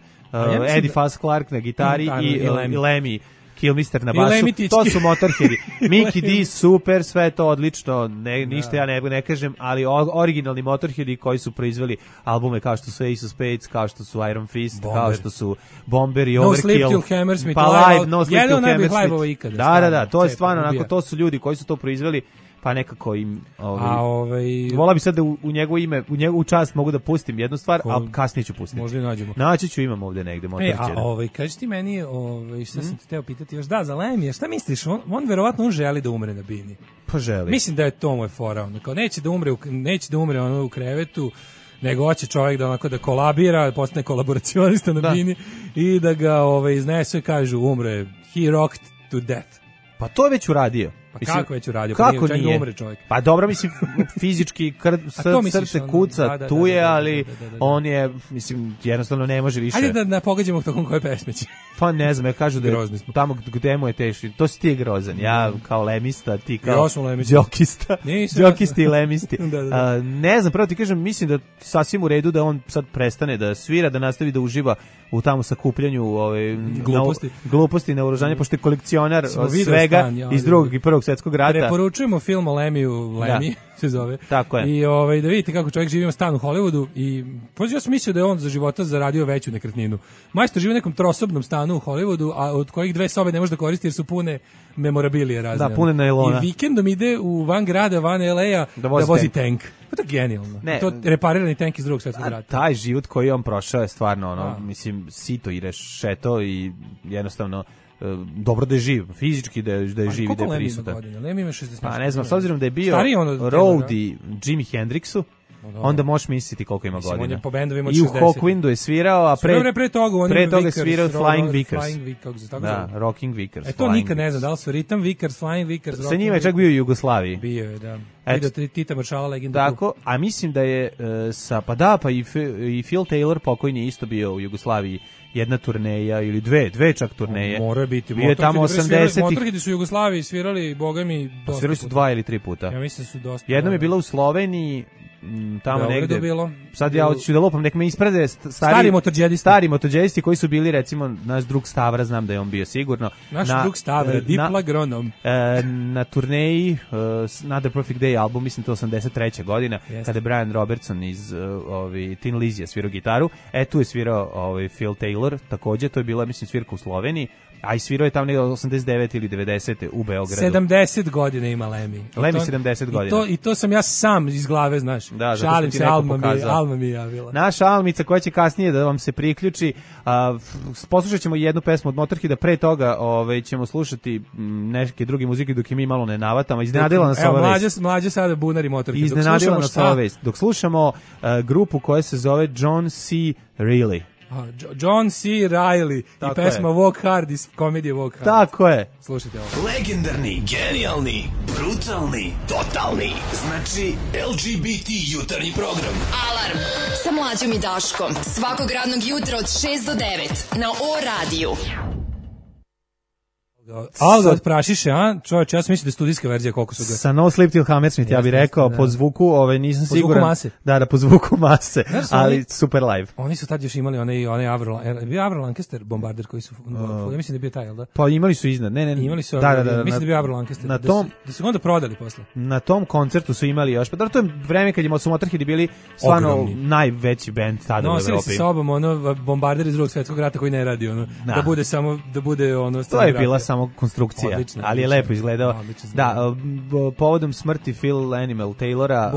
Speaker 5: Eddie Faz Clarke na gitari i Lemmy Kilmister na basu, to su Motorheadi. Mickey D, super, sve to odlično, ništa ja ne kažem, ali originalni Motorheadi koji su proizveli albume kao što su Ace of Spades, kao što su Iron Fist, kao što su Bomber i Overkill.
Speaker 6: No Sleep Till Hammersmith,
Speaker 5: No Sleep Till Hammersmith. Da, to je stvarno, onako, to su ljudi koji su to proizveli, pa nekako im vola bi sad da u njegovo ime, u njegovu čast mogu da pustim jednu stvar, a kasnije ću pustiti.
Speaker 6: Možda i nađemo.
Speaker 5: Naći ću, imam ovde negde Motorheada.
Speaker 6: Kaži ti meni, šta sam ti teo pitati još, da, za Lemija, šta misliš, on verovatno želi da umre na bini.
Speaker 5: Pa želi.
Speaker 6: Mislim da je to moj fora, kao neće da umre ono u krevetu, nego hoće čovjek da onako da kolabira, postane kolaboracionista na bini i da ga iznesu i kažu umre, he rocked to death.
Speaker 5: Pa to je već uradio.
Speaker 6: Pa mislim, kako već uradio?
Speaker 5: Kako pa nije?
Speaker 6: Umre čovjek.
Speaker 5: Pa dobro, mislim, fizički srce kuca, tu je, ali on je, mislim, jednostavno ne može više.
Speaker 6: Ajde da pogađamo tokom koje pesme će.
Speaker 5: Pa ne znam, ja kažu da je tamo gde mu je teški. To si ti grozan, ja kao lemista, ti kao džokista. Džokisti i lemisti. Ne znam, pravo ti kažem, mislim da sasvim u redu da on sad prestane da svira, da nastavi da uživa u tamo sakupljanju gluposti na oružanje, pošto je kolekcionar svega iz drugog i prvog svjetskog rata.
Speaker 6: Preporučujemo film o Lemiju, Lemmy se zove.
Speaker 5: Tako je.
Speaker 6: I da vidite kako čovjek živi u stanu u Hollywoodu i ja sam mislio da je on za života zaradio veću nekretninu. Majstor živi u nekom trosobnom stanu u Hollywoodu, a od kojih 2 sobe ne može da koristi jer su pune memorabilije razne.
Speaker 5: Da, pune nailona.
Speaker 6: I vikendom ide u van grada, van LA-a da vozi tank. To je genijalno. To reparirani tank iz drugog svjetskog rata.
Speaker 5: Taj život koji on prošao je stvarno mislim, sito i rešeto i jednostavno dobro da je živ, fizički da je živ i da je prisutan.
Speaker 6: Lem ima 60.
Speaker 5: Pa ne znam, s obzirom da je bio roadie Jimi Hendrixu, onda možeš misliti koliko ima godina.
Speaker 6: On je po bendovima od 60.
Speaker 5: I u Hawkwindu je svirao, a pre toga je svirao Flying Vickers. Da, Rocking Vickers.
Speaker 6: To nikad ne znam, da li su Rhythm Vickers, Flying Vickers.
Speaker 5: Sa njima je čak bio u Jugoslaviji.
Speaker 6: Bio je, da. Vidio Tita Maršala, legenda.
Speaker 5: Tako, a mislim da je i Phil Taylor pokojni isto bio u Jugoslaviji. Jedna turneja ili dve čak turneje.
Speaker 6: Mora biti.
Speaker 5: Bio je tamo 80-ih.
Speaker 6: Motorheadi su u Jugoslaviji svirali, boga mi, dosta.
Speaker 5: Svirali su 2 ili 3 puta.
Speaker 6: Ja mislim da su dosta.
Speaker 5: Jednom je bila u Sloveniji, tamo negde.
Speaker 6: Bilo.
Speaker 5: Sad ja hoću da lupam, nek me isprede stari motorđedisti koji su bili, recimo, naš drug Stavra, znam da je on bio sigurno.
Speaker 6: Naš drug Stavra, Diplagronom.
Speaker 5: Na turneji Another Perfect Day album, mislim to 83. godina, kada je Brian Robertson iz Tin Lizzy svirao gitaru. Tu je svirao Phil Taylor, takođe, to je bila, mislim, svirka u Sloveniji. A i svirao je tamo negdje 89 ili 90 u Beogradu.
Speaker 6: 70 godina ima Lemmy.
Speaker 5: Lemmy 70 godina.
Speaker 6: I to sam ja sam iz glave, znaš.
Speaker 5: Da,
Speaker 6: šalim se, Alma mi javila.
Speaker 5: Naša Almica koja će kasnije da vam se priključi. Poslušat ćemo jednu pesmu od Motorheada, pre toga ćemo slušati neke druge muzike dok je mi malo ne navatamo. Iznenadila nas ova vest.
Speaker 6: Mlađe sada bunari Motorhead.
Speaker 5: Iznenadila nas ova vest. Dok slušamo grupu koja se zove John C. Reilly.
Speaker 6: John C. Reilly i pesma Walk Hard iz komedije Walk Hard.
Speaker 5: Tako je.
Speaker 6: Slušajte ovo.
Speaker 7: Legendarni, genijalni, brutalni, totalni. Znači LGBT jutarnji program.
Speaker 4: Alarm sa Mlađom i Daškom. Svakog radnog jutra od 6 do 9 na O-radiju.
Speaker 6: Alga od prašiše, a? Čovječ, ja sam mislio da je studijska verzija koliko su ga.
Speaker 5: Sa No Sleep Till Hammersmith, ja bih rekao, po zvuku, nisam siguran.
Speaker 6: Po zvuku mase.
Speaker 5: Da, po zvuku mase, ali super live.
Speaker 6: Oni su tad još imali onaj Avro Lancaster bombarder koji su, ja mislim da je bio taj, jel da?
Speaker 5: Pa imali su iznad, ne.
Speaker 6: Imali su, mislim da je bio Avro Lancaster, da su onda prodali posle.
Speaker 5: Na tom koncertu su imali još, pa da to je vreme kad su Motorheadi bili stvarno najveći bend tada u Evropi.
Speaker 6: Nosili se sa sobom bombarder iz drugog svjetskog rata koji ne radi, da bude samo, da bude
Speaker 5: to je bila konstrukcija, odlično, ali je lepo izgledao. Da, povodom smrti Phil Animal Taylora,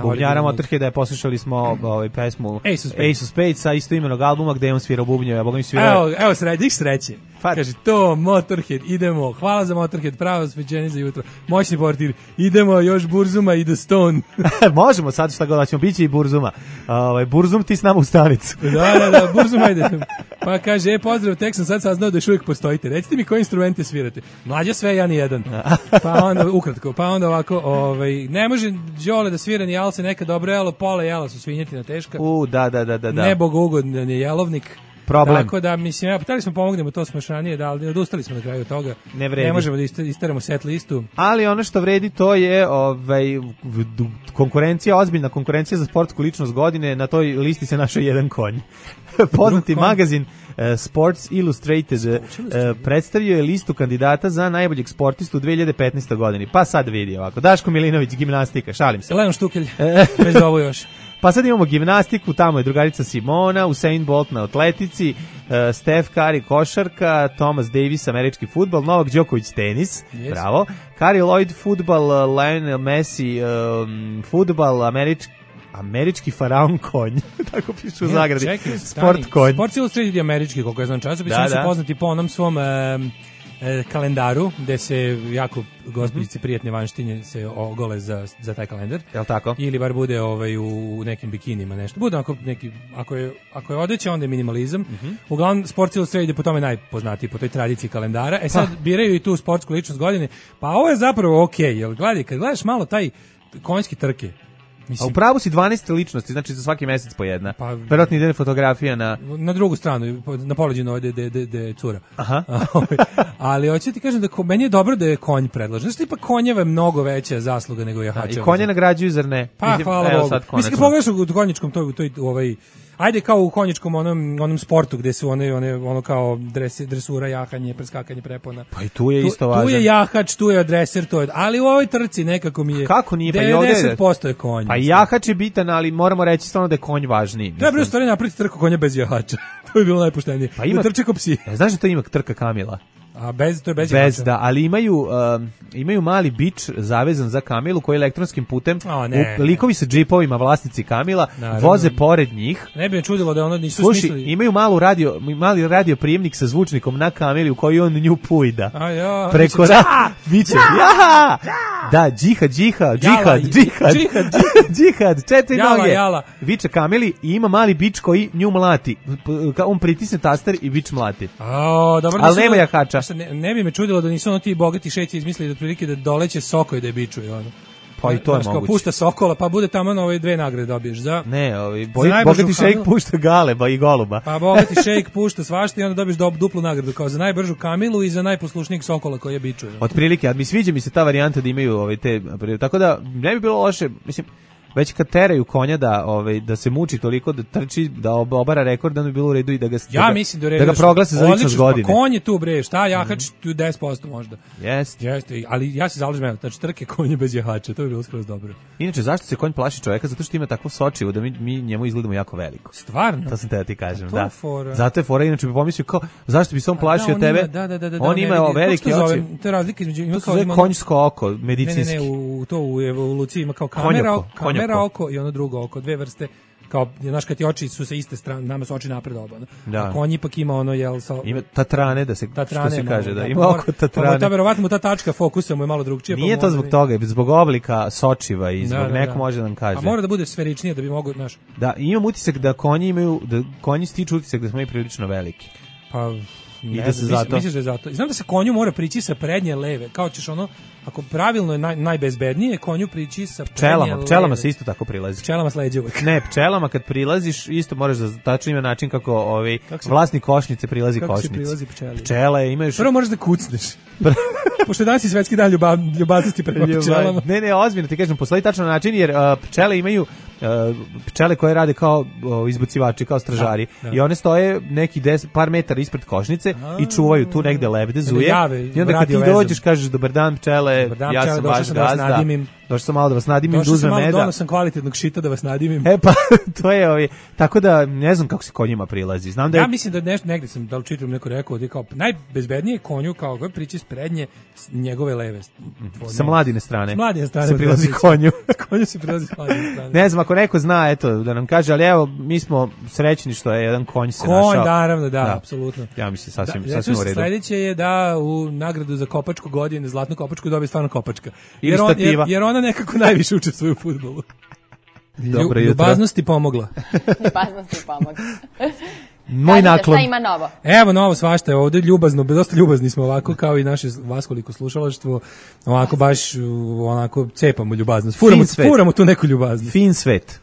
Speaker 5: bubnjara Motorheada, poslušali smo pesmu Ace of Spades sa istoimenog albuma gde je on svirao bubnjeve, a boga mi svirao.
Speaker 6: Evo sreće. Kaže, to Motorhead, idemo, hvala za Motorhead, pravo svećenje za jutro, moćni portir, idemo još Burzuma i The Stone.
Speaker 5: Možemo sad šta god, da ćemo bići i Burzuma. Burzum ti s nama u stanicu.
Speaker 6: Da, Burzuma ide. Pa kaže, pozdrav, tek sam sad saznao da još uvijek postojite. Recite mi koje instrumente svirate. Mlađa sve, ja ni jedan. Pa onda, ukratko, pa onda ovako, ne može Đole da svira ni Alce, neka dobro jelo, pola jela su svinjetina teška.
Speaker 5: Da.
Speaker 6: Nebo ugodan je jelovnik.
Speaker 5: Problem.
Speaker 6: Tako da, mislim, htjeli smo pomognemo to smašanije, da, ali odustali smo na kraju toga.
Speaker 5: Ne
Speaker 6: možemo da isteramo set listu.
Speaker 5: Ali ono što vredi to je konkurencija, ozbiljna konkurencija za sportsku ličnost godine, na toj listi se našao jedan konj. Poznati magazin Sports Illustrated predstavio je listu kandidata za najboljeg sportistu u 2015. godini. Pa sad vidi ovako. Daško Milinović, gimnastika, šalim se.
Speaker 6: Leon Štukelj, već za ovo još.
Speaker 5: Pa sad imamo gimnastiku, tamo je drugarica Simona, Usain Bolt na atletici, Steph Curry košarka, Thomas Davis američki fudbal, Novak Đoković tenis, bravo, Curry Lloyd fudbal, Lionel Messi fudbal, američki faraon konj, tako pišu u zagradi, sport konj.
Speaker 6: Sports Illustrated je američki, koliko ja znam časopis, oni su poznati po onom svom kalendaru, gde se jako gospođice prijatne vanštinje se ogole za taj kalendar.
Speaker 5: Jel tako?
Speaker 6: Ili bar bude u nekim bikinima nešto. Bude ako je odeća, onda je minimalizam. Uglavnom, Sports Illustrated je po tome najpoznatiji, po toj tradiciji kalendara. Sad biraju i tu sportsku ličnost godine. Pa ovo je zapravo okej, jer kad gledaš malo taj konjski trke,
Speaker 5: a u pravu si 12 ličnosti, znači za svaki mesec po jedna. Pa, verovatno ide fotografija
Speaker 6: na drugu stranu, na poleđinu de cura.
Speaker 5: Aha.
Speaker 6: Ali hoću ti kažem da meni je dobro da je konj predložen. Znači, tipa konjeva je mnogo veća zasluga nego jahačeva.
Speaker 5: I konje nagrađuju, zar ne?
Speaker 6: Pa, hvala Bogu. Mislim, pogledaš u konjičkom, ajde kao u konjičkom onom sportu gde su ono kao dresura, jahanje, preskakanje prepona.
Speaker 5: Pa i tu je isto važno.
Speaker 6: Tu je jahač, tu je dreser, ali u ovoj trci nekako mi je.
Speaker 5: Kako nije? Pa
Speaker 6: 90% je konj.
Speaker 5: Pa i jahač je bitan, ali moramo reći stvarno da je konj važniji.
Speaker 6: Treba u stvari napraviti trku konja bez jahača. To bi bilo najpoštenije.
Speaker 5: Pa ima
Speaker 6: trče ko psi.
Speaker 5: Znaš da to ima trka Kamila?
Speaker 6: A to je bez jahača.
Speaker 5: Da, ali imaju mali bič zavezan za Kamilu koji elektronskim putem likovi sa džipovima, vlasnici Kamila, voze pored njih.
Speaker 6: Ne bi me čudilo da ono nisu smislili.
Speaker 5: Slušaj, imaju mali radio prijemnik sa zvučnikom na Kamili u koji on nju pujda. Preko biće. Da, džihad, četiri noge. Viče Kamili i ima mali bič koji nju mlati. On pritisne taster i bič mlati. Ali nema jahača.
Speaker 6: Ne bi me čudilo da nisu ono ti bogati šejci izmislili da otprilike da doleće soko i da je bičuje ono.
Speaker 5: Pa i to je moguće.
Speaker 6: Pušta sokola, pa bude tamo na ove dve nagrade dobiješ za.
Speaker 5: Ne, bogati šejk pušta galeba i goluba.
Speaker 6: Pa bogati šejk pušta svašta i onda dobiješ duplu nagradu kao za najbržu Kamilu i za najposlušnijeg sokola koji je bičuje.
Speaker 5: Otprilike, a sviđa mi se ta varijanta da imaju te, tako da ne bi bilo loše, mislim, već kad teraju konja da se muči toliko da trči, da obara rekord, da bi bilo u redu i da ga proglase za ličnost godine.
Speaker 6: Pa konj je tu bre, šta jahač tu 10% možda.
Speaker 5: Jeste,
Speaker 6: ali ja se zalažem, znači trke konje bez jahača, to bi bilo skroz dobro.
Speaker 5: Inače, zašto se konj plaši čoveka? Zato što ima takvo sočivo da mi njemu izgledamo jako veliko.
Speaker 6: Stvarno?
Speaker 5: To sam te da ti kažem, da. Zato je fora, inače bi pomislio kao, zašto bi se on plašio tebe? On ima velike oči.
Speaker 6: To je razlika između
Speaker 5: konjsko oko, medicinski.
Speaker 6: Ne, to u evoluciji ima kao kamera oko i ono drugo oko, dve vrste, kao, znaš, kad ti oči su sa iste strane, nama su oči napred oba, a konj ipak ima ono,
Speaker 5: ima tatrane, što se kaže, da, ima oko tatrane.
Speaker 6: Pa verovatno mu ta tačka fokusa mu je malo drugčija.
Speaker 5: Nije to zbog toga, zbog oblika sočiva i zbog neko može da nam kaže.
Speaker 6: A mora da bude sferičnije da bi mogo, znaš.
Speaker 5: Da, imam utisak da konji stiču utisak da smo i prilično veliki.
Speaker 6: Pa misliš da je zato. Znam da se konju mora prići sa prednje leve, kao ćeš ono, ako pravilno je najbezbednije, konju prići sa prednje leve.
Speaker 5: Pčelama se isto tako prilazi.
Speaker 6: Pčelama sleđe uvek.
Speaker 5: Ne, pčelama kad prilaziš, isto moraš da tačno ima način kako vlasnik košnice prilazi košnici. Kako se prilazi pčeli? Pčele imaju...
Speaker 6: Prvo moraš da kucneš. Pošto danas je svetski dan ljubaznosti prema pčelama.
Speaker 5: Ne, ozbiljno ti kažem, postoji tačan način, jer pčele imaju pčele koje rade kao izbacivači, kao stražari. I one stoje neki par metara ispred košnice i čuvaju tu negde lebde, zuje. I onda kad ti dođeš, kažeš dobar dan pčele, ja sam vaš gazda. Došao sam malo da vas nadimim, da uzmem meda.
Speaker 6: Došao sam kvalitetnog šita da vas nadimim.
Speaker 5: Pa, to je tako da ne znam kako se konjima prilazi. Znam da
Speaker 6: ja mislim da negde sam, da li čitam neko rekao, da je kao najbezbednije konju kao ga prići s prednje njegove leve.
Speaker 5: Sa mladine strane.
Speaker 6: S mladine strane
Speaker 5: se prilazi konju.
Speaker 6: Konju se prilazi s mladine strane.
Speaker 5: Ne znam, ako neko zna, eto, da nam kaže, ali evo, mi smo srećni što je jedan konj se našao.
Speaker 6: Konj, naravno, da, apsolutno.
Speaker 5: Ja mislim, sasvim u redu.
Speaker 6: Sledeće je da u nagradu za kopačku godine, zlatnu kopačku, dobije stvarno kopačka. Jer ona nekako najviše učestvuje u fudbalu. Ljubaznosti pomogla.
Speaker 8: Ljubaznosti pomogla.
Speaker 5: Moj naklon.
Speaker 8: Šta ima novo?
Speaker 6: Evo novo svašta je ovdje, ljubazno, dosta ljubazni smo ovako, kao i naše vaskoliko slušalaštvo, ovako baš onako cepamo ljubaznost. Furamo tu neku ljubaznost.
Speaker 5: Fin svet.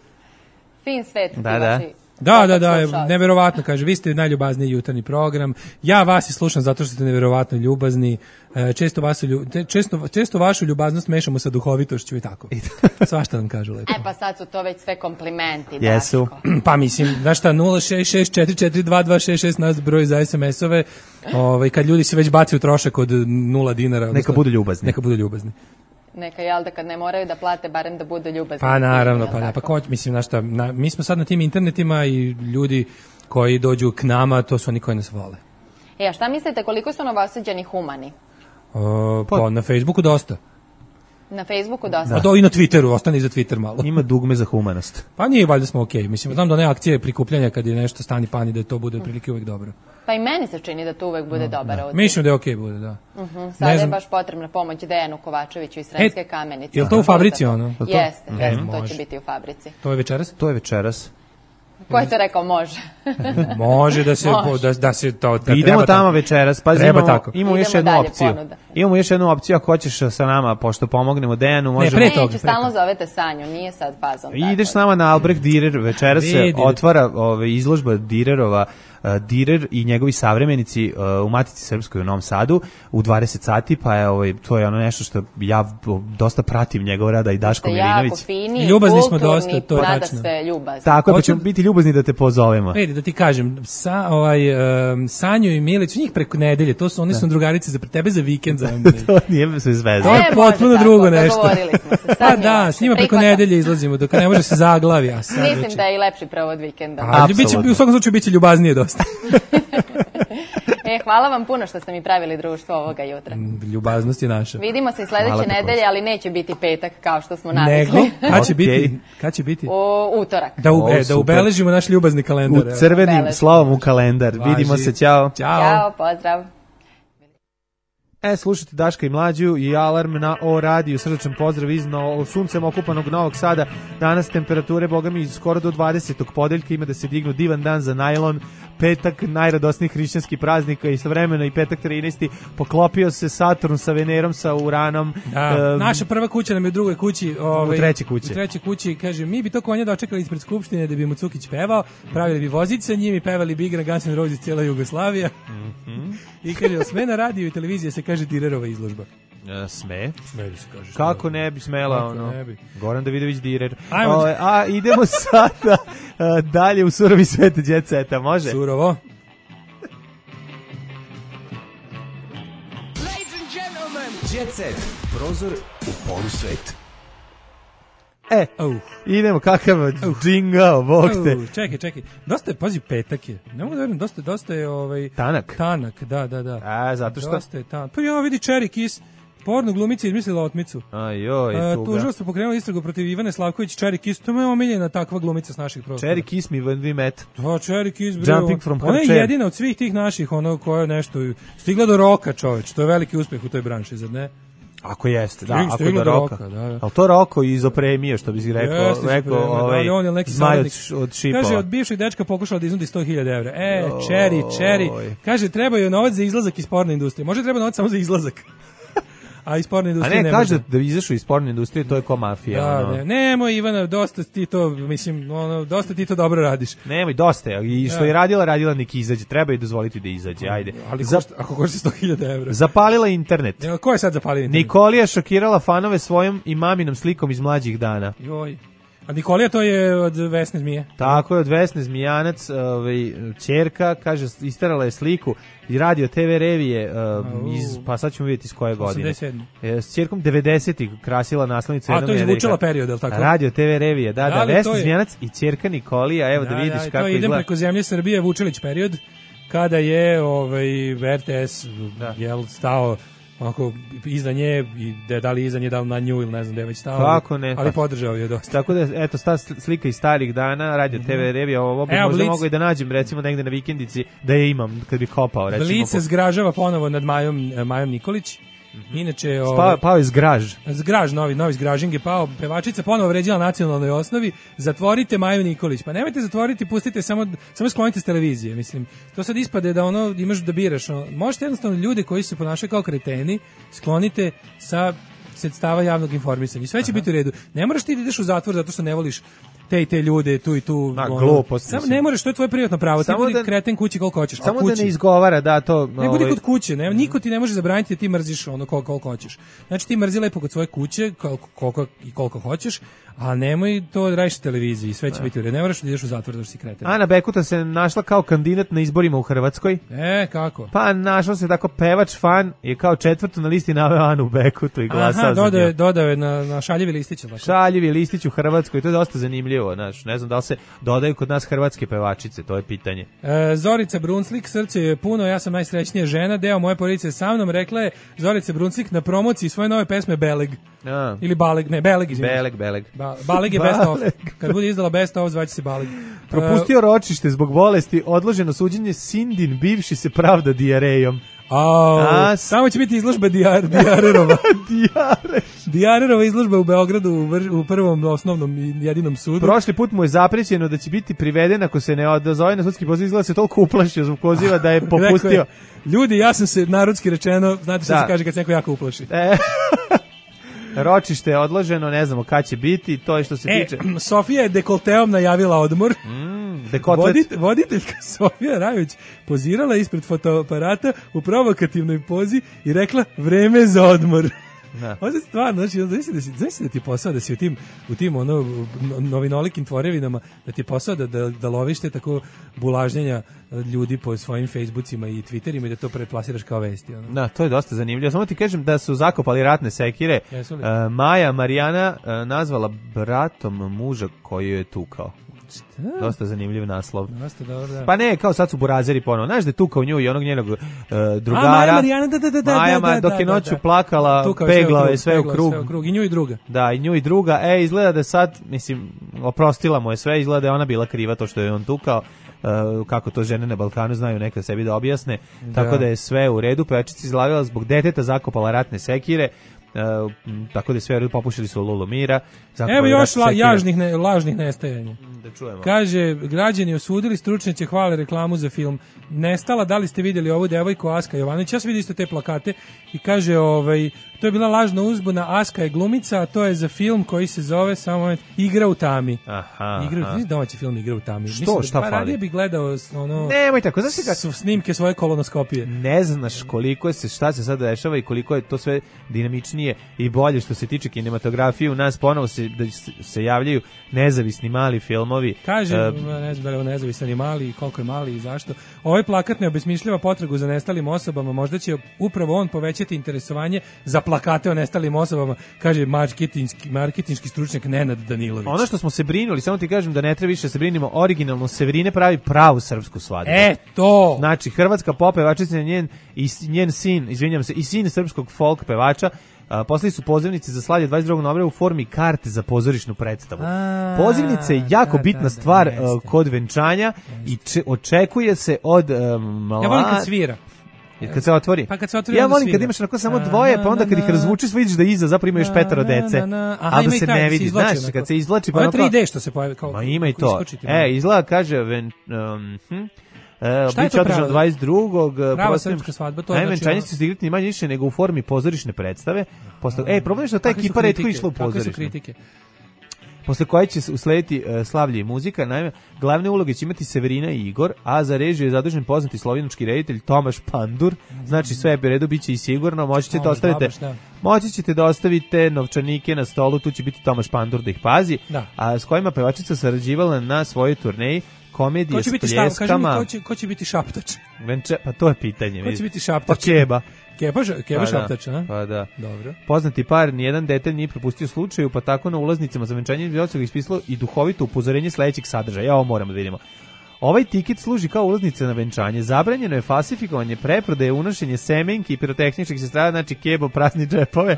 Speaker 8: Fin svet.
Speaker 5: Da.
Speaker 6: Da, neverovatno, kaže, vi ste najljubazniji jutarnji program, ja vas i slušam zato što ste neverovatno ljubazni, često vašu ljubaznost mešamo sa duhovitošću i tako. Svašta nam kažu lepo.
Speaker 8: Pa sad su to već sve komplimenti.
Speaker 5: Jesu.
Speaker 6: Pa mislim, znaš šta, 066442266 nas broj za SMS-ove, kad ljudi se već baci u trošak od 0 dinara.
Speaker 5: Neka budu ljubazni.
Speaker 8: Neka, jel da kad ne moraju da plate, barem da budu ljubazni.
Speaker 6: Pa naravno, mislim, znaš šta, mi smo sad na tim internetima i ljudi koji dođu k nama, to su oni koji nas vole.
Speaker 8: A šta mislite, koliko su Novosađani humani?
Speaker 6: Pa na Facebooku dosta.
Speaker 8: Na Facebooku dosta.
Speaker 6: A i na Twitteru, ostani za Twitter malo.
Speaker 5: Ima dugme za humanost.
Speaker 6: Pa nije, valjda smo okej. Mislim, znam da one akcije prikupljanja kad je nešto stani pani da to bude prilike uvek dobro.
Speaker 8: Pa i meni se čini da to uvek bude dobar odziv.
Speaker 6: Mislim da je okej bude, da.
Speaker 8: Sada je baš potrebna pomoć Dejanu Kovačeviću iz Sremske Kamenice.
Speaker 6: Je li to u fabrici ono?
Speaker 8: Jeste, to će biti u fabrici.
Speaker 6: To je večeras?
Speaker 5: To je večeras.
Speaker 8: Ko je to rekao može?
Speaker 6: Može da se to...
Speaker 5: Idemo tamo večeras, pa imamo još jednu opciju.
Speaker 8: Ponuda.
Speaker 5: Imamo još jednu opciju, ako hoćeš sa nama, pošto pomognemo Dejanu, možemo...
Speaker 8: Neću, stalno zovete Sanju, nije sad fazom.
Speaker 5: Ideš s nama na Albrecht Dürer, večeras se otvara izložba Dürerova, Dürer i njegovi savremenici u Matici Srpskoj u Novom Sadu u 20 sati, pa je to je ono nešto što ja dosta pratim njegov rada i Daško Milinović.
Speaker 8: Jako fini,
Speaker 6: ljubazni smo dosta, to je
Speaker 8: nada
Speaker 6: tačno.
Speaker 8: sve ljubazni.
Speaker 5: Tako, pa ćemo biti ljubazni da te pozovemo.
Speaker 6: Vidi, da ti kažem, Sanju i Milić, njih preko nedelje, oni su drugarice za tebe za vikend.
Speaker 5: To nije sve zvezda.
Speaker 6: To je potpuno drugo nešto.
Speaker 8: Dogovorili smo se.
Speaker 6: Pa da, s njima preko nedelje izlazimo, dok ne može se zaglavi.
Speaker 8: Mislim da je i lepši provod vikenda.
Speaker 6: U svakom slučaju biće ljubaznije dosta.
Speaker 8: Hvala vam puno što ste mi pravili društvo ovoga jutra.
Speaker 6: Ljubaznost je naša.
Speaker 8: Vidimo se i sledeće nedelje, ali neće biti petak kao što smo navikli.
Speaker 6: Nego, kad će biti?
Speaker 8: Utorak.
Speaker 6: Da ubeležimo naš ljubazni kalendar.
Speaker 5: U crvenim slovom u kalendar. Vidimo se, ćao.
Speaker 8: Ćao, pozdrav.
Speaker 5: Slušajte Daška i Mlađu i Alarm na O radiju. Srdačan pozdrav iz suncem okupanog Novog Sada. Danas temperature, boga mi, skoro do 20. podeljka, ima da se dignu, divan dan za najlon. Petak najradosnijih hrišćanskih praznika i istovremeno i petak 13. poklopio se Saturn sa Venerom, sa Uranom.
Speaker 6: Naša prva kuća nam je u drugoj kući.
Speaker 5: U trećoj
Speaker 6: kući. Kaže, mi bi to konja dočekali ispred Skupštine da bi mu Cukić pevao, pravili bi vozić sa njim i pevali bi igra Guns N' Roses cijela Jugoslavija. I kaže, sme na radiju i televizije se kaže Dürerova izložba.
Speaker 5: Sme?
Speaker 6: Sme da se kaže.
Speaker 5: Kako ne bi smela, Goran Davidović Dürer.
Speaker 6: A
Speaker 5: idemo sada dalje u surovi svet Jet Seta, može?
Speaker 6: Surovo.
Speaker 10: Ladies and gentlemen, Jet Set, prozor u polusvet.
Speaker 5: Idemo, kakav džingao, bog te.
Speaker 6: Čekaj. Dosta je, pazi, petak je. Ne mogu da verujem, dosta je
Speaker 5: Tanak?
Speaker 6: Tanak, da.
Speaker 5: Zato što?
Speaker 6: Dosta je tanak. Pa ja vidi Cherry Kiss, porno glumica izmislila otmicu.
Speaker 5: Tuga.
Speaker 6: Tužilaštvo pokrenulo istragu protiv Ivane Slavković, Cherry Kiss, to je omiljena takva glumica s naših prostora.
Speaker 5: Cherry Kiss me when we met.
Speaker 6: Cherry Kiss, bre.
Speaker 5: Jumping from her
Speaker 6: ona je
Speaker 5: chair.
Speaker 6: jedina od svih tih naših, koja je nešto stigla do roka, čoveč. To je veliki uspeh u toj branši, zar ne?
Speaker 5: Ako jeste, ako je do roka.
Speaker 6: Da.
Speaker 5: Ali to Roko iz Opremije, što bi si rekao, Zmaj od Šipova.
Speaker 6: Kaže, od bivšeg dečka pokušala da iznudi 100.000 evra. Cherry. Kaže, treba joj novac za izlazak iz porne industrije. Može treba novac samo za izlazak. A iz porne industrije ne
Speaker 5: kaže da izašao iz porne industrije, to je ko mafija.
Speaker 6: Nemoj, Ivana, dosta ti to dobro radiš.
Speaker 5: Nemoj, dosta je. I što je radila neki izađe. Treba je dozvoliti da izađe, ajde.
Speaker 6: Ali ako košta 100.000 evra.
Speaker 5: Zapalila internet.
Speaker 6: Ko je sad zapalio internet?
Speaker 5: Nikolija šokirala fanove svojom i maminom slikom iz mlađih dana.
Speaker 6: Joj. A Nikolija to je od Vesne Zmije.
Speaker 5: Tako je, od Vesne Zmijanac, ćerka, kaže, isterala je sliku i radio TV revije, pa sad ćemo vidjeti iz koje godine.
Speaker 6: 87.
Speaker 5: S ćerkom 90-ih krasila naslovnicu.
Speaker 6: A to je izvučala period, je li tako?
Speaker 5: Radio TV revije, da, Vesna Zmijanac i ćerka Nikolija, evo da vidiš kako izgleda.
Speaker 6: To idem preko zemlje Srbije, Vučilić period, kada je RTS stao onako iza nje i da li iza nje, da li na nju ili ne znam da je već stao.
Speaker 5: Kako ne?
Speaker 6: Ali podržao je dosta.
Speaker 5: Tako da, eto, sta slika iz starih dana, Radio TV revija, ovo bi možda mogu i da nađem, recimo, negde na vikendici, da je imam, kad bi kopao, recimo.
Speaker 6: Blic se zgražava ponovo nad Majom Nikolić. Inače,
Speaker 5: pao je Zgraž.
Speaker 6: Zgraž, novi Zgražing je pao. Pevačica ponovo vređala na nacionalnoj osnovi. Zatvorite Maju Nikolić. Pa nemojte zatvoriti, pustite, samo sklonite s televizije. Mislim, to sad ispade da imaš da biraš. Možete jednostavno ljude koji se ponašaju kao kreteni sklonite sa sredstava javnog informisanja. Sve će biti u redu. Ne moraš ti da ideš u zatvor zato što ne voliš te ljude tu i tu.
Speaker 5: Glupost.
Speaker 6: Samo ne možeš, to je tvoje privatno pravo. Ti budi kreten kući koliko hoćeš.
Speaker 5: Samo da ne izgovara, da, to...
Speaker 6: Ne budi kod kuće, niko ti ne može zabraniti da ti mrziš ono koliko hoćeš. Znači ti mrzi lepo kod svoje kuće, koliko hoćeš, a nemoj to radiš na televiziji, sve će biti u redu. Ne moraš da ideš u zatvor da si kreten.
Speaker 5: Ana Bekuta se našla kao kandidat na izborima u Hrvatskoj.
Speaker 6: Kako?
Speaker 5: Pa našla se tako pevač fan je kao četvrtu na listi naveo Anu Bekutu i glasao za nju.
Speaker 6: Dodao je na šaljivi listić.
Speaker 5: Šaljivi listić u Hrvatskoj, to je dosta zanimljivo. Znaš, ne znam da li se dodaju kod nas hrvatske pevačice, to je pitanje.
Speaker 6: Zorica Brunslik, srce je puno, ja sam najsrećnija žena, deo moje porodice sa mnom, rekla je Zorica Brunslik na promociji svoje nove pesme Beleg. Ili Baleg, ne, Beleg, izvinite.
Speaker 5: Beleg.
Speaker 6: Baleg je best of. Kad bude izdala best of, zvaće se Baleg.
Speaker 5: Propustio ročište zbog bolesti, odloženo suđenje, Sindin bivši se pravda dijarejom.
Speaker 6: Samo će biti izložba Dijarerova. Dijarerova izložba u Beogradu u prvom osnovnom i jedinom sudu.
Speaker 5: Prošli put mu je zaprećeno da će biti priveden ako se ne odazove na sudski poziv, izgleda se toliko uplašio zbog poziva da je popustio.
Speaker 6: Ljudi, ja sam se narodski rečeno, znate što se kaže kad se neko jako uplaši.
Speaker 5: Ročište je odloženo, ne znamo kad će biti, to je što se tiče.
Speaker 6: Sofija je dekolteom najavila odmor. Voditeljka Sofija Rajović pozirala ispred fotoaparata u provokativnoj pozi i rekla vreme za odmor. Ovo je stvarno, znači, znači da ti je posao da si u tim novinolikim tvorevinama, da ti je posao da loviš te tako bulažnjenja ljudi po svojim Facebookima i Twitterima i da to preplasiraš kao vesti.
Speaker 5: Da, to je dosta zanimljivo. Samo ti kažem da su zakopali ratne sekire. Maja Marijana nazvala bratom muža koji je tukao. Dosta zanimljiv naslov.
Speaker 6: Dosta dobro, da.
Speaker 5: Pa ne, kao sad su burazeri ponovo. Znaš da je tukao nju i onog njenog drugara.
Speaker 6: Marijana,
Speaker 5: Maja, dok je noću plakala, peglao je sve u krug.
Speaker 6: I nju i druga.
Speaker 5: Da, i nju i druga. Izgleda da sad, mislim, oprostila mu je sve, izgleda da je ona bila kriva to što je on tukao. Kako to žene na Balkanu znaju nekad sebi da objasne. Tako da je sve u redu. Pevačica izlavila zbog deteta, zakopala ratne sekire. Tako da je sve u redu, popušili su Lulu Mira.
Speaker 6: Evo još lažnih nestajanja.
Speaker 5: Da čujemo.
Speaker 6: Kaže, građani osudili, stručnjaci hvale reklamu za film Nestala, da li ste vidjeli ovu devojku Aska Jovanović? Ja sam vidio isto te plakate i kaže, to je bila lažna uzbuna, Aska je glumica, a to je za film koji se zove, samo moment, Igra u tami. Domaći film Igra u tami.
Speaker 5: Što? Šta fali?
Speaker 6: Radije bih gledao
Speaker 5: nemoj tako,
Speaker 6: snimke svoje kolonoskopije.
Speaker 5: Ne znaš koliko šta se sad dešava i koliko je to sve dinamičnije i bolje što se tiče kinematografije. U nas ponovo se javljaju nezavisni mali filmovi.
Speaker 6: Kaže, ne znam da je nezavisan i mali, koliko je mali i zašto. Ovaj plakat ne obesmišljava potragu za nestalim osobama, možda će upravo on povećati interesovanje za plakate o nestalim osobama, kaže marketinški stručnjak Nenad Danilović.
Speaker 5: Ono što smo se brinuli, samo ti kažem da ne treba više se brinimo, originalno Severine pravi pravu srpsku svadbu.
Speaker 6: To!
Speaker 5: Znači, hrvatska pop pevačica njen sin, izvinjam se, i sin srpskog folk pevača, poslali su pozivnice za slavlje 22. novembra u formi karte za pozorišnu predstavu. Pozivnice je jako bitna stvar kod venčanja i očekuje se od
Speaker 6: Ja volim kad svira.
Speaker 5: Kad se otvori. Ja volim kad imaš onako samo dvoje, pa onda kad ih razvučiš, vidiš da iza zapravo ima još 5 dece. A da se ne vidi, znaš, kad se izvlači pa
Speaker 6: onako. Ovo je 3D što se pojavi kao.
Speaker 5: Ma ima i to. Izgleda kaže biće održano 22.
Speaker 6: Prava srpska svadba, to
Speaker 5: znači. Venčanje će se igrati ni manje više nego u formi pozorišne predstave. Problem je što ta ekipa retko išla u pozorišne. Posle koje će uslediti slavlje i muzika. Naime, glavne uloge će imati Severina i Igor, a za režiju je zadužen poznati slovenački reditelj Tomaš Pandur. Znači sve je redu, biće i sigurno. Moći ćete da ostavite novčanike na stolu, tu će biti Tomaš Pandur da ih pazi. A s kojima pevačica sarađivala na svojoj turneji komedije s pljeskama.
Speaker 6: Ko će biti šaptač?
Speaker 5: Pa to je pitanje.
Speaker 6: Ko će biti šaptač?
Speaker 5: Pa Keba.
Speaker 6: Keba šaptač, a?
Speaker 5: Pa da.
Speaker 6: Dobro.
Speaker 5: Poznati par, nijedan detalj nije propustio slučaju, pa tako na ulaznicama za venčanje bi ga ispisalo i duhovito upozorenje sledećeg sadržaja. Ja ovo moramo da vidimo. Ovaj tiket služi kao ulaznica na venčanje. Zabranjeno je falsifikovanje, preprodaje, unošenje semenki i pirotehničkih sredstava, znači Kebo prazni džepove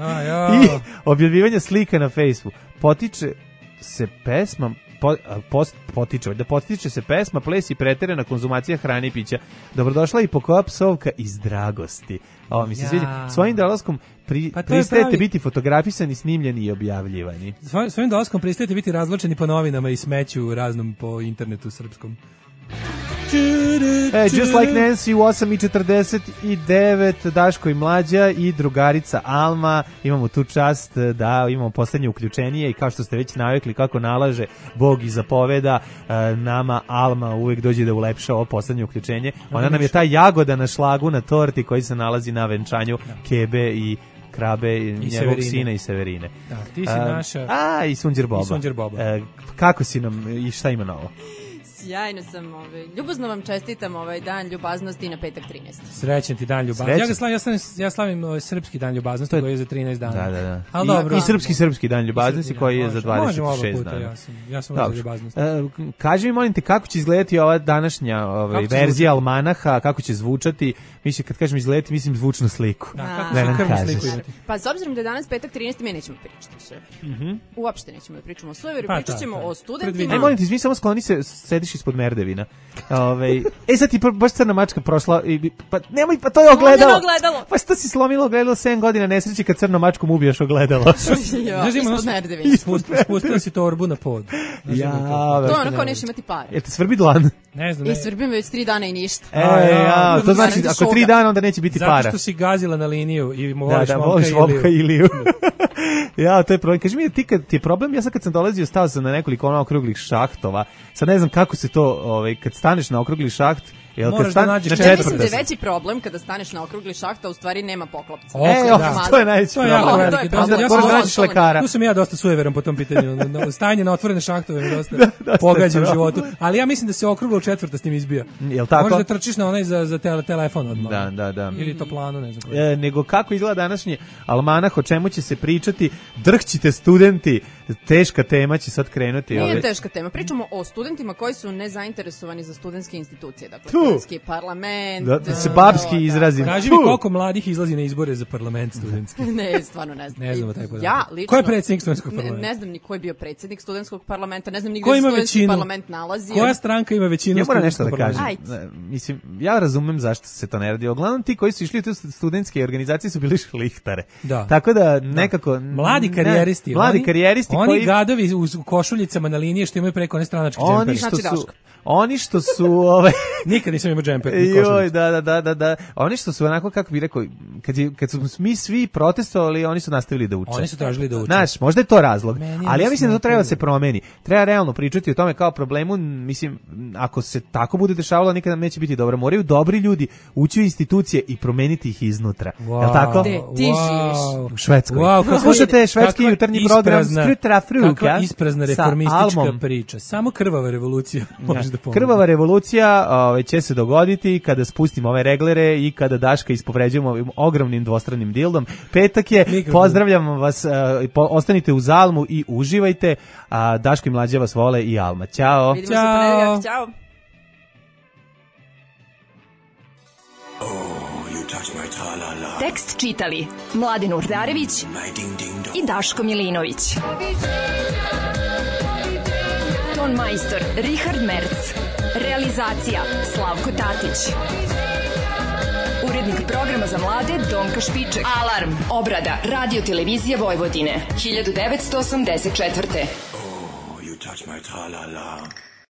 Speaker 5: i objavljivanje slika na Facebooku. Potiče se pesma, ples i preterana konzumacija hrane i pića. Dobrodošla i pokoja psovka iz dragosti. Ovo mi se sviđa. Svojim dolaskom pristajete biti fotografisani, snimljeni i objavljivani.
Speaker 6: Svojim dolaskom pristajete biti razvlačeni po novinama i smeću raznom po internetu srpskom.
Speaker 5: Just Like Nancy u 8:49, Daško i Mlađa i drugarica Alma. Imamo tu čast da imamo poslednje uključenije i kao što ste već navikli kako nalaže Bog i zapoveda, nama Alma uvek dođe da ulepša ovo poslednje uključenje. Ona nam je ta jagoda na šlagu na torti koji se nalazi na venčanju Kebe i Krabe, njegovog sina i Severine.
Speaker 6: Da, ti si naša...
Speaker 5: i Sunđer Boba.
Speaker 6: I Sunđer Boba.
Speaker 5: Kako si nam i šta ima novo?
Speaker 11: Sjajno sam, ljubazno vam čestitam dan ljubaznosti na petak 13.
Speaker 6: Srećan ti dan ljubaznosti. Ja slavim srpski dan ljubaznosti koji je za 13 dana.
Speaker 5: Da.
Speaker 6: Ali dobro.
Speaker 5: I srpski dan ljubaznosti koji je za 26 dana.
Speaker 6: Ja sam za ljubaznost.
Speaker 5: Kaži mi, molim te, kako će izgledati ova današnja verzija almanaha, kako će zvučati? Mislim, kad kažem izgledati, mislim zvučnu sliku.
Speaker 6: Da nam kažeš.
Speaker 11: Pa s obzirom da je danas petak 13, mi nećemo pričati o sujeveru. Uopšte nećemo da pričamo o sujeveru, pričat ćemo o studentima.
Speaker 5: Molim te, izvini, samo skloni se, sediš ispod merdevina. Sad ti baš crna mačka prošla pa nemoj, pa to je ogledalo. Pa što si slomilo ogledalo 7 godina nesreći kad crnom mačkom ubijaš ogledalo.
Speaker 11: Ispod merdevina.
Speaker 6: Spustila si torbu na pod.
Speaker 11: To je ono kao neš imati pare.
Speaker 5: Jel te svrbi dlan?
Speaker 6: Ne znam.
Speaker 11: Svrbim već 3 dana i ništa.
Speaker 5: To znači ako 3 dana onda neće biti para.
Speaker 6: Zato što si gazila na liniju i
Speaker 5: voliš momka Iliju. To je problem. Kaži mi, ti kad ti je problem, ja sad kad sam dolazio, stao sam na nekoliko okruglih šahtova. Sad ne znam kako se to, kad staneš na okrugli šaht,
Speaker 6: moraš da nađeš
Speaker 11: ja mislim da je veći problem kada staneš na okrugli šaht, a u stvari nema poklopca.
Speaker 5: To je najveći problem. Moraš da nađeš lekara.
Speaker 6: Tu sam ja dosta sujeveran po tom pitanju. Stajanje na otvorene šahtove je dosta pogađa u životu. Ali ja mislim da se okruglo u četvrta s njim izbija.
Speaker 5: Jel tako?
Speaker 6: Možeš da trčiš na onaj za telefon odmah.
Speaker 5: Da.
Speaker 6: Ili toplanu, ne znam.
Speaker 5: Nego kako izgleda današnji almanah, o čemu će se pričati, drhćite studenti, teška tema će sad krenuti.
Speaker 11: Nije teška tema, pričamo o studentima koji su nezainteresovani za studentske institucije, dakle studentski parlament.
Speaker 5: Da se babski izrazim.
Speaker 6: Kaži mi koliko mladih izlazi na izbore za parlament studentski.
Speaker 11: Ne, stvarno ne znam.
Speaker 6: Ne znamo taj podatak.
Speaker 11: Ja lično...
Speaker 6: Ko je predsjednik studentskog parlamenta?
Speaker 11: Ne znam ni ko je bio predsjednik studentskog parlamenta, ne znam ni gdje se studentski parlament nalazi.
Speaker 6: Koja stranka ima većinu?
Speaker 5: Ja moram nešto da kažem. Mislim, ja razumem zašto se to ne radi. Uglavnom ti koji su išli u te studentske organizacije su bili šlihtare. Tako da nekako...
Speaker 6: Mladi karijeristi. Oni gadovi u košuljicama na liniji što imaju preko one stranačke džempere.
Speaker 5: Oni što su
Speaker 6: nikad nisam imao džemper.
Speaker 5: Da. Oni što su onako, kako bih rekao, kad su mi svi protestovali, oni su nastavili da uče.
Speaker 6: Oni su tražili da uče.
Speaker 5: Znaš, možda je to razlog. Ali ja mislim da to treba da se promeni. Treba realno pričati o tome kao problemu. Mislim, ako se tako bude dešavalo, nikada neće biti dobro. Moraju dobri ljudi ući u institucije i promeniti ih iznutra. Jel' tako?
Speaker 11: Gde ti živiš?
Speaker 5: U Švedskoj. Slušate švedski jutarnji program Skrutra Fruka.
Speaker 6: Kakva isprazna reformistička priča. Samo krvava revolucija može da pomoći.
Speaker 5: Krvava revolucija će se dogoditi kada spustimo ove reglere i kada Daška ispovređujemo ovim ogromnim dvostranim dildom. Petak je, pozdravljam vas, ostanite uz Almu i uživajte. Daško i Mlađa vas vole i Alma. Ćao.
Speaker 11: Vidimo se ponedjeljak. Ćao.
Speaker 4: Tekst čitali Mladin Urdarević i Daško Milinović. Ton majstor Richard Merc. Realizacija Slavko Tatić. Urednik programa za mlade Donka Špiček. Alarm. Obrada Radio Televizije Vojvodine 1984.
Speaker 7: Oh, you touch my tra-la-la.